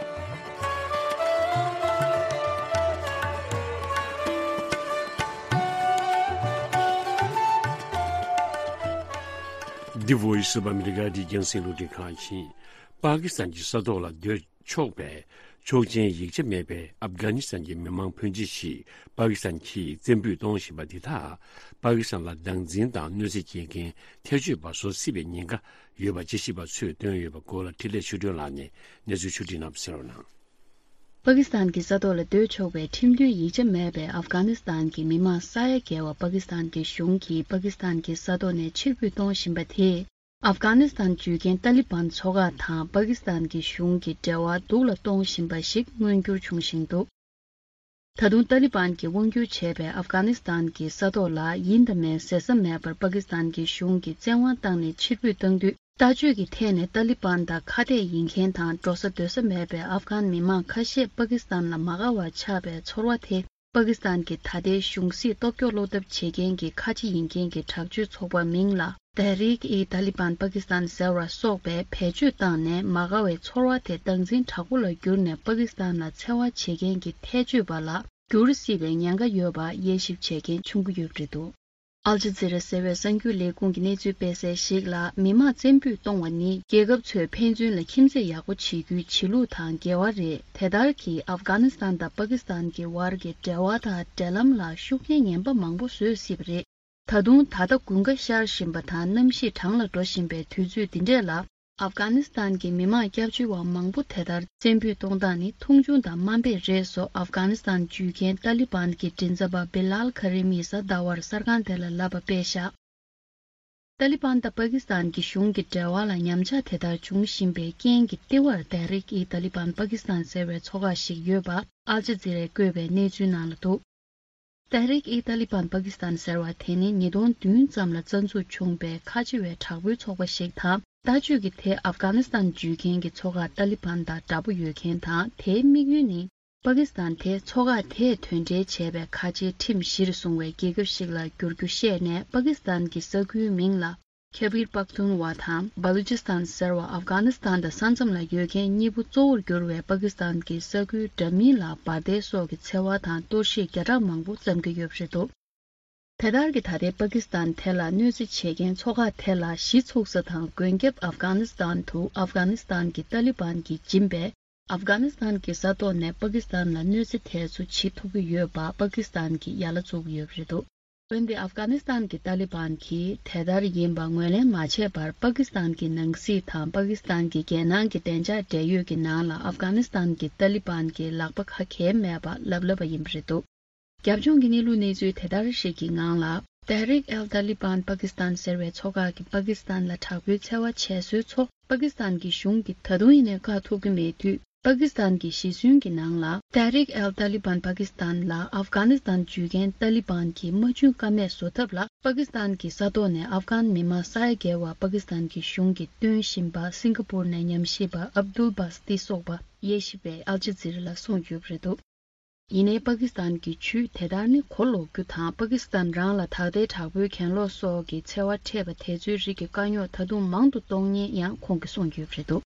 The Voice of America འདི་རྒྱང་སྲིང་རླུང་འཕྲིན་ཁང་ཡིན། པ་ཀི་སི་ཐན་གྱི་ས་ཐོག་ལ་སྡོད་ཆོག་པའི་ཆོག་མཆན་ཡིག་ཆ་མེད་པའི་ཨབ་གྷ་ནི་སི་ཐན་གྱི་མི་མང་ཕོན་ཆེ་ཞིག་པ་ཀི་སི་ཐན་གྱིས་བཙན་འབུད་གཏོང་བཞིན་པ་འདི་དག་པ་ཀི་སི་ཐན་ལ་སྡང་འཛིན་དང་གནོད་འཚེ་བྱེད་མཁན་ཐེ་བྱུས་པ་བཟོ་སྲིད་པའི་ཉེན་ཁ་ཡོད་པ་དཔྱད་ཞིབ་པ་ཚོས་བཏོན་ཡོད་པའི་སྐོར་ལ་འཕྲིན་ལས་ཆོས་སྒྲོན་ལགས་ནས་གནས་ཚུལ་ཕྱོགས་སྒྲིག་གནང་བ་གསན་རོགས་གནང་། པ་ཀི་སི་ཐན་གྱི་ས་ཐོག་ལ་སྡོད་ཆོག་པའི་ཁྲིམས་མཐུན་ཡིག་ཆ་མེད་པའི་ཨབ་གྷ་ནི་སི་ཐན་གྱི་མི་མང་ས་ཡ་བརྒལ་བ་པ་ཀི་སི་ཐན་གྱི་གཞུང་གིས་པ་ཀི་སི་ཐན་གྱི་ས་ཐོག་ནས་ཕྱིར་འབུད་གཏོང་བཞིན་པ་དེས། ཨབ་གྷ་ནི་སི་ཐན་བརྒྱུད་མཁན་ཏཱ་ལི་བན་ཚོགས་ཁག་དང་པ་ཀི་སི་ཐན་གྱི་གཞུང་གི་འབྲེལ་བ་སྡུག་ལ་གཏོང་བཞིན་པ་ཞིག་མངོན་འགྱུར་བྱུང་བཞིན་འདུག་ད་དུང་ཏཱ་ལི་བན་གྱིས་དབང་སྒྱུར་བྱས་པའི་ཨབ་གྷ་ནི་སི་ཐན་གྱི་ས་ཐོག་ལ་ཡིན་དང་མིན་ཟེར་ས་མེད་པར་པ་ཀི་སི་ཐན་གྱི་གཞུང་གིས་བཙན་དབང་བཏང་ནས་ཕྱིར་འབུད་བཏང་དུས། ལྟ་སྤྱོད་ཀྱི་ཐད་ནས་ཏཱ་ལི་བན་དང་ཁ་གཏད་ཡིན་མཁན་དང་འགྲོ་ས་སྡོད་ས་མེད་པའི་ཨབ་གྷན་མི་མང་ཁ་ཤས་པ་ཀི་སི་ཐན་ལ་མ་དགའ་བ་ཆགས་པའི་ཚོར་བ་དེ། པ་ཀི་སི་ཐན་གྱི་ད་ལྟའི་གཞུང་སྲིད་སྟོབས་སྐྱོ་བློ་འཐབ་བྱེད་མཁན་གྱི་ཁ་ཆེ་ཡིན་མཁན་གྱི་དྲག་སྤྱོད་ཚོགས་པ་མིང་ལ་Tehreek-e-Taliban Pakistan ཟེར་བ་སོགས་པས་བེད་སྤྱོད་བཏང་ནས་མ་དགའ་བའི་ཚོར་བ་དེ་སྡང་འཛིན་དྲག་པོ་ལ་བསྒྱུར་ནས་པ་ཀི་སི་ཐན་ལ་འཚེ་བ་བྱེད་མཁན་གྱི་ཐལ་སྤྱོད་པ་ལ་འགྱུར་སྲིད་པའི་ཉེན་ཁ་ཡོད་པ་དབྱེ་ཞིབ་བྱེད་མཁན་ཆུང་ཀུ་ཡོད་པ་རེད་འདུག། ཨལ་ཇི་ཛི་ར་ཟེར་བའི་གསར་འགྱུར་ལས་ཁུངས་ཀྱི་གནས་ཚུལ་སྤེལ་གསལ་ཞིག་ལ། མི་མང་བཙན་འབུད་གཏོང་བ་ནི་རྒྱལ་ཁབ་ཚོས་ཕན་ཚུན་ལ་ཁྱིམ་མཚེས་ཡག་པོ་བྱེད་རྒྱུའི་བྱེད་ལུགས་དང་འགལ་བ་རེད། དེ་ལྟར་གྱིས་ཨབ་གྷ་ནི་སི་ཐན་དང་པ་ཀི་སི་ཐན་གྱི་བར་གྱི་འབྲེལ་བ་དང་འབྲེལ་ལམ་ལ་ཤུགས་རྐྱེན་ངན་པ་མང་པོ་བཟོས་སྲིད་པ་རེད། ད་དུང་ད་ལྟ་དགུན་ཁ་ཤར་བཞིན་པ་དང་གནམ་གཤིས་གྲང་ལ་འགྲོ་བཞིན་པའི་དུས་ཚོད་འདི་འདྲས་ལ། ཨབ་གྷ་ནི་སི་ཐན་གྱི་མི་མང་སྐྱབས་བཅོལ་བ་མང་པོ་དེ་ལྟར་བཙན་འབུད་གཏོང་སྟངས་ནི་མཐོང་ཆུང་དང་དམའ་འབེབས་རེད་སོགས་ཨབ་གྷ་ནི་སི་ཐན་བརྒྱུད་མཁན་ཏཱ་ལི་བན་གྱི་མགྲིན་ཚབ་པ་བི་ལཱལ་ཁ་རི་མིས་གཟའ་ཟླ་བར་གསར་ཁང་དེ་ལ་ལབ་པ་སྤེལ་བཞག། ཏཱ་ལི་བན་དང་པ་ཀི་སི་ཐན་གྱི་གཞུང་གི་འབྲེལ་བ་ལ་ཉམས་ཆག་དེ་ལྟར་འབྱུང་བཞིན་པའི་རྐྱེན་གྱིས་ལྟེ་བར་Tehreek-e-Taliban Pakistan ཟེར་བའི་ཚོགས་ཁག་ཞིག་ཡོད་པ་ཨལ་ཇི་ཛི་རས་བཀོད་པའི་གནས་ཚུལ་ནང་ལ་འདུག། Tehreek-e-Taliban Pakistan ཟེར་བ་དེ་ནི་ཉིས་སྟོང་བདུན་ཙམ་ལ་རྩ་འཛུགས་བྱུང་པའི་ཁ་ཆེ་བའི་དྲག་པོའི་ཚོགས་པ་ཞིག་དང་། ལྟ་སྤྱོད་ཀྱི་ཐད་ཨབ་གྷ་ནི་སི་ཐན་བརྒྱུད་མཁན་གྱི་ཚོགས་ཁག་ཏཱ་ལི་བན་དང་འདྲ་པོ་ཡོད་མཁན་དང་། དེའི་དམིགས་ཡུལ་ནི། པ་ཀི་སི་ཐན་དེ་མཚོ་འགག་དེས་དོན་འབྲེལ་བྱས་པའི་ཁ་ཆེའི་ཁྲིམས་གཞིར་བཟུང་བའི་རྒྱལ་ཁབ་ཞིག་ལ་འགྱུར་རྒྱུ་བཤད་ནས། པ་ཀི་སི་ཐན་གྱི་ས་ཁུལ་མིང་ལ་ཁེ་བིར་པག་ཏུན་ཝ་དང་བ་ལུ་ཅི་སི་ཐན་ཟེར་བ། ཨབ་གྷ་ནི་སི་ཐན་དང་ས་མཚམས་ལ་ཡོད་མཁན་གཉིས་པོ་གཙོ་བོར་གྱུར་བའི་པ་ཀི་སི་ཐན་གྱི་ས་ཁུལ་འདྲ་མིན་ལ་འབར་མདེལ་སོགས་ཀྱི་འཚེ་བ་དང་གཏོར་བཤིག་བརྒྱ་ཕྲག་མང་པོ་བརྩམས་ཀྱི་ཡོད་པ་རེད་འདུག་དེ་ལྟར་གྱི་ད་ལྟའི་པ་ཀི་སི་ཐན་དེ་ལ་གནོད་འཚེ་བྱེད་མཁན་མཚོ་འགག་དེ་ལ་གཞི་ཚུགས་ས་དང་མགོན་སྐྱབས་ཨབ་གྷ་ནི་སི་ཐན་དུ་ཨབ་གྷ་ནི་སི་ཐན་གྱི་ཏཱ་ལི་བན་གྱིས་འབྱིན་པས། ཨབ་གྷ་ནི་སི་ཐན་གྱི་ས་ཐོག་ནས་པ་ཀི་སི་ཐན་ལ་གནོད་འཚེ་དེ་ཚོ་བྱེད་ཐུབ་ཀྱི་ཡོད་པ་པ་ཀི་སི་ཐན་གྱིས་ཡ་ལ་བཙུགས་ཡོད་པ་རེད་འདུག་འོན་ཏེ་ཨབ་གྷ་ནི་སི་ཐན་གྱི་ཏཱ་ལི་བན་གྱིས་དེ་ལྟར་ཡིན་པ་ངོས་ལེན་མ་བྱས་པར། པ་ཀི་སི་ཐན་གྱི་ནང་སྲིད་དང་པ་ཀི་སི་ཐན་གྱི་རྒྱལ་ནང་གི་བདེ་འཇགས་འབྲེལ་ཡོད་ཀྱི་ནང་ལ་ཨབ་གྷ་ནི་སི་ཐན་གྱི་ཏཱ་ལི་བན་གྱི་ལག་པ་ཁ་གྱེས་མེད་པ་ལབ་ལབ་པ་ཡིན་པ་རེད་འདུག་རྒྱབ་ལྗོངས་ཀྱི་གནས་ལུགས་གནས་ཚུལ་དེ་ལྟར་ཞིག་གི་ངང་ལ། ཏེ་ཧྲིག་ཨལ་ཏཱ་ལི་བན་པ་ཀི་སི་ཐན་ཟེར་བའི་ཚོ་ཁག་གིས་པ་ཀི་སི་ཐན་ལ་དྲག་པོའི་འཚེ་བ་བྱས་སྲོལ་ཚོ་པ་ཀི་སི་ཐན་གྱི་གཞུང་གིས་ད་དུང་ཡིན་ནའི་བཀག་ཐུབ་ཀྱི་མེད་དུས། པ་ཀི་སི་ཐན་གྱི་གཞི་ཚུན་གྱི་ནང་ལ། ཏེ་ཧྲིག་ཨལ་ཏཱ་ལི་བན་པ་ཀི་སི་ཐན་ལ་ཨབ་གྷ་ནི་སི་ཐན་འཇུས་མཁན་ཏཱ་ལི་བན་གྱི་མ་འཇུས་ཀ་མེད་བཟོ་ཐབས་ལ། པ་ཀི་སི་ཐན་གྱི་ས་ཐོག་ནས་ཨབ་གྷན་མི་མང་ས་ཡ་བརྒལ་བ་པ་ཀི་སི་ཐན་གྱི་གཞུང་གིས་སྟོན་བཞིན་པ། སིང་ག་པུར་ནས་ཉམས་ཞིབ་པ་ཨབ་དུལ་བྷ་སི་ཏི་སོགས་པ་དབྱེ་ཞིབ་པས་ཨལ་ཇི་ཛི་ར་ལ་གསུངས་ཡོད་པ་རེད་འདུག་ཡིན་ནའི་པ་ཀི་སི་ཐན་གྱི་ཇུས་དེ་ལྟར་ནི་གོ་ལོག་རྒྱུ་དང་། པ་ཀི་སི་ཐན་རང་ལ་ད་ལྟའི་དྲག་པོའི་གྱེན་ལོག་སོགས་ཀྱི་འཚེ་བ་འཕྲད་པ་དེ་ཚོའི་རིགས་ཀྱི་དཀའ་རྙོག་ད་དུང་མང་དུ་གཏོང་ཉེན་ཡང་ཁོང་གིས་གསུངས་ཡོད་པ་རེད་འདུག་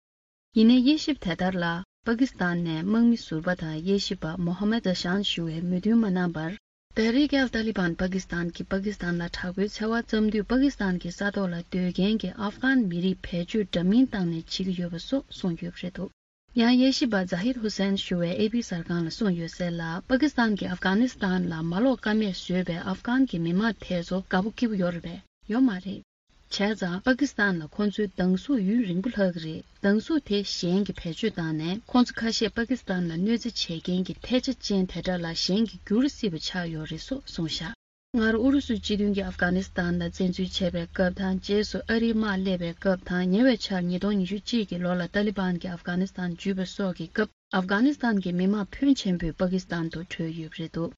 ཡིན་ནའི་དབྱེ་ཞིབ་དེ་ལྟར་ལ། པ་ཀི་སི་ཐན་ནས་དམག་མི་ཟུར་པ་དང་དབྱེ་ཞིབ་པ་མོ་ཧ་མད་ཛ་ཤཱན་ཞུ་བས་མོས་མཐུན་མ་གནང་བར། ཏེ་ཧྲིག་ཨལ་ཏཱ་ལི་བན་པ་ཀི་སི་ཐན་གྱིས་པ་ཀི་སི་ཐན་ལ་དྲག་པོའི་འཚེ་བ་བརྩམས་དུས། པ་ཀི་སི་ཐན་གྱི་ས་ཐོག་ལ་སྡོད་མཁན་གྱི་ཨབ་གྷན་མི་རིགས་བེད་སྤྱོད་འདྲ་མིན་བཏང་ནས་བྱེད་ཀྱི་ཡོད་པ་སོགས་གསུངས་ཡོད་པ་རེད་འདུག་ཡང་དབྱེ་ཞིབ་པ་ཛ་ཧིར་ཧུ་སན་ཞུ་བས་ཨེ་པི་གསར་ཁང་ལ་གསུངས་ཡོད་གསལ་ལ། པ་ཀི་སི་ཐན་གྱིས་ཨབ་གྷ་ནི་སི་ཐན་ལ་མ་ལོག་ཀ་མེད་བཟོས་པའི་ཨབ་གྷན་གྱི་མི་མང་དེ་ཚོ་དགའ་པོ་སྐྱིད་པོ་ཡོད་རེད་པས། ཡོད་མ་རེད། བྱས་ཙང་པ་ཀི་སི་ཐན་ལ་ཁོང་ཚོའི་སྡང་ཟུག་ཡུན་རིང་པོ་ལྷག་གི་རེད། སྡང་ཟུག་དེ་གཞན་གྱིས་བེད་སྤྱོད་བཏང་ནས། ཁོང་ཚོ་ཁ་ཤས་པ་ཀི་སི་ཐན་ལ་གནོད་འཚེ་བྱེད་མཁན་གྱི་ཐལ་ཆ་ཅན་དེ་འདྲ་ལ་གཞན་གྱིས་འགྱུར་སྲིད་པ་ཆགས་ཡོད་རེད་སོགས་གསུངས་བཞག་སྔར་ཨུ་རུ་སུ་སྤྱི་མཐུན་གྱིས་ཨབ་གྷ་ནི་སི་ཐན་ལ་བཙན་འཛུལ་བྱས་པའི་སྐབས་དང་། རྗེས་སུ་ཨ་རིའི་དམག་སླེབས་པའི་སྐབས་དང་། ཉེ་བའི་ཆར་ཉིས་སྟོང་ཉི་ཤུ་གཅིག་གི་ལོ་ལ་ཏཱ་ལི་བན་གྱིས་ཨབ་གྷ་ནི་སི་ཐན་འཇུས་པ་སོགས་ཀྱི་སྐབས། ཨབ་གྷ་ནི་སི་ཐན་གྱི་མི་མང་ཕོན་ཆེན་པོས་པ་ཀི་སི་ཐན་དུ་བྲོས་ཡོད་པ་རེད་འདུག་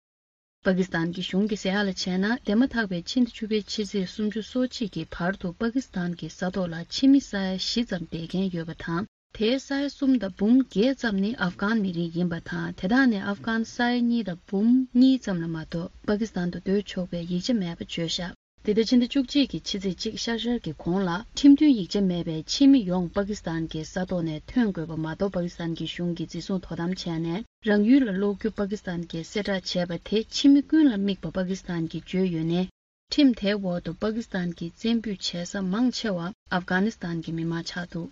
པ་ཀི་སི་ཐན་གྱི་གཞུང་གི་ཟེར་ཡག་ལ་བྱས་ན། འདས་མ་ཐག་པའི་ཕྱི་ཟླ་བཅུ་པའི་ཕྱི་ཚེས་སུམ་ཅུ་སོ་གཅིག་གི་བར་དུ་པ་ཀི་སི་ཐན་གྱི་ས་ཐོག་ལ་ཕྱི་མི་ས་ཡ་བཞི་ཙམ་བསྡད་མཁན་ཡོད་པ་དང་། དེའི་ས་ཡ་གསུམ་དང་འབུམ་བརྒྱད་ཙམ་ནི་ཨབ་གྷན་མི་རིགས་ཡིན་པ་དང་། དེ་དག་ནས་ཨབ་གྷན་ས་ཡ་གཉིས་དང་འབུམ་གཉིས་ཙམ་ལ་མ་གཏོགས་པ་ཀི་སི་ཐན་དུ་སྡོད་ཆོག་པའི་ཡིག་ཆ་མེད་པ་བརྗོད་བཞག་འདི་ཟླ་ཕྱི་ཟླ་བཅུ་གཅིག་གི་ཕྱི་ཚེས་གཅིག་ཤར་ཤར་གྱི་གོང་ལ། ཁྲིམས་མཐུན་ཡིག་ཆ་མེད་པའི་ཕྱི་མི་ཡོངས་པ་ཀི་སི་ཐན་གྱི་ས་ཐོག་ནས་ཐོན་དགོས་པ་མ་གཏོགས། པ་ཀི་སི་ཐན་གྱི་གཞུང་གིས་འཛིན་བཟུང་དོ་དམ་བྱས་ནས། རང་ཡུལ་ལ་སློག་རྒྱུ་པ་ཀི་སི་ཐན་གྱིས་གསལ་བསྒྲགས་བྱས་པ་དེ། ཕྱི་མི་ཀུན་ལ་དམིགས་པ་པ་ཀི་སི་ཐན་གྱིས་བརྗོད་ཡོད་ནས། ཁྲིམས་དེའི་འོག་ཏུ་པ་ཀི་སི་ཐན་གྱི་བཙན་སྤུས་བྱེད་ས་མང་ཆེ་བ་ཨབ་གྷ་ནི་སི་ཐན་གྱི་མི་མང་ཆགས་འདུག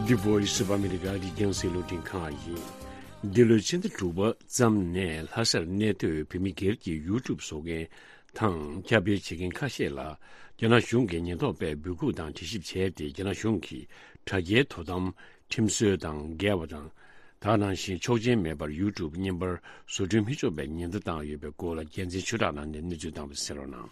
The Voice of America. འདི་རྒྱང་སྲིང་རླུང་འཕྲིན་ཁང་ཡིན། འདི་ལོའི་ཕྱི་ཟླ་དྲུག་པ་ཙམ་ནས་ལྷ་སར་གནས་སྡོད་བོད་མི་སྒེར་གྱི་ཡུ་ཊུབ་བཟོ་མཁན་དང་ཁྱབ་སྤེལ་བྱེད་མཁན་ཁ་ཤས་ལ་རྒྱ་ནག་གཞུང་གི་ཉེན་རྟོག་པས་འབོད་འགུག་དང་དྲི་ཞིབ་བྱས་ཏེ། རྒྱ་ནག་གཞུང་གིས་དྲ་རྒྱའི་དོ་དམ་ཁྲིམས་སྲོལ་དང་འགལ་བ་དང་། ད་ག་ནང་བཞིན་ཆོག་མཆན་མེད་པར་ཡུ་ཊུབ་བརྙན་པར་བཟོ་སྐྲུན་མི་ཆོག་པའི་ཉེན་བརྡ་བཏང་ཡོད་པའི་སྐོར་ལ། རྒྱལ་མཚན་ཆོས་གྲགས་ལགས་ནས་གནས་ཚུལ་བཏང་བ་གསན་རོགས་གནང་།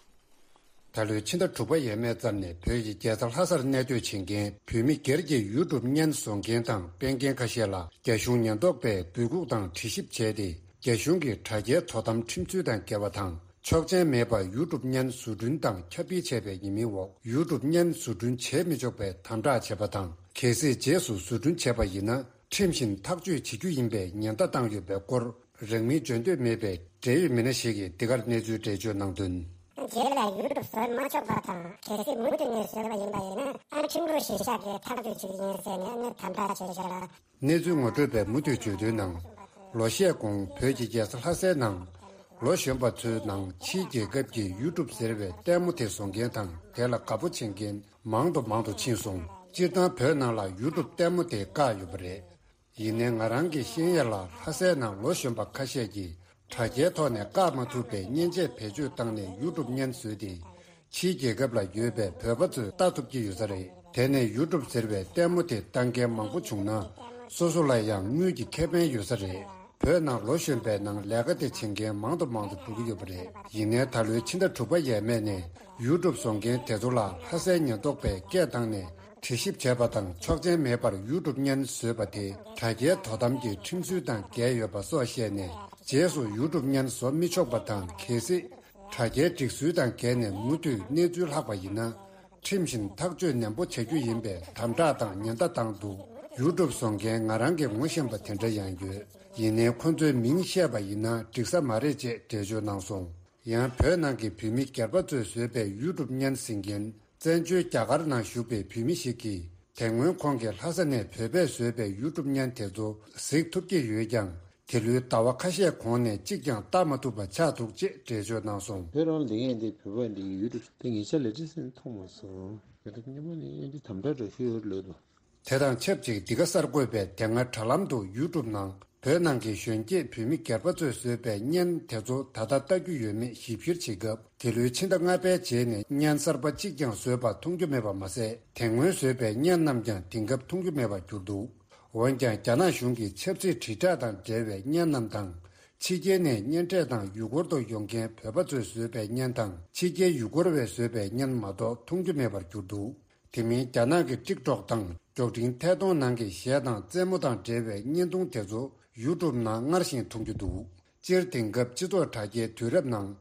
ད་ལོའི་ཕྱི་ཟླ་དྲུག་པ་ཡས་མས་ཙམ་ནས་བོད་ཀྱི་རྒྱལ་ས་ལྷ་སར་གནས་སྡོད་བྱེད་མཁན་བོད་མི་སྒེར་གྱི་ཡུ་ཊུབ་བརྙན་བཟོ་མཁན་དང་སྤེལ་མཁན་ཁ་ཤས་ལ་རྒྱ་གཞུང་ཉེན་རྟོག་པས་འབོད་འགུག་དང་དྲི་ཞིབ་བྱས་ཏེ། རྒྱ་གཞུང་གི་དྲ་རྒྱའི་དོ་དམ་ཁྲིམས་ཚུལ་དང་འགལ་བ་དང་། ཆོག་མཆན་མེད་པར་ཡུ་ཊུབ་བརྙན་བཟོ་སྐྲུན་དང་ཁྱབ་སྤེལ་བྱས་པའི་ཉེས་མིང་འོག་ཡུ་ཊུབ་བརྙན་བཟོ་སྐྲུན་བྱེད་མི་ཆོག་པའི་དམ་དྲག་བྱས་པ་དང་། གལ་སྲིད་རྗེས་སུ་བཟོ་སྐྲུན་བྱས་པ་ཡིན་ན། ཁྲིམས་བཞིན་ཐག་གཅོད་བྱེད་རྒྱུ་ཡིན་པའི་ཉེན་བརྡ་བཏང་ཡོད་པའི་སྐོར། རང་མིང་བརྗོད་འདོད་མེད་པའི་འབྲེལ་ཡོད་མི་སྣ་ཞིག་གིས་འདི་གར་གནས་ཚུལ་འགྲེལ་བརྗོད་གནང་དོན། རྗེས་ལ་ཡུ་ཊུབ་བཟོ་མ་ཆོག་པ་དང་། གལ་སྲིད་མུ་མཐུད་ནས་བཟོས་པ་ཡིན་པ་ཡིན་ན། ཨ། ཁྲིམས་ལུགས་གཞིར་བཞག་གིས་ཐག་གཅོད་བྱེད་ཀྱི་ཡིན་ཟེར་ནས་ཨ་ནི་དམ་དྲག་བྱས་བཞག་ལ། གནས་ཚུལ་ངོ་སྤྲོད་པས་མུ་མཐུད་བརྗོད་དོན་ནང་། ལོ་ཤས་གོང་བོད་ཀྱི་རྒྱལ་ས་ལྷ་སའི་ནང་ལོ་གཞོན་པ་ཚོའི་ནང་ཕྱིའི་རྒྱལ་ཁབ་ཀྱི་ཡུ་ཊུབ་ཟེར་བའི་ལྟད་མོ་དེ་བཟོ་མཁན་དང་། དེ་ལ་དགའ་པོ་བྱེད་མཁན་མང་དུ་མང་དུ་ཕྱིན་སོང་། སྤྱིར་བཏང་བོད་ནང་ལ་ཡུ་ཊུབ་ལྟད་མོ་དེ་བཀག་ཡོད་པ་རེད། ཡིན་ནའི་ང་རང་གི་ཤེས་ཡོན་ལ་ལྷ་སའི་ནང་ལོ་གཞོན་པ་ཁ་ཤས་ཀྱིས་དྲ་རྒྱའི་ཐོག་ནས་བཀག་མ་ཐུབ་པའི་མཉེན་ཆས་བེད་སྤྱོད་བཏང་ནས་ཡུ་ཊུབ་བརྙན་བཟོས་ཏེ། ཕྱིའི་རྒྱལ་ཁབ་ལ་ཡོད་པའི་བོད་པ་ཚོས་ལྟ་ཐུབ་ཀྱི་ཡོད་ས་རེད། དེ་ནས་ཡུ་ཊུབ་ཟེར་བའི་ལྟད་མོ་དེ་ལྟ་མཁན་མང་པོ་བྱུང་ན། སོ་སོ་ལ་ཡང་དངུལ་གྱི་ཁེ་ཕན་ཡོད་ས་རེད། བོད་ནང་ལོ་གཞོན་པའི་ནང་ལས་ཀ་དེ་བྱེད་མཁན་མང་དུ་མང་དུ་འགྲོ་གི་ཡོད་པ་རེད། ཡིན་ནའི་ད་ལོའི་ཕྱི་ཟླ་དྲུག་པ་ཡས་མས་ནས་ཡུ་ཊུབ་བཟོ་མཁན་དེ་ཚོ་ལ་ལྷ་སའི་ཉེན་རྟོག་པས་སྐད་བཏང་ནས། དྲི་ཞིབ་བྱས་པ་དང་ཆོག་མཆན་མེད་པར་ཡུ་ཀྲུབ་བརྙན་བཟོས་པ་དེ་དྲ་རྒྱའི་དོ་དམ་གྱི་ཁྲིམས་སྲོལ་དང་འགལ་ཡོད་པ་སོགས་བཤད་ནས། རྗེས་སུ་ཡུ་ཀྲུབ་བརྙན་བཟོ་མི་ཆོག་པ་དང་། གལ་སྲིད་དྲ་རྒྱའི་སྒྲིག་སྲོལ་དང་འགལ་ནས་མུ་མཐུད་གནས་ཚུལ་ལྷག་པ་ཡིན་ན། ཁྲིམས་བཞིན་ཐག་གཅོད་ནན་པོ་བྱ་རྒྱུ་ཡིན་པའི་དམ་དྲག་དང་ཉེན་བརྡ་བཏང་འདུག་ཡུ་ཀྲུབ་བཟོ་མཁན་ང་རང་གིས་ངོ་ཤེས་པ་དེ་འདྲ་ཡང་ཡོད། ཡིན་ནའི་ཁོ་ཚོའི་མིང་བཤད་པ་ཡིན་ན་འགྲིག་ས་མ་རེད་ཅེས་འགྲེལ་བརྗོད་གནང་སོང་། ཡང་བོད་ནང་གི་བོད་མི་སྒེར་པ་ཚོས་བཟོས་པའི་ཡུ་ཀྲུབ་བརྙན་གཟིགས་མཁན། བཙན་བྱོལ་རྒྱ་གར་ནང་བཞུགས་པའི་བོད་མི་ཞིག་གིས། དེ་སྔོན་ཁོང་གིས་ལྷ་ས་ནས་བོད་པས་བཟོས་པའི་ཡུ་ཀྲུབ་བརྙན་དེ་ཚོ་གཟིགས་ཐུབ་ཀྱི་ཡོད་ཀྱང་། དེ་ལོའི་ཟླ་བ་ཁ་ཤས་གོང་ནས་གཅིག་ཀྱང་བལྟ་མ་ཐུབ་པ་ཆགས་འདུག་ཅེས་འགྲེལ་བརྗོད་གནང་སོང་། བོད་རང་ལ་ཡིན་ཏེ་བོད་པ་འདི་ཡུ་ཀྲུབ་དེ་ཉེ་ཆར་ལས་བྲིས་ཟིན་མཐོང་མ་སོང་། ཡུ་ཀྲུབ་སྔོན་མ་ནས་ཡིན་ཏེ་དམ་དྲག་འདྲ་ཞུ་ཡོད་ལོས་དོ། དེ་དང་ཆབས་ཅིག་འདི་ག་གསར་འགོད་པས་དེ་སྔ་དྲ་ལམ་དུ་ཡུ་ཀྲུབ་ནང་བོད་ནང་གི་གཞོན་སྐྱེས་བོད་མི་སྒེར་པ་ཚོས་བཟོས་པའི་བརྙན་དེ་ཚོ་ད་ལྟ་ལྟ་རྒྱུ་ཡོད་མེད་ཞིབ་བཤེར་བྱེད་སྐབས། དེ་ལོའི་ཕྱི་ཟླ་ལྔ་པའི་རྗེས་ནས་བརྙན་གསར་པ་གཅིག་ཀྱང་བཟོས་པ་མཐོང་རྒྱུ་མེད་པ་མ་ཟད། དེ་སྔོན་བཟོས་པའི་བརྙན་རྣམས་ཀྱང་དེང་སྐབས་མཐོང་རྒྱུ་མེད་པར་གྱུར་འདུག་འོན་ཀྱང་། རྒྱ་ནག་གཞུང་གིས་ཆབ་སྲིད་དྲིལ་བསྒྲགས་དང་འབྲེལ་བའི་བརྙན་རྣམས་དང་། ཕྱི་རྒྱལ་ནས་གཉེན་འཕྲད་དང་ཡུལ་སྐོར་དུ་ཡོང་མཁན་བོད་པ་ཚོས་བཟོས་པའི་བརྙན་དང་། ཕྱི་རྒྱལ་ཡུལ་སྐོར་བས་བཟོས་པའི་བརྙན་མ་གཏོགས་མཐོང་རྒྱུ་མེད་པར་གྱུར་འདུག་དེ་མིན། རྒྱ་ནག་གི་ཊིག་ཊོག་དང་མགྱོགས་འཕྲིན་ཐད་གཏོང་ནང་གི་གཞས་དང་རྩེད་མོ་དང་འབྲེལ་བའི་བརྙན་ཐུང་དེ་ཚོ་ཡུ་ཀྲུབ་ནང་སྔར་བཞིན་མཐོང་རྒྱུ་འདུག་སྤྱིར་དེང་སྐབས་སྤྱི་ཚོགས་དྲ་རྒྱའི་དུས་རབས་ནང་།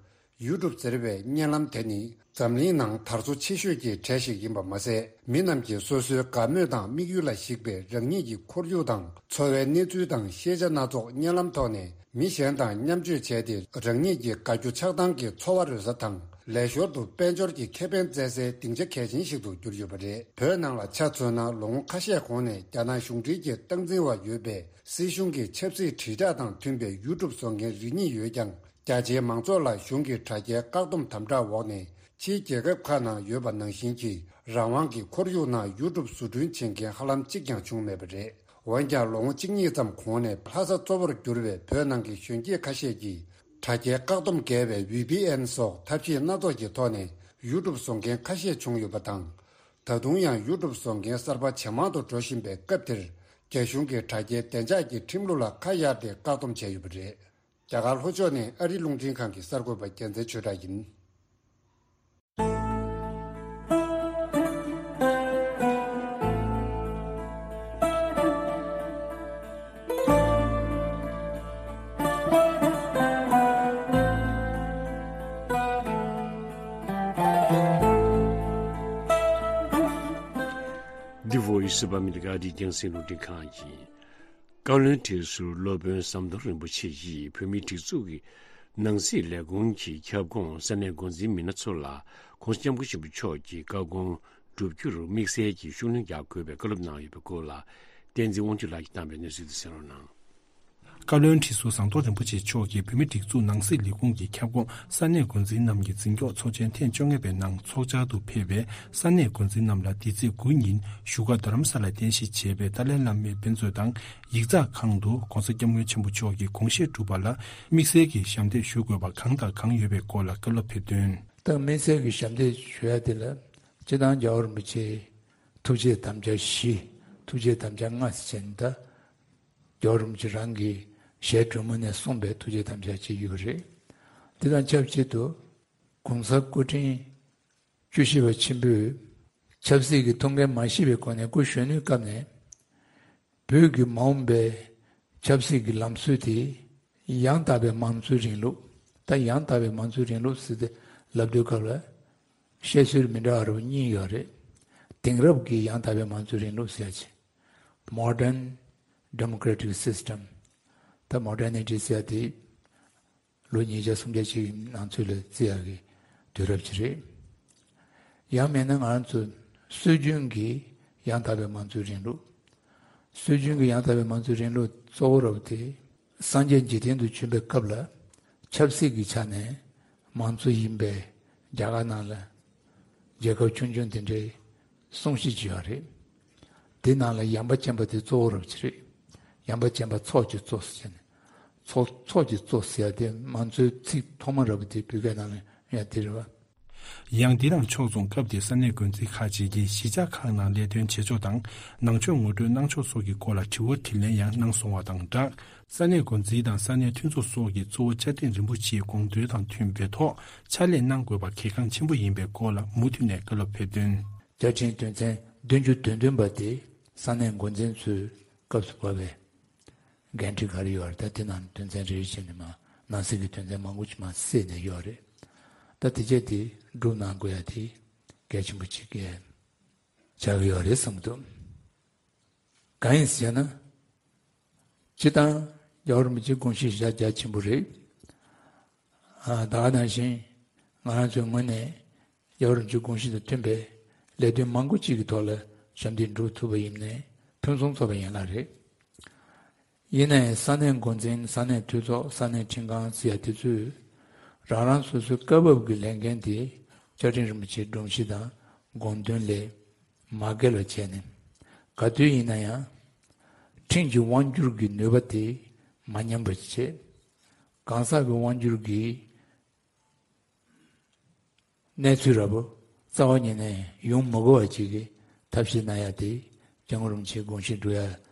ཡུ་ཀྲུབ་ཟེར་བའི་བརྙན་ལམ་དེ་ནི་འཛམ་གླིང་ནང་དར་སོ་ཆེ་ཤོས་ཀྱི་གྲས་ཤིག་ཡིན་པ་མ་ཟད། མི་རྣམས་ཀྱིས་སོ་སོའི་དགའ་མོས་དང་དམིགས་ཡུལ་ལ་གཞིགས་པའི་རང་ཉིད་ཀྱི་ཁོར་ཡུག་དང་། འཚོ་བའི་གནས་ཚུལ་དང་ཤེས་བྱ་སྣ་ཚོགས་བརྙན་ལམ་ཐོག་ནས་མི་གཞན་དང་མཉམ་སྤྱོད་བྱས་ཏེ། རང་ཉིད་ཀྱི་དགའ་སྐྱོ་ཆགས་སྡང་གི་འཚོ་བ་རོལ་ས་དང་། ལས་ཞོར་དུ་དཔལ་འབྱོར་གྱི་ཁེ་ཕན་བཙལ་སའི་སྡིངས་ཆ་གལ་ཆེན་ཞིག་ཏུ་གྱུར་ཡོད་པ་རེད། བོད་ནང་ལ་ཆ་མཚོན་ན། ལོ་ངོ་ཁ་ཤས་གོང་ནས་རྒྱ་ནག་གཞུང་འབྲེལ་གྱི་སྟངས་འཛིན་འོག་ཡོད་པའི་སྲིད་གཞུང་གི་ཆབ་སྲིད་དྲིལ་བསྒྲགས་དང་མཐུན་པའི་ཡུ་ཀྲུབ་བཟོ་མཁན་རེ་གཉིས་ཡོད་ཀྱང་། རྒྱ་ཆེའི་མང་ཚོགས་ལ་གཞུང་གི་དྲ་རྒྱའི་བཀག་སྡོམ་དམ་དྲག་འོག་ནས། ཕྱིའི་རྒྱལ་ཁབ་ཁག་ནང་ཡོད་པ་ནང་བཞིན་གྱི་རང་དབང་གི་ཁོར་ཡུག་ནང་ཡུ་ཀྲུབ་བཟོ་སྐྲུན་བྱེད་མཁན་ཧ་ལམ་གཅིག་ཀྱང་བྱུང་མེད་པ་རེད། འོན་ཀྱང་། ལོ་ངོ་གཅིག་གཉིས་ཙམ་གོང་ནས་ལྷ་ས་གཙོ་བོར་གྱུར་བའི་བོད་ནང་གི་གཞོན་སྐྱེས་ཁ་ཤས་ཀྱིས་དྲ་རྒྱའི་བཀག་སྡོམ་བརྒལ་བའི་ཝི་པི་ཨེན་སོགས་ཐབས་ཤེས་སྣ་ཚོགས་ཀྱི་ཐོག་ནས་ཡུ་ཀྲུབ་བཟོ་མཁན་ཁ་ཤས་བྱུང་ཡོད་པ་དང་། ད་དུང་ཡང་ཡུ་ཀྲུབ་བཟོ་མཁན་གསར་པ་ཇེ་མང་དུ་འགྲོ་བཞིན་པའི་སྐབས་དེར། རྒྱ་གཞུང་གིས་དྲ་རྒྱའི་བདེ་འཇགས་ཀྱི་ཁྲིམས་ལུགས་ལ་ཁ་གཡར་ཏེ་བཀག་སྡོམ་བྱས་ཡོད་པ་རེད། རྒྱ་གར་ལྷོ་ཕྱོགས་ནས་ཨ་རི་རླུང་འཕྲིན་ཁང་གི་གསར་འགོད་པ་རྒྱལ་མཚན་ཆོས་གྲགས་ཡིན། The Voice of America འདི་རྒྱང་སྲིང་རླུང་འཕྲིན་ཁང་ཡིན། བཀའ་བློན་ཁྲི་ཟུར་སློབ་དཔོན་ཟམ་གདོང་རིན་པོ་ཆེ་ཡིས་བོད་མིའི་སྒྲིག་འཛུགས་ཀྱི་ནང་སྲིད་ལས་ཁུངས་ཀྱི་ཁྱབ་ཁོངས་ས་གནས་འགོ་འཛིན་མི་སྣ་ཚོ་ལ་༸གོང་ས་༸སྐྱབས་མགོན་ཆེན་པོ་མཆོག་གི་བཀའ་དགོངས་བསྒྲུབ་རྒྱུར་དམིགས་བསལ་གྱི་ཤུགས་སྣོན་རྒྱག་དགོས་པའི་བཀའ་སློབ་གནང་ཡོད་པའི་སྐོར་ལ། བསྟན་འཛིན་དབང་ཕྱུག་ལགས་ཀྱིས་བཏང་པའི་གནས་ཚུལ་དེ་གསན་རོགས་གནང་། བཀའ་བློན་ཁྲི་ཟུར་ཟམ་གདོང་རིན་པོ་ཆེ་མཆོག་གིས་བོད་མིའི་སྒྲིག་འཛུགས་ནང་སྲིད་ལས་ཁུངས་ཀྱི་ཁྱབ་ཁོངས་ས་གནས་འགོ་འཛིན་རྣམས་ཀྱི་འཛིན་སྐྱོང་ཚོགས་ཆེན་ཐེངས་བཅོ་ལྔ་པའི་ནང་ཚོགས་བཅར་དུ་ཕེབས་པའི་ས་གནས་འགོ་འཛིན་རྣམས་ལ་འདི་ཚེས་དགུ་ཉིན་བཞུགས་སྒར་རྡ་རམ་ས་ལར་རྟེན་གཞི་བྱས་པའི་ཏཱ་ལའི་བླ་མའི་དཔེ་མཛོད་དང་ཡིག་ཚགས་ཁང་དུ་༸གོང་ས་༸སྐྱབས་མགོན་ཆེན་པོ་མཆོག་གི་དགོངས་བཞེད་སྒྲུབ་པ་ལ་དམིགས་བསལ་གྱི་ཞབས་འདེགས་ཞུ་དགོས་པ་གང་དང་གང་ཡོད་པའི་སྐོར་ལ་བཀའ་སློབ་ཕེབས་དོན། ད་དམིགས་བསལ་གྱི་ཞབས་འདེགས་ཞུ་ཡ་དེ་ལ་སྤྱིར་བཏང་རྒྱལ་བ་རིན་པོ་ཆེའི་ཐུགས་བསྐྱེད་དམ་བཅའ་བཞི། ཐུགས་བསྐྱེད་དམ་བཅའ་ལྔ་ཟེར་བྱས་ནས། ད་རྒྱལ་བ་རིན་པོ་ཆེ་རང་གི་ཞལ་དྲོན་མོ་ནས་གསུངས་པའི་ཐུགས་བསྐྱེད་དམ་བཅའ་ཅིག་ཡོད་རེད། དེ་དང་ཆབས་ཅིག་ཏུ་༸གོང་ས་སྐུ་ཕྲེང་བཅུ་བཞི་པ་ཆེན་པོས་ཆབ་སྲིད་ཀྱི་ཐུགས་འགན་མ་བཞེས་པའི་སྒོ་ནས་སྐུ་གཞོན་ནུའི་སྐབས་ནས་བོད་ཀྱི་མ་འོངས་པའི་ཆབ་སྲིད་ཀྱི་ལམ་སྲོལ་དེ་ཡང་དག་པའི་མང་གཙོའི་རིང་ལུགས། ད་ཡང་དག་པའི་མང་གཙོའི་རིང་ལུགས་ཟེར་ཏེ་ལབ་དུས་སྐབས་ལ་བཤད་སྲོལ་མི་འདྲ་བ་རུ་གཉིས་ཡོད་རེད། དེང་རབས་ཀྱི་ཡང་དག་པའི་མང་གཙོའི་རིང་ལུགས་ཟེར་ཡ་ཅིག Modern Democratic System། ད་མོ་ཌར་ནི་ཊི་ཟེར་ཡ་དེ་ལོ་ཉིས་བརྒྱ་སུམ་བརྒྱ་ཅིག་གི་ནང་ཚུད་ལ་བརྩི་ཡག་གི་དུས་རབས་ཅིག་རེད། ཡང་མིན་ན་ང་རང་ཚོ་སྲོལ་རྒྱུན་གྱི་ཡང་དག་པའི་མང་གཙོའི་རིང་ལུགས། སྲོལ་རྒྱུན་གྱི་ཡང་དག་པའི་མང་གཙོའི་རིང་ལུགས་གཙོ་བོ་རབ་དེ་སངས་རྒྱས་འཇིག་རྟེན་དུ་བྱོན་པའི་སྐབས་ལ་ཆབ་སྲིད་ཀྱི་ཆ་ནས་མང་གཙོ་ཡིན་པའི་རྒྱ་གར་ནང་ལ་རྒྱལ་ཁབ་ཆུང་ཆུང་དེ་འདྲའི་གསུང་བཤད་ཅིག་ཡོད་རེད། དེ་ནང་ལ་ཡངས་པ་ཅན་པ་དེ་གཙོ་བོ་རབ་ཅིག་རེད། ཡངས་པ་ཅན་པ་ཚོགས་ཀྱི་གཙོ་ཟེར་ནས། ཚོགས་ཚོགས་ཀྱི་གཙོ་ཟེར་ཡ་དེ་མང་གཙོའི་ཚིག་ཐོག་མ་རབ་དེ་བོད་སྐད་ནང་ལ་ཡང་དེ་རེད་བ། ཡང་འདི་དང་ཕྱོགས་མཚུངས་སྐབས་དེའི་ས་གནས་འགོ་འཛིན་ཁག་ཅིག་གིས་གཞིས་ཆགས་ཁག་ནང་ལས་དོན་བྱེད་ཕྱོགས་དང་ནང་ཆོས་ངོ་སྤྲོད་གནང་ཕྱོགས་སོགས་ཀྱི་སྐོར་ལ་དྲི་བ་དྲིས་ལན་ཡང་གནང་སོང་བ་དང་སྦྲགས། ས་གནས་འགོ་འཛིན་དང་ས་གནས་མཐུན་ཚོགས་སོགས་ཀྱིས་གཙོ་བོ་བཅའ་སྡོད་རིན་པོ་ཆེའི་དགོངས་དོན་དང་མཐུན་པའི་ཐོག་ཕྱག་ལས་གནང་དགོས་པ་གལ་འགངས་ཆེན་པོ་ཡིན་པའི་སྐོར་ལ་མུ་མཐུད་ནས་བཀའ་སློབ་ཕེབས་དོན། བརྒྱ་ཆེན་དོན་ཚན་ བདུན་ཅུ་དོན་བདུན་པ་དེ་ས་གནས་འགོ་འཛིན་ཚོའི་སྐབས་སུ་བབས་པའི་འགན་འཁྲི་ག་རེ་ཡོད་རེད། ད་དེ་ནང་དོན་ཚན་རེ་རེ་བྱས་ནས་མར་ནང་གསེས་ཀྱི་དོན་ཚན་མང་པོ་ཅིག་མར་བསྲེས་ནས་ཡོད་རེད། ད་དེ་བྱས་དེ་སྒྲུབ་གནང་དགོས་ཡ་དེ་གལ་ཆེན་པོ་ཅིག་གི་ཆགས་ཀྱི་ཡོད་རེད་བསམ་གྱི་འདུག་གང་ཡིན་ཟེར་ན། སྤྱིར་བཏང་རྒྱལ་བ་རིན་པོ་ཆེའི་དགོངས་གཞི་བཞག་རྒྱ་ཆེན་པོ་རེད། ཨ། ད་ག་ནང་བཞིན་ང་རང་ཚོའི་ངོས་ནས་རྒྱལ་བ་རིན་པོ་ཆེའི་དགོངས་གཞི་དང་མཐུན་པའི་ལས་དོན་མང་པོ་ཅིག་གི་ཐོག་ལ་ཞབས་འདེགས་སྒྲུབ་ཐུབ་པ་ཡིན་ནའི་ཕུན་སུམ་ཚོགས་པ་ཡན་ལག་རེད། ཡིན་ནའི་ས་གནས་འགོ་འཛིན། ས་གནས་འཐུས་ཚོགས། ས་གནས་ཁྲིམས་ཁང་ཟེར་ཡ་དེ་ཚོས་རང་རང་སོ་སོའི་སྐབས་བབ་ཀྱི་ལས་འགན་དེ་བཅའ་ཁྲིམས་རིན་པོ་ཆེའི་སྒྲོམ་གཞི་དང་དགོངས་དོན་ལས་མ་འགལ་བ་བྱས་ནས། ག་དུས་ཡིན་ན་ཡང་ཁྲིམས་ཀྱི་དབང་སྒྱུར་གྱི་ནུས་པ་དེ་མ་ཉམས་པ་བྱེད། གང་ཟག་གི་དབང་སྒྱུར་གྱི་གནས་ཚུལ་འདྲ་པོ་རྩ་བ་ཉིད་ནས་ཡོང་མི་དགོས་པ་ཅིག་གི་ཐབས་ཤེས་གནང་ཡ་དེ་སྐྱབས་མགོན་རིན་པོ་ཆེའི་དགོངས་གཞི་སྒྲུབ་ཡ་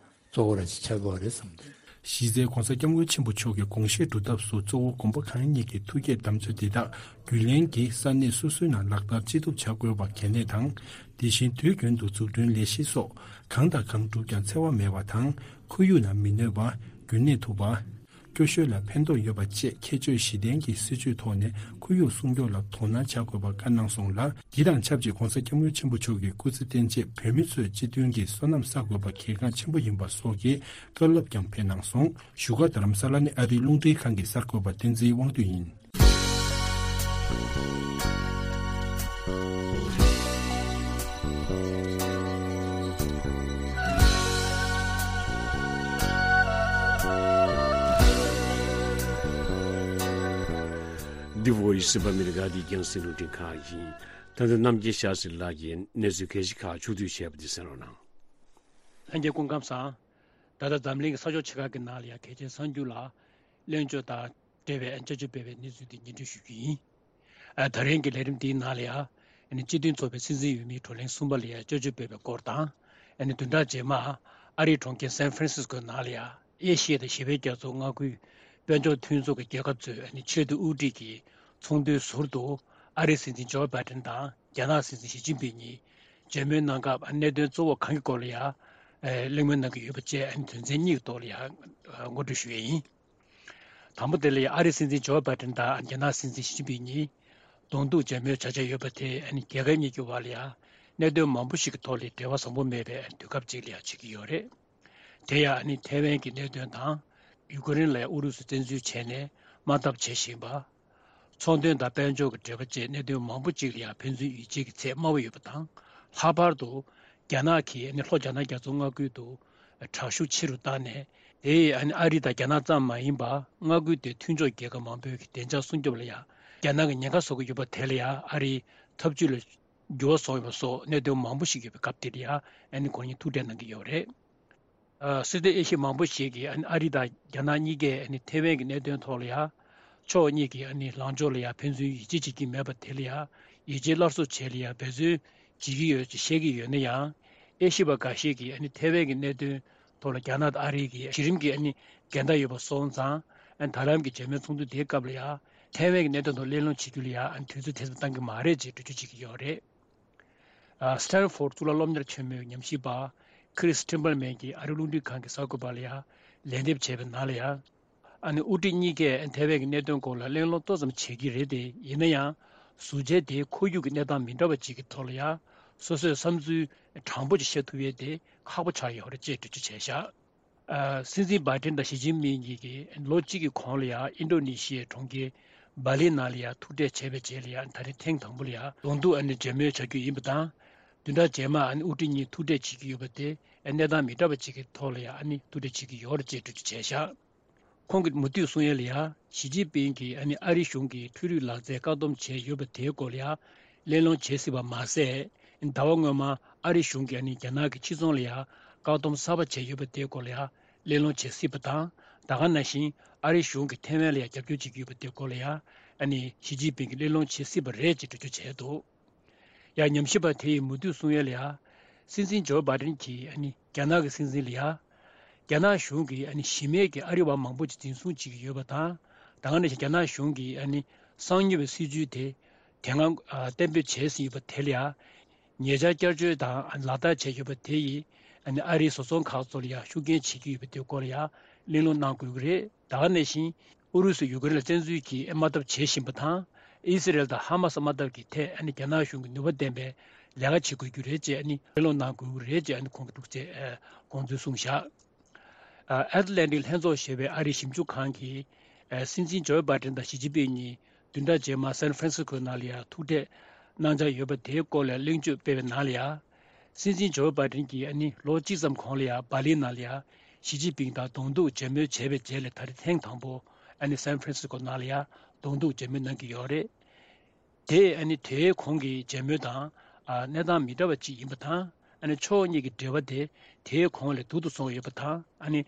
གཙོ་བོ་ར་ཅིག་ཆགས་དགོས་པ་རེད་བསམ་འདུག་གཞི་རྩའི་༧གོང་ས་༧སྐྱབས་མགོན་ཆེན་པོ་མཆོག་གི་དགོངས་བཞེད་སྒྲུབ་ཐབས་སུ་གཙོ་བོ་དགོན་པ་གང་ཉིད་ཀྱི་ཐུགས་བསྐྱེད་དམ་ཚིག་འདི་དག་རྒྱུན་ལྡན་གྱི་ས་གནས་སོ་སོའི་ནང་ལག་བསྟར་ཅི་ཐུབ་བྱ་དགོས་པ་གལ་གནད་དང་། དེ་བཞིན་དུས་རྒྱུན་དུ་འཛུགས་སྐྲུན་ལས་གཞི་སོགས་གང་དང་གང་བསྒྲུབས་ཀྱང་འཚེ་བ་མེད་པ་དང་ཁོར་ཡུག་ལ་མི་གནོད་པ། རྒྱུན་གནས་ཐུབ་པ། སྐྱོ་ཤོས་ལ་ཕན་ཐོགས་ཡོད་པ་བཅས་ཁྱད་ཆོས་བཞི་ལྡན་གྱི་སྲིད་བྱུས་ཐོག་ནས་ཁོར་ཡུག་སྲུང་སྐྱོབ་ལ་དོ་སྣང་བྱ་དགོས་པ་བཀའ་གནང་སོང་ལ། འདི་དང་ཆབས་ཅིག་༧གོང་ས་༧སྐྱབས་མགོན་ཆེན་པོ་མཆོག་གི་སྐུ་ཚེ་བརྟན་ཆེད་བོད་མི་ཚོས་སྤྱི་མཐུན་གྱི་བསོད་ནམས་བསགས་དགོས་པ་གལ་འགངས་ཆེན་པོ་ཡིན་པ་སོགས་ཀྱི་བཀའ་སློབ་ཀྱང་ཕེབས་གནང་སོང་། བཞུགས་སྒར་རྡ་རམ་ས་ལ་ནས་ཨ་རིའི་རླུང་འཕྲིན་ཁང་གི་གསར་འགོད་པ་བསྟན་འཛིན་དབང་འདུས་ཡིན། འདི་བོ་ཡི་སི་བ་མི་རི་ག་དེ་རྒྱང་སྲིང་རླུང་འཕྲིན་ཁང་ཡིན། ད་ལྟ་རྣམ་རྒྱལ་ཤཱ་སྲི་ལགས་ཀྱིས་གནས་ཚུལ་གལ་ཆེ་ཁག་ཕྱོགས་བསྡུས་བྱས་པ་འདི་གསན་རོགས་གནང་། ལྷན་རྒྱས་སྐུ་ཁམས་བཟང་། ད་ལྟ་འཛམ་གླིང་གི་ས་ཕྱོགས་ཆེ་ཁག་གི་ནང་ལ་ཡང་གལ་ཆེན་གསར་འགྱུར་ལ་གླེང་བརྗོད་དང་འབྲེལ་བའི་བསྐྱར་བཅོས་སྤེལ་བའི་གནས་ཚུལ་འདི་སྙན་སྒྲོན་ཞུ་རྒྱུ་ཡིན། ཨ། ད་རིང་གི་ལས་རིམ་འདིའི་ནང་ལ་ཡང་། ཨ་ནི་སྤྱི་མཐུན་ཚོགས་པའི་སྲིད་འཛིན་འོས་མིའི་བགྲོ་གླེང་གསུམ་པ་ལ་ཡང་བསྐྱར་བཅོས་སྤེལ་བའི་སྐོར་དང་། ཨ་ནི་བདུན་ཕྲག་རྗེས་མ་ཨ་རིའི་གྲོང་ཁྱེར་སན་ཧྥ་རན་སིས་ཀོའི་ནང་ལ་ཡང་ཨེ་ཤི་ཡ་དང་ཞི་བའི་རྒྱ་མཚོ་མངའ་ཁུལ་དཔལ་འབྱོར་མཐུན་ཚོགས་ཀྱི་རྒྱལ་ཁབ་ཚོའི་ཨ་ནི་ཆེས་མཐོའི་དབུ་ཁྲིད་ཀྱི་ཚོགས་འདུའི་ཟུར་དུ་ཨ་རིའི་སྲིད་འཛིན་ཇོ་བྷའི་ཌེན་དང་རྒྱ་ནག་སྲིད་འཛིན་ཞི་ཅིན་ཕིང་གཉིས་མཇལ་མོལ་གནང་སྐབས་གནད་དོན་གཙོ་བོ་གང་གི་སྐོར་ལ་ཡང་གླེང་མོལ་གནང་གི་ཡོད་པ་བཅས་དོན་ཚན་གཉིས་ཀྱི་ཐོག་ལ་ཡང་ངོ་སྤྲོད་ཞུ་ཡས་ཡིན། དང་པོ་དེ་ལ་ཡང་ཨ་རིའི་སྲིད་འཛིན་ཇོ་བྷའི་ཌེན་དང་རྒྱ་ནག་སྲིད་འཛིན་ཞི་ཅིན་ཕིང་གཉིས་གདོང་ཐུག་མཇལ་མོལ་བྱ་འཆར་ཡོད་པ་དེས་རྒྱལ་ཁབ་གཉིས་ཀྱི་བར་ལ་ཡང་གནད་དོན་མང་པོ་ཞིག་གི་ཐོག་ལ་འབྲེལ་བ་བཟང་པོ་མེད་པའི་དུས་སྐབས་ཅིག་ལ་ཡང་བྱེད་ཀྱི་ཡོད་རེད། དེ་ཡང་ཐའེ་ཝན་གྱི་གནད་དོན་དང་། ཡུ་ཀེ་རེན་ལ་ཡང་ཨུ་རུ་སུས་བཙན་འཛུལ་བྱས་ནས་དམག་འཐབ་བྱེད་བཞིན་པ། ཚོང་དོན་དང་དཔལ་འབྱོར་གྱི་འབྲེལ་བ་བཅས་གནད་དོན་མང་པོ་ཅིག་ལ་ཡང་ཕན་ཚུན་ཡིད་ཆེས་ཀྱི་ཚད་དམའ་བ་ཡོད་པ་དང་། ལྷག་པར་དུ་རྒྱ་ནག་གིས་ལྷོ་རྒྱ་ནག་རྒྱ་མཚོ་མངའ་ཁུལ་དུ་དྲག་ཤུགས་ཆེ་རུ་བཏང་ནས། དེས་ཨ་རི་དང་རྒྱ་ནག་ཙམ་མ་ཡིན་པར་མངའ་ཁུལ་དེའི་མཐུན་ཕྱོགས་རྒྱལ་ཁབ་མང་པོའི་བདེ་འཇགས་སྲུང་སྐྱོབ་ལ་ཡང་རྒྱ་ནག་གིས་ཉེན་ཁ་བཟོ་གི་ཡོད་པ་དེ་ལ་ཡང་ཨ་རིའི་ཐབས་ཇུས་ལ་འགྱུར་བ་སོང་ཡོད་པ་སོགས་གནད་དོན་མང་པོ་ཞིག་ཡོད་པའི་སྐབས་དེར་ཡང་ཁོང་གཉིས་ཐུག་འཕྲད་གནང་གི་ཡོད་རེད། ཨ། སྲིད་དོན་དབྱེ་གཞི་མང་པོ་ཞིག་གིས་ཨ་རི་དང་རྒྱ་ནག་གཉིས་ཀས་ཐའེ་ཝན་གྱི་གནད་དོན་ཐོག་ལ་ཡང་ཕྱོགས་གཉིས་ཀྱི་ལངས་ཕྱོགས་ལ་ཡང་ཕན་ཚུན་ཡིད་ཆེས་བྱེད་ཀྱི་མེད་པ་དེ་ལ་ཡང་ཡིད་ཆེས་སླར་གསོ་བྱེད་ལ་ཡང་འབད་བརྩོན་བྱེད་ཀྱི་ཡོད་ཅེས་བཤད་ཀྱི་ཡོད་ན་ཡང་། དབྱེ་ཞིབ་པ་འགའ་ཞིག་གིས་ཐའེ་ཝན་གྱི་གནད་དོན་ཐོག་ལ་རྒྱ་ནག་དང་ཨ་རི་གིས་གཞི་རིམ་གྱི་འགལ་ཟླ་ཡོད་པ་སོང་ཙང་། ད་ལམ་གྱི་མཇལ་མོལ་ཚོགས་འདུ་དེའི་སྐབས་ལ་ཡང་ཐའེ་ཝན་གྱི་གནད་དོན་ཐོག་གླེང་སློང་བྱེད་རྒྱུ་ལ་ཡང་དུས་ཚོད་དེ་ཙམ་བཏང་གི་མ་རེད་ཅེས་འགྲེལ་བརྗོད་བྱེད་ཀྱི་ཡོད་རེད། ཨ། སི་ཊན་ཧྥོར་གཙུག་ལག་སློབ་གཉེར་ཆེན་མོའི་ཉམས་ཞིབ་པ་ཁི་རིས་ཁྲིམ་པར་མན་གྱིས་ཨ་རི་རླུང་འཕྲིན་ཁང་གི་གསར་འགོད་པ་ལ་ཡང་ལན་འདེབས་བྱས་པའི་ནང་ལ་ཡང་། ཨ་ནི་དབུ་ཁྲིད་གཉིས་ཀས་ཐའེ་ཝན་གྱི་གནད་དོན་སྐོར་ལ་གླེང་སློང་ཏོག་ཙམ་བྱེད་ཀྱི་རེད་དེ། ཡིན་ན་ཡང་ཟུར་མཇལ་དེའི་ཁོར་ཡུག་གི་གནས་སྟངས་མི་འདྲ་བ་ཅིག་གི་ཐོག་ལ་ཡང་སོ་སོའི་བསམ་ཚུལ་དྲང་པོ་ཅིག་བཤད་ཐུབ་ཡས་དེ་ཁག་པོ་ཆགས་ཡོད་རེད་ཅེས་འགྲེལ་བརྗོད་བྱས་བཞག་ཨ། སྲིད་འཛིན་བྷའི་ཏིན་དང་ཞི་ཅིན་ཕིང་གཉིས་ཀྱིས་ལོ་གཅིག་གི་གོང་ལ་ཡང་ཨིན་ཌོ་ནེ་ཤི་ཡའི་གྲོང་ཁྱེར་སྦ་ལི་ནང་ལ་ཡང་ཐུག་འཕྲད་བྱས་པའི་རྗེས་ལ་ཡང་ད་རེས་ཐེངས་དང་པོ་ལ་ཡང་གདོང་ཐུག་ཨ་ནི་མཇལ་མོལ་བྱ་རྒྱུ་ཡིན་པ་དང་། བདུན་ཕྲག་རྗེས་མ་ཨ་ནི་དབུ་ཁྲིད་གཉིས་ཐུག་འཕྲད་བྱེད་ཀྱི་ཡོད་པ་དེ་གནས་སྟངས་མི་འདྲ་བ་ཅིག་གི་ཐོག་ལ་ཡང་ཨ་ནི་ཐུག་འཕྲད་བྱེད་ཀྱི་ཡོད་རེད་ཅེས་འགྲེལ་བརྗོད་བྱས་བཞག་ཁོང་གིས་མུ་མཐུད་གསུང་ཡས་ལ་ཡང་ཞི་ཅིན་ཕིང་གིས་ཨ་ནི་ཨ་རི་གཞུང་གིས་འཕྲུལ་རིག་ལག་རྩལ་བཀག་སྡོམ་བྱས་ཡོད་པ་དེའི་སྐོར་ལ་ཡང་གླེང་སློང་བྱེད་སྲིད་པ་མ་ཟད། ཟླ་བ་སྔོན་མ་ཨ་རི་གཞུང་གིས་ཨ་ནི་རྒྱ་ནག་གི་ཕྱི་ཚོང་ལ་ཡང་བཀག་སྡོམ་གསར་པ་བྱས་ཡོད་པ་དེའི་སྐོར་ལ་ཡང་གླེང་སློང་བྱེད་སྲིད་པ་དང་། ད་ག་ནང་བཞིན་ཨ་རི་གཞུང་གིས་ཐའེ་ཝན་ལ་ཡང་རྒྱབ་སྐྱོར་བྱེད་ཀྱི་ཡོད་པ་དེའི་སྐོར་ལ་ཡང་ཨ་ནི་ཞི་ཅིན་ཕིང་གིས་གླེང་སློང་བྱེད་སྲིད་པ་རེད་ཅེས་འགྲེལ་བརྗོད་བྱས་འདུག་ཡང་ཉམས་ཞིབ་པ་དེ་ཡིས་མུ་མཐུད་གསུང་ཡས་ལ་ཡང་། སྲིད་འཛིན་ཇོ་བྷའི་ཏིན་གྱིས་ཨ་ནི་རྒྱ་ནག་གི་སྲིད་འཛིན་ལ་ཡང་། རྒྱ་ནག་གཞུང་གིས་ཨ་ནི་གཞི་མེད་ཀྱི་ཨ་རི་བ་མང་པོ་ཅིག་འཛིན་བཟུང་བྱེད་ཀྱི་ཡོད་པ་དང་། ད་ག་ནང་བཞིན་རྒྱ་ནག་གཞུང་གིས་ཨ་ནི་གསང་མྱུལ་བའི་སྲིད་ཇུས་དེ་དེ་སྔ་ཨ་གཏན་འབེབས་བྱས་ཟིན་ཡོད་པ་དེ་ལ་ཡང་ ཉེ་ཆར་བསྐྱར་བཅོས་དང་ལག་བསྟར་བྱས་ཡོད་པ་དེ་ཡིས་ཨ་ནི་ཨ་རིའི་བཟོ་ཚོང་ཁག་ཚོ་ལ་ཡང་ཤུགས་རྐྱེན་བྱེད་ཀྱི་ཡོད་པ་དེའི་སྐོར་ལ་ཡང་གླེང་སློང་གནང་དགོས་ཀྱི་རེད། ད་ག་ནང་བཞིན་ཨུ་རུ་སུས་ཡུ་ཀེ་རེན་ལ་བཙན་འཛུལ་གྱི་དམག་འཐབ་བྱེད་བཞིན་པ་དང་། ཨི་སི་རེལ་དང་ཧ་མ་སི་དམག་འཐབ་ཀྱི་ཐད་ཨ་ནི་རྒྱ་ནག་གཞུང་གིས་ནུས་པ་ལྡན་པའི་ལས་ཀ་བྱེད་དགོས་ཀྱི་རེད་ཅེས་ཨ་ནི་གླེང་སློང་གནང་དགོས་ཀྱི་རེད་ཅེས་ཨ་ནི་ཁོང་གིས་འདུག་ཅེས་དགོངས་ཚུལ་གསུངས་བཞག་ཨ་ཨེཊ་ལན་ཊིག་ལྷན་ཚོགས་ཞེས་པའི་ཨ་རིའི་ཞིབ་འཇུག་ཁང་གིས་ཨ་སྲིད་འཛིན་ཇོ་བྷའི་ཌེན་དང་ཞི་ཅིན་ཕིང་གཉིས་བདུན་ཕྲག་རྗེས་མར་སན་ཧྥ་རན་སི་སྐོའི་ནང་ལ་ཡང་ཐུག་འཕྲད་གནང་འཆར་ཡོད་པ་དེའི་སྐོར་ལ་གླེང་བརྗོད་སྤེལ་བའི་ནང་ལ་ཡང་། སྲིད་འཛིན་ཇོ་བྷའི་ཌེན་གྱིས་ཨ་ནི་ལོ་གཅིག་ཙམ་གོང་ལ་ཡང་སྦར་ལིན་ནང་ལ་ཡང་ཞི་ཅིན་ཕིང་དང་གདོང་ཐུག་མཇལ་མོལ་བྱས་པའི་རྗེས་ལ་ད་རེས་ཐེངས་དང་པོ་ཨ་ནི་སན་ཧྥ་རན་སི་སྐོ་ནང་ལ་ཡང་གདོང་ཐུག་མཇལ་མོལ་གནང་གི་ཡོད་རེད། དེ་ཨ་ནི་དེའི་གོང་གི་མཇལ་མོལ་དང་ཨ་གནས་སྟངས་མི་འདྲ་བ་ཅིག་ཡིན་པ་དང་། ཨ་ནི་ཕྱོགས་གཉིས་ཀྱི་འབྲེལ་བ་དེ་དེའི་གོང་ལས་སྡུག་ཏུ་སོང་ཡོད་པ་དང་། ཨ་ནི་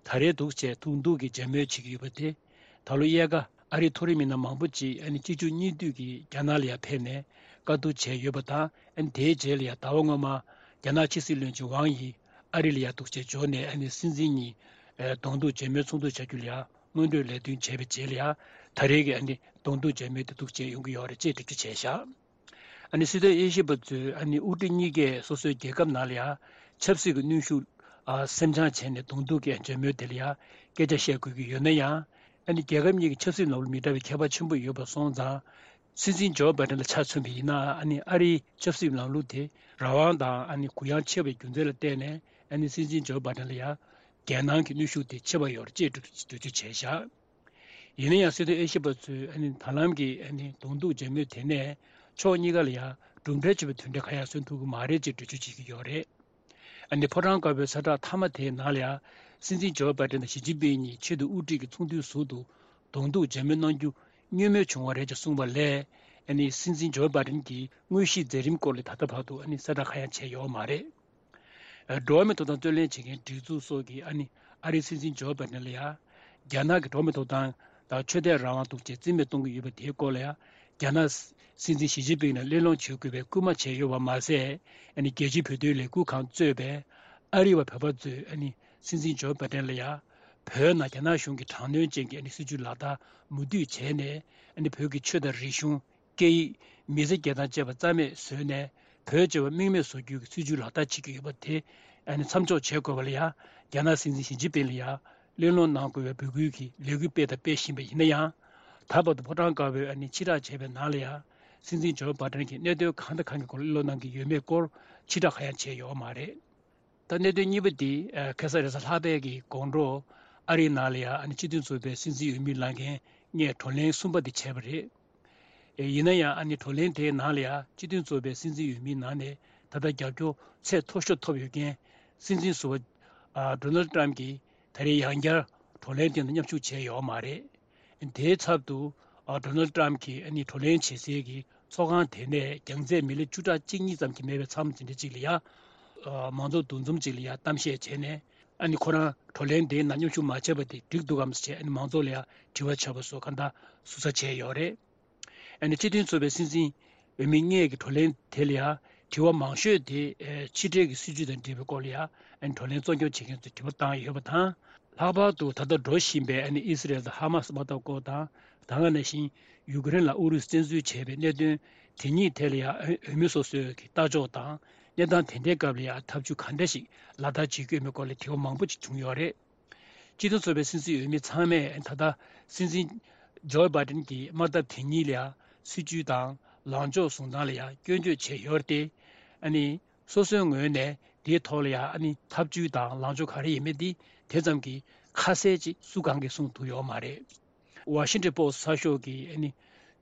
ད་རེས་འདུག་བྱས་ཐུག་འདུག་གི་མཇལ་མོལ་བྱེད་ཀྱི་ཡོད་པ་དེ། ད་ལོ་དབྱར་ཁ་ཨ་རིའི་མཐོ་རིམ་མི་སྣ་མང་པོ་ཅིག་ཨ་ནི་གཅིག་མཇུག་གཉིས་མཐུད་ཀྱིས་རྒྱ་ནག་ལ་ཡང་ཕེབས་ནས་བཀའ་བསྡུར་བྱས་ཡོད་པ་དང་། ཨ་ནི་དེའི་རྗེས་ལ་ཡང་ཟླ་བ་སྔོན་མ་རྒྱ་ནག་ཕྱི་སྲིད་བློན་ཆེན་ཝང་ཡི་ཨ་རི་ལ་ཡང་འདུག་བྱས་འབྱོར་ནས་ཨ་ནི་སྲིད་འཛིན་གཉིས་གདོང་ཐུག་མཇལ་མོལ་ཚོགས་འདུ་བྱ་རྒྱུ་ལ་ཡང་སྔོན་འགྲོའི་ལས་དོན་བྱས་པའི་རྗེས་ལ་ཡང་ད་རེས་ཀྱི་ཨ་ནི་གདོང་ཐུག་མཇལ་མོལ་དེ་འདུག་བྱས་ཡོང་གི་ཡོད་རེད་ཅེས་འགྲེལ་བརྗོད་བྱས་བཞག་ཨ་ནི་སྲིད་དོན་དབྱེ་ཞིབ་པ་ཚོས་ཨ་ནི་དབུ་ཁྲིད་གཉིས་ཀས་སོ་སོའི་རྒྱལ་ཁབ་ནང་ལ་ཡང་ཆབ་སྲིད་ཀྱི་གནོན་ཤུགས་ཨ་སེམས་ཆགས་བྱས་ནས་གདོང་ཐུག་གི་མཇལ་མོལ་དེ་ལ་ཡང་སྐད་ཆ་བཤད་དགོས་ཀྱི་ཡོད་ན་ཡང་། ཨ་ནི་རྒྱལ་ཁབ་གཉིས་ཀྱི་ཆབ་སྲིད་ལམ་ལུགས་མི་འདྲ་བའི་ཁྱད་པར་ཆེན་པོ་ཡོད་པ་སོང་ཙང་། སྲིད་འཛིན་ཇོ་བྷའི་ཌེན་ལ་ཆ་མཚོན་པ་ཡིན་ན་ཨ་ནི་ཨ་རིའི་ཆབ་སྲིད་ལམ་ལུགས་དེ་རང་དབང་དང་ཨ་ནི་གུ་ཡངས་ཆེ་བའི་རྒྱུ་མཚན་ལ་བརྟེན་ནས་ཨ་ནི་སྲིད་འཛིན་ཇོ་བྷའི་ཌེན་ལ་ཡང་རྒྱལ་ནང་གི་གནོན་ཤུགས་དེ་ཆེ་བ་ཡོད་རེད་ཅེས་འགྲེལ་བརྗོད་བྱས་བཞག་ཡིན་ན་ཡང་སྲིད་དོན་དབྱེ་ཞིབ་པ་ཚོས་ཨ་ནི་ད་ལམ་གྱི་ཨ་ནི་གདོང་ཐུག་མཇལ་མོལ་དེ་ནས་ཕྱོགས་གཉིས་ཀ་ལ་ཡང་གྲུབ་འབྲས་ཆེ་བའི་དོན་འབྲས་གང་ཡང་སོན་ཐུབ་ཀྱི་མ་རེད་ཅེས་འགྲེལ་བརྗོད་བྱེད་ཀྱི་ཡོད་རེད། ཨ་ནི་ཕོ་བྲང་དཀར་པོའི་གསལ་བསྒྲགས་མཐའ་མ་དེའི་ནང་ལ་ཡང་སྲིད་འཛིན་ཇོ་བྷའི་ཌེན་དང་ཞི་ཅིན་ཕིང་གཉིས་ཆེས་མཐོའི་དབུ་ཁྲིད་ཀྱི་ཚོགས་འདུའི་ཟུར་དུ་གདོང་ཐུག་མཇལ་མོལ་གནང་རྒྱུ་བསྔོ་སྨོན་བྱུང་བ་རེད་ཅེས་གསུངས་པ་ལས། ཨ་ནི་སྲིད་འཛིན་ཇོ་བྷའི་ཌེན་གྱི་དངོས་གཞིའི་མཛད་རིམ་སྐོར་ལ་ད་ལྟ་བར་དུ་ཨ་ནི་གསལ་བསྒྲགས་གང་ཡང་བྱས་ཡོད་མ་རེད། འགྲོ་བ་མིའི་ཐོབ་ཐང་རྩོད་ལེན་བྱེད་མཁན་སྒྲིག་འཛུགས་སོགས་ཀྱིས་ཨ་ནི་ཨ་རིའི་སྲིད་འཛིན་ཇོ་བྷའི་ཌེན་ལ་ཡང་རྒྱ་ནག་གི་འགྲོ་བ་མིའི་ཐོབ་ཐང་དང་ཆོས་དད་རང་དབང་འདུག་ཅེས་རྩིས་མེད་གཏོང་གི་ཡོད་པ་དེའི་སྐོར་ལ་ཡང་རྒྱ་ནག་སྲིད་འཛིན་ཞི་ཅིན་ཕིང་ལ་གླེང་སློང་བྱེད་དགོས་པའི་སྐུལ་མ་བྱས་ཡོད་པ་མ་ཟད། ཨ་ནི་རྒྱལ་སྤྱིའི་བོད་དོན་ལས་འགུལ་ཁང་གཙོས་པའི་ཨ་རི་བ་བོད་པ་ཚོས་ཨ་ནི་སྲིད་འཛིན་ཇོ་བྷའི་ཌེན་ལ་ཡང་བོད་ནང་རྒྱ་ནག་གཞུང་གི་དྲག་གནོན་ཅན་གྱི་ཨ་ནི་སྲིད་བྱུས་ལག་བསྟར་མུ་མཐུད་བྱས་ནས། ཨ་ནི་བོད་ཀྱི་ཆོས་དང་རིག་གཞུང་། སྐད་ཡིག་མི་ཚེ་སྐྱེལ་སྟངས་བཅས་པ་རྩ་མེད་བཟོས་ནས། བོད་ཅེས་པ་རྨེག་མེད་བཟོ་རྒྱུའི་སྲིད་བྱུས་ལག་བསྟར་བྱེད་ཀྱི་ཡོད་པ་དེ་ཨ་ནི་མཚམས་འཇོག་བྱེད་དགོས་པ་ལ་ཡང་རྒྱ་ནག་སྲིད་འཛིན་ཞི་ཅིན་ཕིང་ལ་ཡང་གླེང་སློང་གནང་དགོས་པའི་འབོད་སྐུལ་གྱི་ལས་འགུལ་སྤེལ་དང་སྤེལ་བཞིན་པ་ཡིན་ན་ཡང་། ད་བར་དུ་ཕོ་བྲང་དཀར་པོའི་ཨ་ནི་ཕྱིར་བསྒྲགས་བྱས་པའི་ནང་ལ་ཡང་སྲིད་འཛིན་ཇོ་བྷའི་ཌེན་གྱིས་གནད་དོན་གང་དང་གང་གི་སྐོར་གླེང་སློང་གནང་གི་ཡོད་མེད་སྐོར་ཕྱིར་བསྒྲགས་གང་ཡང་བྱས་ཡོད་མ་རེད། ད་གནད་དོན་གཉིས་པ་འདི་ཁ་སང་རེས་གཟའ་ལྷག་པའི་གི་དགོང་དྲོ་ཨ་རིའི་ནང་ལ་ཡང་ཨ་ནི་སྤྱི་མཐུན་ཚོགས་པའི་སྲིད་འཛིན་འོས་མི་ལངས་མཁན་ལྔས་བགྲོ་གླེང་གསུམ་པ་འདི་བྱས་པ་རེད། ཡིན་ན་ཡང་ཨ་ནི་བགྲོ་གླེང་དེའི་ནང་ལ་ཡང་སྤྱི་མཐུན་ཚོགས་པའི་སྲིད་འཛིན་འོས་མིའི་ནང་ནས་ད་ལྟ་རྒྱབ་སྐྱོར་ཚད་མཐོ་ཤོས་ཐོབ་ཡོད་མཁན་སྲིད་འཛིན་ཟུར་པ་ཌོ་ནལ་ཊམ་གྱིས་ད་རེས་ཡང་བསྐྱར་བགྲོ་གླེང་དེ་ནང་མཉམ་ཞུགས་བྱས་ཡོད་མ་རེད། དེའི་ཚབ་ཏུ་ཨ་ཌོ་ནལ་ཊམ་གྱིས་ཨ་ནི་བགྲོ་གླེང་བྱེད་སའི་གི་ཚོགས་ཁང་དེ་ནས་རྒྱང་ཚད་མི་ལེ་བཅུ་ཕྲག་གཅིག་གཉིས་ཙམ་གྱི་མེད་པའི་མཚམས་དེ་འདྲ་ཅིག་ལ་ཡ། ཨ་མང་ཚོགས་འདུ་འཛོམས་ཅིག་ལ་ཡ་གཏམ་བཤད་བྱས་ནས་ཨ་ནི་ཁོ་རང་བགྲོ་གླེང་དེའི་ནང་མཉམ་ཞུགས་མ་བྱས་པ་དེ་འགྲིག་འདུག་གམ་ཟེར་བྱས་ཨ་ནི་མང་ཚོགས་ལ་ཡ་དྲི་བ་བྱས་པ་སོགས་གང་ལྟར་ཟུར་ཟ་བྱས་ཡོད་རེད། ཨ་ནི་སྤྱི་མཐུན་ཚོགས་པའི་སྲིད་འཛིན་འོས་མི་ལྔས་ཀྱི་བགྲོ་གླེང་དེ་ལ་ཡང་དྲི་བ་མང་ཤོས་དེ་ཕྱི་འབྲེལ་གྱི་སྲིད་ཇུས་དང་འབྲེལ་བའི་སྐོར་ལ་ཡང་ཨ་ནི་བགྲོ་གླེང་གཙོ་སྐྱོང་བྱེད་མཁན་ཚོས་དྲི་བ་བཏང་ཡོད་པ་དང་། ལྷག་པར་དུ་ད་ལྟ་འགྲོ་བཞིན་པའི་ཨ་ནི་ཨི་སི་རེལ་དང་ཧ་མ་སི་དམག་འཐབ་སྐོར་དང་། ད་ག་ནང་བཞིན་ཡུ་ཀེ་རེན་ལ་ཨུ་རུ་སུས་བཙན་འཛུལ་བྱས་པའི་གནད་དོན་དེ་གཉིས་ཐད་ལ་ཡང་འོས་མི་སོ་སོའི་གི་ལྟ་ཕྱོགས་དང་། གནས་སྟངས་དེ་འདྲའི་སྐབས་ལ་ཡང་ཐབས་ཇུས་ག་འདྲ་ཞིག་ལག་བསྟར་བྱེད་ཀྱི་ཡོད་མེད་སྐོར་ལ་དྲི་བ་མང་པོ་ཅིག་བྱུང་ཡོད་རེད། སྤྱི་མཐུན་ཚོགས་པའི་སྲིད་འཛིན་འོས་མི་ཚང་མས་ད་ལྟ་སྲིད་འཛིན་ཇོ་བྷའི་ཌེན་གྱི་དམག་འཐབ་དེ་ཉིད་ལ་ཡང་སྲིད་ཇུས་དང་ལངས་ཕྱོགས་བཟུང་སྟངས་ལ་ཡང་སྐྱོན་བརྗོད་བྱས་ཡོད་རེད་དེ། ཨ་ནི་སོ་སོའི་ངོས་ནས་དེའི་ཐོག་ལ་ཡང་ཨ་ནི་ཐབས་ཇུས་དང་ལངས་ཕྱོགས་ག་རེ་ཡིན་མིན་དེ་དེ་ཙམ་གྱིས་ཁ་གསལ་ཅིག་སུ་གང་གིས་གསུངས་ཐུབ་ཡོད་མ་རེད། ཝ་ཤིང་ཊོན་པོ་སི་ཊི་གསར་ཤོག་གིས་ཨ་ནི་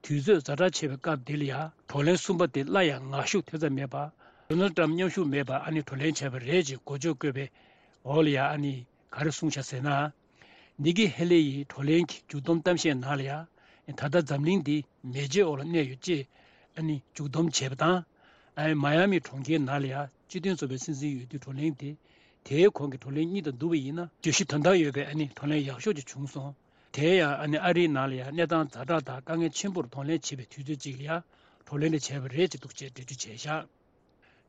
དུས་ཚོད་ཛ་དྲག་ཆེ་བའི་སྐབས་འདི་ལ་ཡང་བགྲོ་གླེང་གསུམ་པ་དེ་སླར་ཡང་ངར་ཤུགས་དེ་ཙམ་མེད་པར་ཌོ་ནལ་ཊམ་མཉམ་ཞུགས་མེད་པར་ཨ་ནི་བགྲོ་གླེང་བྱས་པ་རེད་ཅེས་འགོ་བརྗོད་བཀོད་པའི་འོག་ལ་ཡང་ཨ་ནི། ག་རེ་གསུངས་བཞག་ཟེར་ན། ནི་ཀི་ཧེ་ལི་ཡིས་བགྲོ་གླེང་གི་མཇུག་བསྡོམས་གཏམ་བཤད་ནང་ལ་ཡང་། ད་ལྟ་འཛམ་གླིང་འདི་མེ་ལྕེའི་འོག་ལ་གནས་ཡོད་ཅེས་ཨ་ནི་མཇུག་བསྡོམས་བྱས་པ་དང་། ཨ་མ་ཡ་མི་གྲོང་ཁྱེར་ནང་ལ་ཡང་སྤྱི་མཐུན་ཚོགས་པའི་སྲིད་འཛིན་འོས་བསྡུའི་བགྲོ་གླེང་དེ། དེའི་གོང་གི་བགྲོ་གླེང་གཉིས་དང་བསྡུར་བ་ཡིན་ན་བརྗོད་གཞི་དོན་དག་ཡོད་པའི་ཨ་ནི་བགྲོ་གླེང་ཡག་ཤོས་ཅིག་བྱུང་སོང་། དེ་ཡང་ཨ་ནི་ཨ་རིའི་ནང་ལ་ཡང་གནས་སྟངས་ཛ་དྲག་དང་དཀའ་ངལ་ཆེན་པོར་གདོང་ལེན་བྱེད་པའི་དུས་ཚོད་ཅིག་ལ་ཡང་བགྲོ་གླེང་དེ་བྱས་པ་རེད་ཅེས་འདུག་ཅེས་འགྲེལ་བརྗོད་བྱས་བཞག་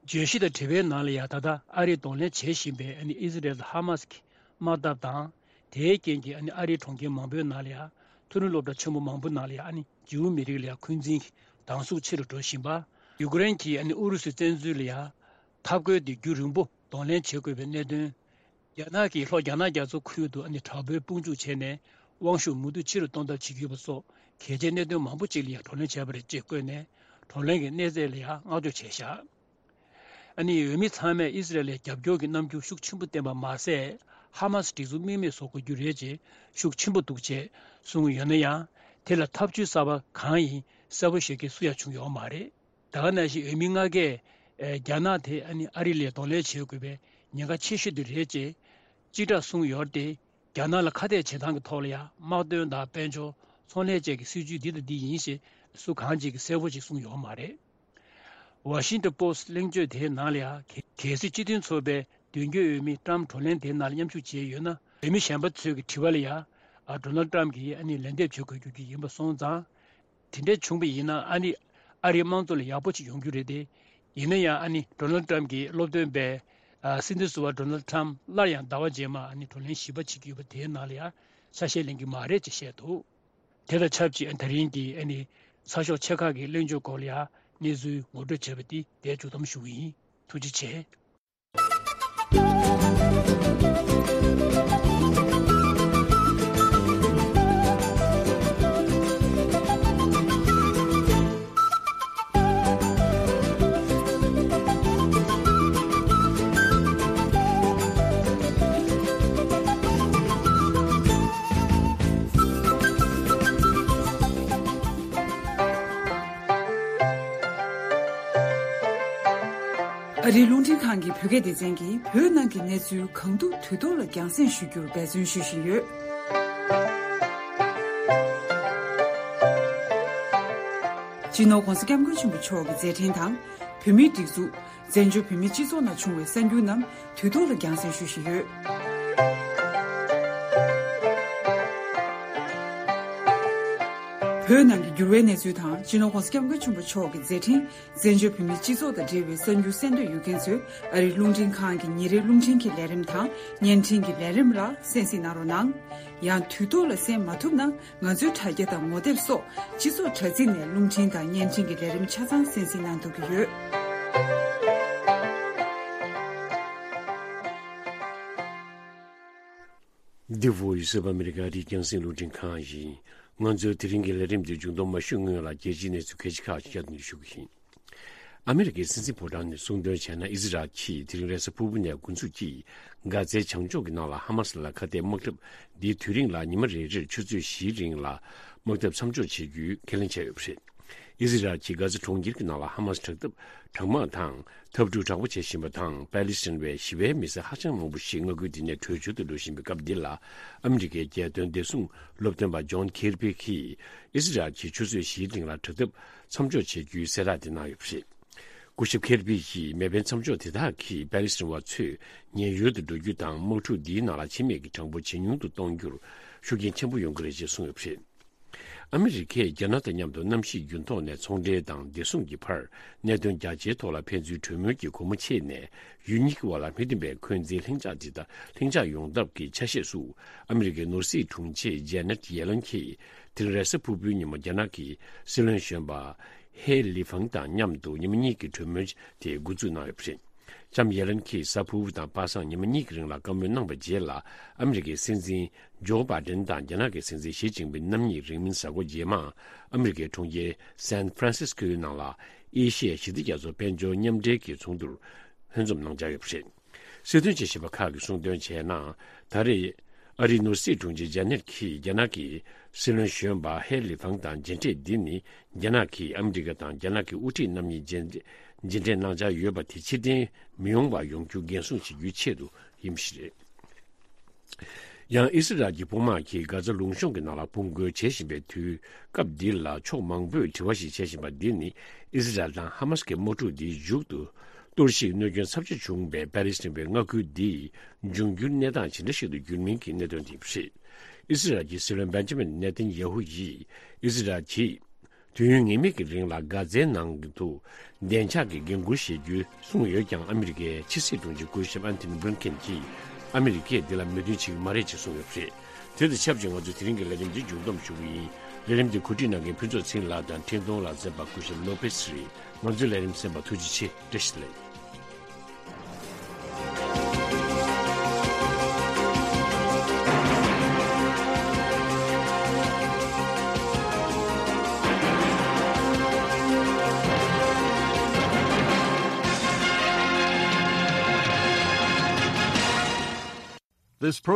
བརྗོད་གཞི་དང་དྲི་བའི་ནང་ལ་ཡང་ད་ལྟ་ཨ་རིས་གདོང་ལེན་བྱེད་བཞིན་པའི་ཨ་ནི་ཨི་སི་རེལ་དང་ཧ་མ་སི་ཀྱི་དམག་འཐབ་དང་། དེའི་རྐྱེན་གྱིས་ཨ་ནི་ཨ་རིའི་གྲོང་ཁྱེར་མང་པོའི་ནང་ལ་ཡང་མཐོ་རིམ་སློབ་གྲྭ་ཆེན་པོ་མང་པོའི་ནང་ལ་ཡང་ཨ་ནི་ཇིའུ་མི་རིགས་ལ་ཡང་འཁོན་འཛིན་གྱི་སྡང་ཟུག་ཆེ་རུ་འགྲོ་བཞིན་པ། ཡུ་ཀེ་རེན་གྱིས་ཨ་ནི་ཨུ་རུ་སུའི་བཙན་འཛུལ་ལ་ཡང་ཐབས་བཀོད་དེ་རྒྱུན་རིང་པོ་གདོང་ལེན་བྱེད་དགོས་པའི་གནད་དོན། རྒྱ་ནག་གིས་ལྷོ་རྒྱ་ནག་རྒྱ་མཚོ་ཁུལ་དུ་ཨ་ནི་དྲག་པོའི་དཔུང་འཇུག་བྱས་ནས་དབང་ཤུགས་མུ་མཐུད་ཆེ་རུ་གཏོང་ཐབས་བྱེད་ཀྱི་ཡོད་པ་སོགས་གལ་ཆེའི་གནད་དོན་མང་པོ་ཅིག་ལ་ཡང་བགྲོ་གླེང་བྱས་པ་རེད་ཅེས་བཀོད་ནས། བགྲོ་གླེང་གི་གནས་ཚད་ལ་ཡང་བསྔགས་བརྗོད་བྱས་བཞག་ཨ་ནི་འོས་མི་ཚང་མས་ཨི་སི་རལ་ལ་རྒྱབ་སྐྱོར་གྱི་རྣམ་འགྱུར་ཤུགས་ཆེན་པོ་བསྟན་པ་མ་ཟད། ཧ་མ་སི་སྒྲིག་འཛུགས་དམིགས་མེད་བཟོ་དགོས་རྒྱུ་རེད་ཅེས་ཤུགས་ཆེན་པོ་འདུག་ཅེས་གསུངས་ཡོད་ན་ཡང་། དེ་ལ་ཐབས་ཇུས་གསར་པ་གང་ཡིན་གསལ་པོ་ཤེས་མཁན་སུ་ཡང་བྱུང་ཡོད་མ་རེད། ད་ག་ནང་བཞིན་འོས་མི་ལྔ་ཀས་རྒྱ་ནག་དེ་ཨ་ནི་ཨ་རི་ལ་གདོང་ལེན་བྱེད་དགོས་པའི་ཉེན་ཁ་ཆེ་ཤོས་དེ་རེད་ཅེས་གཅིག་གྲགས་གསུངས་ཡོད་དེ། རྒྱ་ནག་ལ་ཁ་གཏད་བྱེད་སྟངས་ཀྱི་ཐོག་ལ་ཡང་དམག་དོན་དང་དཔལ་འབྱོར། ཚོང་ལས་བཅས་ཀྱི་སྲིད་ཇུས་འདི་དང་འདི་ཡིན་ཞེས་སུ་གང་ཅིག་གིས་གསལ་པོ་ཅིག་གསུངས་ཡོད་མ་རེད། ཝ་ཤིང་ཊོན་པོ་སི་གླེང་བརྗོད་དེའི་ནང་ལ་ཡང་། གལ་སྲིད་སྤྱི་མཐུན་ཚོགས་པའི་མདུན་སྐྱོད་འོས་མི་ཀྲམ་བགྲོ་གླེང་དེའི་ནང་ལ་མཉམ་ཞུགས་བྱས་ཡོད་ན། འོས་མི་གཞན་པ་ཚོས་ཀྱི་དྲི་བ་ལ་ཡང་། ཨ། ཌོ་ནལ་ཊམ་གྱིས་ཨ་ནི་ལན་འདེབས་བྱེད་དགོས་རྒྱུ་ཡིན་པ་སོང་ཙང་། དེ་འདྲ་བྱུང་བ་ཡིན་ན་ཨ་ནི་ཨ་རིའི་དམངས་གཙོ་ལ་ཡག་པོ་ཅིག་ཡོང་རྒྱུ་རེད་དེ། ཡིན་ན་ཡང་ཨ་ནི་ཌོ་ནལ་ཊམ་གྱིས་སློབ་སྟོན་པས། ཨ། སྲིད་འཛིན་ཟུར་པ་ཌོ་ནལ་ཊམ་སླར་ཡང་ཟླ་བ་རྗེས་མ་ཨ་ནི་བགྲོ་གླེང་བཞི་པ་བྱེད་ཀྱི་ཡོད་པ་དེའི་ནང་ལ་ཡང་ཆ་ཤས་ལེན་གྱི་མ་རེད་ཅེས་བཤད་འདུག་དེ་དང་ཆབས་ཅིག་ད་རིང་གི་ཨ་ནི་ཚགས་ཤོག་ཆེ་ཁག་གི་གླེང་བརྗོད་སྐོར་ལ་ཡང་གནས་ཚུལ་ངོ་སྤྲོད་བྱས་པ་འདི་འདིར་མཇུག་བསྡོམས་ཞུ་གི་ཡིན། ཐུགས་རྗེ་ཆེ། ཨ་རིའི་རླུང་འཕྲིན་ཁང་གི་བོད་སྐད་སྡེ་ཚན་གྱིས་བོད་ནང་གི་གནས་ཚུལ་གང་ཐུབ་དུས་ཐོག་ལ་རྒྱང་སྲིང་ཞུ་རྒྱུར་འབད་བརྩོན་ཞུ་བཞིན་ཡོད། སྤྱི་ནོར་༧གོང་ས་༧སྐྱབས་མགོན་ཆེན་པོ་མཆོག་གི་མཛད་འཕྲིན་དང་། བོད་མིའི་སྒྲིག་འཛུགས། བཙན་བྱོལ་བོད་མིའི་སྤྱི་ཚོགས་ནང་བྱུང་བའི་གསར་འགྱུར་རྣམས་དུས་ཐོག་ལ་རྒྱང་སྲིང་ཞུ་བཞིན་ཡོད། བོད་ནང་གི་འགྱུར་བའི་གནས་ཚུལ་དང་། སྤྱི་ནོར་༧གོང་ས་༧སྐྱབས་མགོན་ཆེན་པོ་མཆོག་གི་མཛད་འཕྲིན། བཙན་བྱོལ་བོད་མིའི་སྤྱི་ཚོགས་དང་འབྲེལ་བའི་གསར་འགྱུར་གསན་འདོད་ཡོད་མཁན་ཚོས་ཨ་རིའི་རླུང་འཕྲིན་ཁང་གི་ཉིན་རེའི་རླུང་འཕྲིན་གྱི་ལས་རིམ་དང་བརྙན་འཕྲིན་གྱི་ལས་རིམ་ལ་གསན་གཟིགས་གནང་རོགས་གནང་། ཡང་དུས་ཐོག་ལ་གསན་མ་ཐུབ་ན། ང་ཚོའི་དྲ་རྒྱ་དང་ངོ་དེབ་སོགས་སྤྱི་ཚོགས་དྲ་ཚིགས་ནས་རླུང་འཕྲིན་དང་བརྙན་འཕྲིན་གྱི་ལས་རིམ་ཆ་ཚང་གསན་གཟིགས་གནང་ཐུབ་ཀྱི་ཡོད། The Voice of America ཨ་རིའི་རྒྱང་སྲིང་རླུང་འཕྲིན་ཁང་ཡིན། ང་ཚོའི་དེ་རིང་གི་ལས་རིམ་འདི་མཇུག་སྡོམ་མ་ཞུས་སྔོན་ལ་རྒྱལ་སྤྱིའི་གནས་ཚུལ་ཁག་ཅིག་ཁག་ཅིག་བསྐྱར་དུ་ཞུ་གི་ཡིན། ཨ་མི་རི་ཀའི་སྲིད་འཛིན་ཕོ་བྲང་ནས་གསུངས་དོན་བྱས་ན། ཨི་ཟི་རལ་གྱིས་དེ་རིང་རེས་གཟའ་ཕུར་བུ་ནས་འགོ་འཛུགས་ཀྱིས་གྷ་ཛའི་བྱང་ཕྱོགས་ཀྱི་ནང་ལ་ཧ་མ་སི་ལ་ཁ་གཏད་དམག་འཁྲབ་འདིའི་དུས་རིང་ལ་ཉི་མ་རེ་རེར་ཆུ་ཚོད་བཞིའི་རིང་ལ་དམག་འཐབ་མཚམས་འཇོག་བྱེད་རྒྱུའི་ཁས་ལེན་བྱས་ཡོད་པ་རེད། ཨི་ཟི་རལ་གྱིས་གྷ་ཛ་གྲོང་ཁྱེར་གྱི་ནང་ལ་ཧ་མ་སི་དྲག་འཐབ་དྲག་དམག་དང་འཐབ་འཁྲུག་དྲག་པོ་བྱེད་བཞིན་པ་དང་། པ་ལི་སི་ཐན་པའི་ཞི་བའི་མི་སེར་ཧ་ཅང་མང་པོ་ཞིག་མངའ་ཁུལ་འདི་ནས་བྲོས་བྱོལ་དུ་འགྲོ་བཞིན་པའི་སྐབས་འདི་ལ། ཨ་མི་རི་ཀའི་རྒྱལ་དོན་བདེ་སྲུང་སློབ་སྟོན་པ་ཇོན་ཁེར་པི་གིས་ཨི་ཟི་རལ་གྱིས་ཆུ་ཚོད་བཞིའི་རིང་ལ་དྲག་འཐབ་མཚམས་འཇོག་བྱེད་རྒྱུའི་གསལ་བསྒྲགས་དེ་གནང་ཡོད་པ་རེད། སྐུ་ཞབས་ཁེར་པི་ཡིས་མེ་འཕེན་མཚམས་འཇོག་དེ་དག་གིས་པ་ལི་སི་ཐན་བ་ཚོས་ཉེན་གཡོལ་དུ་འགྲོ་རྒྱུ་དང་། དམག་འཁྲུག་འདིའི་ནང་ལ་འཆི་རྨས་ཀྱི་གྲངས་འབོར་ཇེ་ཉུང་དུ་གཏོང་རྒྱུར་ཤུགས་རྐྱེན་ཆེན་པོ་ཡོང་གི་རེད་ཅེས་གསུངས་ཡོད་པ་རེད། ཨ་མི་རི་ཀས་རྒྱ་ནག་དང་མཉམ་དུ་གནམ་གཤིས་རྒྱུན་ཐོག་ནས་ཚོང་འབྲེལ་དང་བདེ་སྲུང་གི་བར་གནད་དོན་རྒྱ་ཆེའི་ཐོག་ལ་ཕན་ཚུན་གྲོས་མོལ་གྱི་སྒོ་མོ་ཕྱེ་ནས། ཡུལ་གཉིས་ཀྱི་དབར་ལ་མི་མཐུན་པའི་འཁོན་འཛིན་ལྷིང་འཇགས་འདི་དང་ལྷིང་འཇགས་ཡོང་ཐབས་ཀྱི་ཆ་ཤས་སུ། ཨ་མི་རི་ཀའི་ནོར་སྲིད་དྲུང་ཆེ་ཇེ་ནེ་ཊི་ཡེ་ལན་གྱིས་དེ་རིང་རེས་གཟའ་ཕུར་བུའི་ཉིན་མོ་རྒྱ་ནག་གི་སྲིད་བློན་གཞོན་པ་ཧེ་ལི་ཧྥང་དང་མཉམ་དུ་ཉི་མ་གཉིས་ཀྱི་གྲོས་མོལ་དེ་འགོ་འཛུགས་གནང་ཡོད་པ་རེད། ལྕམ་ཡེ་ལན་གྱིས་གཟའ་ཕུར་བུ་དང་པ་སངས་ཉི་མ་གཉིས་ཀྱི་རིང་ལ་བཀའ་མོལ་གནང་བའི་རྗེས་ལ། ཨ་མི་རི་ཀའི་སྲིད་འཛིན་ཇོ་བྷའི་ཌེན་དང་རྒྱ་ནག་གི་སྲིད་འཛིན་ཞི་ཅིན་ཕིང་རྣམ་གཉིས་རིང་མིན་གཟའ་འཁོར་རྗེས་མ་ཨ་མི་རི་ཀའི་གྲོང་ཁྱེར་སན་ཧྥ་རན་སིས་ཀོའི་ནང་ལ་ཨེ་ཤི་ཡ་ཞི་བདེ་རྒྱ་མཚོ་དཔལ་འབྱོར་མཉམ་འབྲེལ་གྱི་ཚོགས་འདུར་ལྷན་འཛོམས་གནང་འཆར་ཡོད་པ་རེད། སྲིད་དོན་དཔྱད་ཞིབ་པ་ཁག་གིས་གསུངས་དོན་བྱས་ན། ད་རེས་ཨ་རིའི་ནོར་སྲིད་དྲུང་ཆེ་ཇེ་ནེ་ཊི་ཡེ་ལན་གྱིས་རྒྱ་ནག་གི་སྲིད་བློན་གཞོན་པ་ཧེ་ལི་ཧྥང་དང་མཇལ་འཕྲད་འདི་ནི། རྒྱ་ནག་གིས་ཨ་མི་རི་ཀ་དང་རྒྱ་ནག་གི་དབུ་ཁྲིད་རྣམ་གཉིས་མཇལ་མཇལ་འཕྲད་གནང་འཆར་ཡོད་པ་དེ་ཕྱིར་འཐེན་མི་ཡོང་བ་ཡོང་རྒྱུ་འགན་སྲུང་བྱེད་རྒྱུའི་ཆེད་དུ་ཡིན་པ་ཞིག་རེད། ཡང་ཨི་སི་རལ་གྱི་དཔུང་དམག་གིས་གྷ་ཛ་ལུང་གཤོང་གི་ནང་ལ་དཔུང་རྒོལ་བྱེད་བཞིན་པའི་དུས་སྐབས་འདི་ལ། ཕྱོགས་མང་པོས་དྲི་བ་ཞིག་བྱེད་བཞིན་པ་འདི་ནི། ཨི་སི་རལ་དང་ཧ་མ་སི་ཀྱི་དམག་འཁྲུག་འདིའི་མཇུག་ཏུ། གཏོར་བཤིག་གནོད་སྐྱོན་ཚབས་ཆེ་བྱུང་བའི་པ་ལི་སི་ཐན་པའི་མངའ་ཁུལ་འདིའི་འབྱུང་འགྱུར་གནས་སྟངས་ཇི་འདྲ་ཞིག་ཏུ་འགྱུར་མིན་གྱི་གནད་དོན་དེ་རེད། ཨི་སི་རལ་གྱི་སྲིད་བློན་བེན་ཇ་མིན་ནེ་ཐན་ཡ་ཧུ་ཡིས། ཨི་སི་རལ་གྱིས་དུས་ཡུན་ངེས་མེད་ཀྱི་རིང་ལ་གྷ་ཛའི་ནང་དུ་བདེ་འཇགས་ཀྱི་འགན་འཁུར་བཞེས་རྒྱུའི་གསུངས་ཡོད་ཀྱང་། ཨ་མི་རི་ཀའི་ཕྱི་སྲིད་དྲུང་ཆེ་སྐུ་ཞབས་ཨན་ཐོ་ནི་བྷི་ལིན་ཀེན་གྱིས། ཨ་མི་རི་ཀས་འདི་ལ་མོས་མཐུན་བྱེད་ཀྱི་མ་རེད་ཅེས་གསུངས་ཡོད་པ་རེད། དེ་དང་ཆབས་ཅིག་ང་ཚོས་དེ་རིང་གི་ལས་རིམ་འདི་མཇུག་བསྡོམས་ཞུ་གི་ཡིན། ལས་རིམ་འདི་གོ་སྒྲིག་གནང་མཁན་ཕུན་ཚོགས་ཚེ་རིང་ལགས་དང་འཕྲིན་གཏོང་ལག་རྩལ་པ་སྐུ་ཞབས་ལོ་པེ་སི་རེད། ང་ཚོའི་ལས་རིམ་གསན་པར་ཐུགས་རྗེ་ཆེ། བཀྲ་ཤིས་བདེ་ལེགས། This program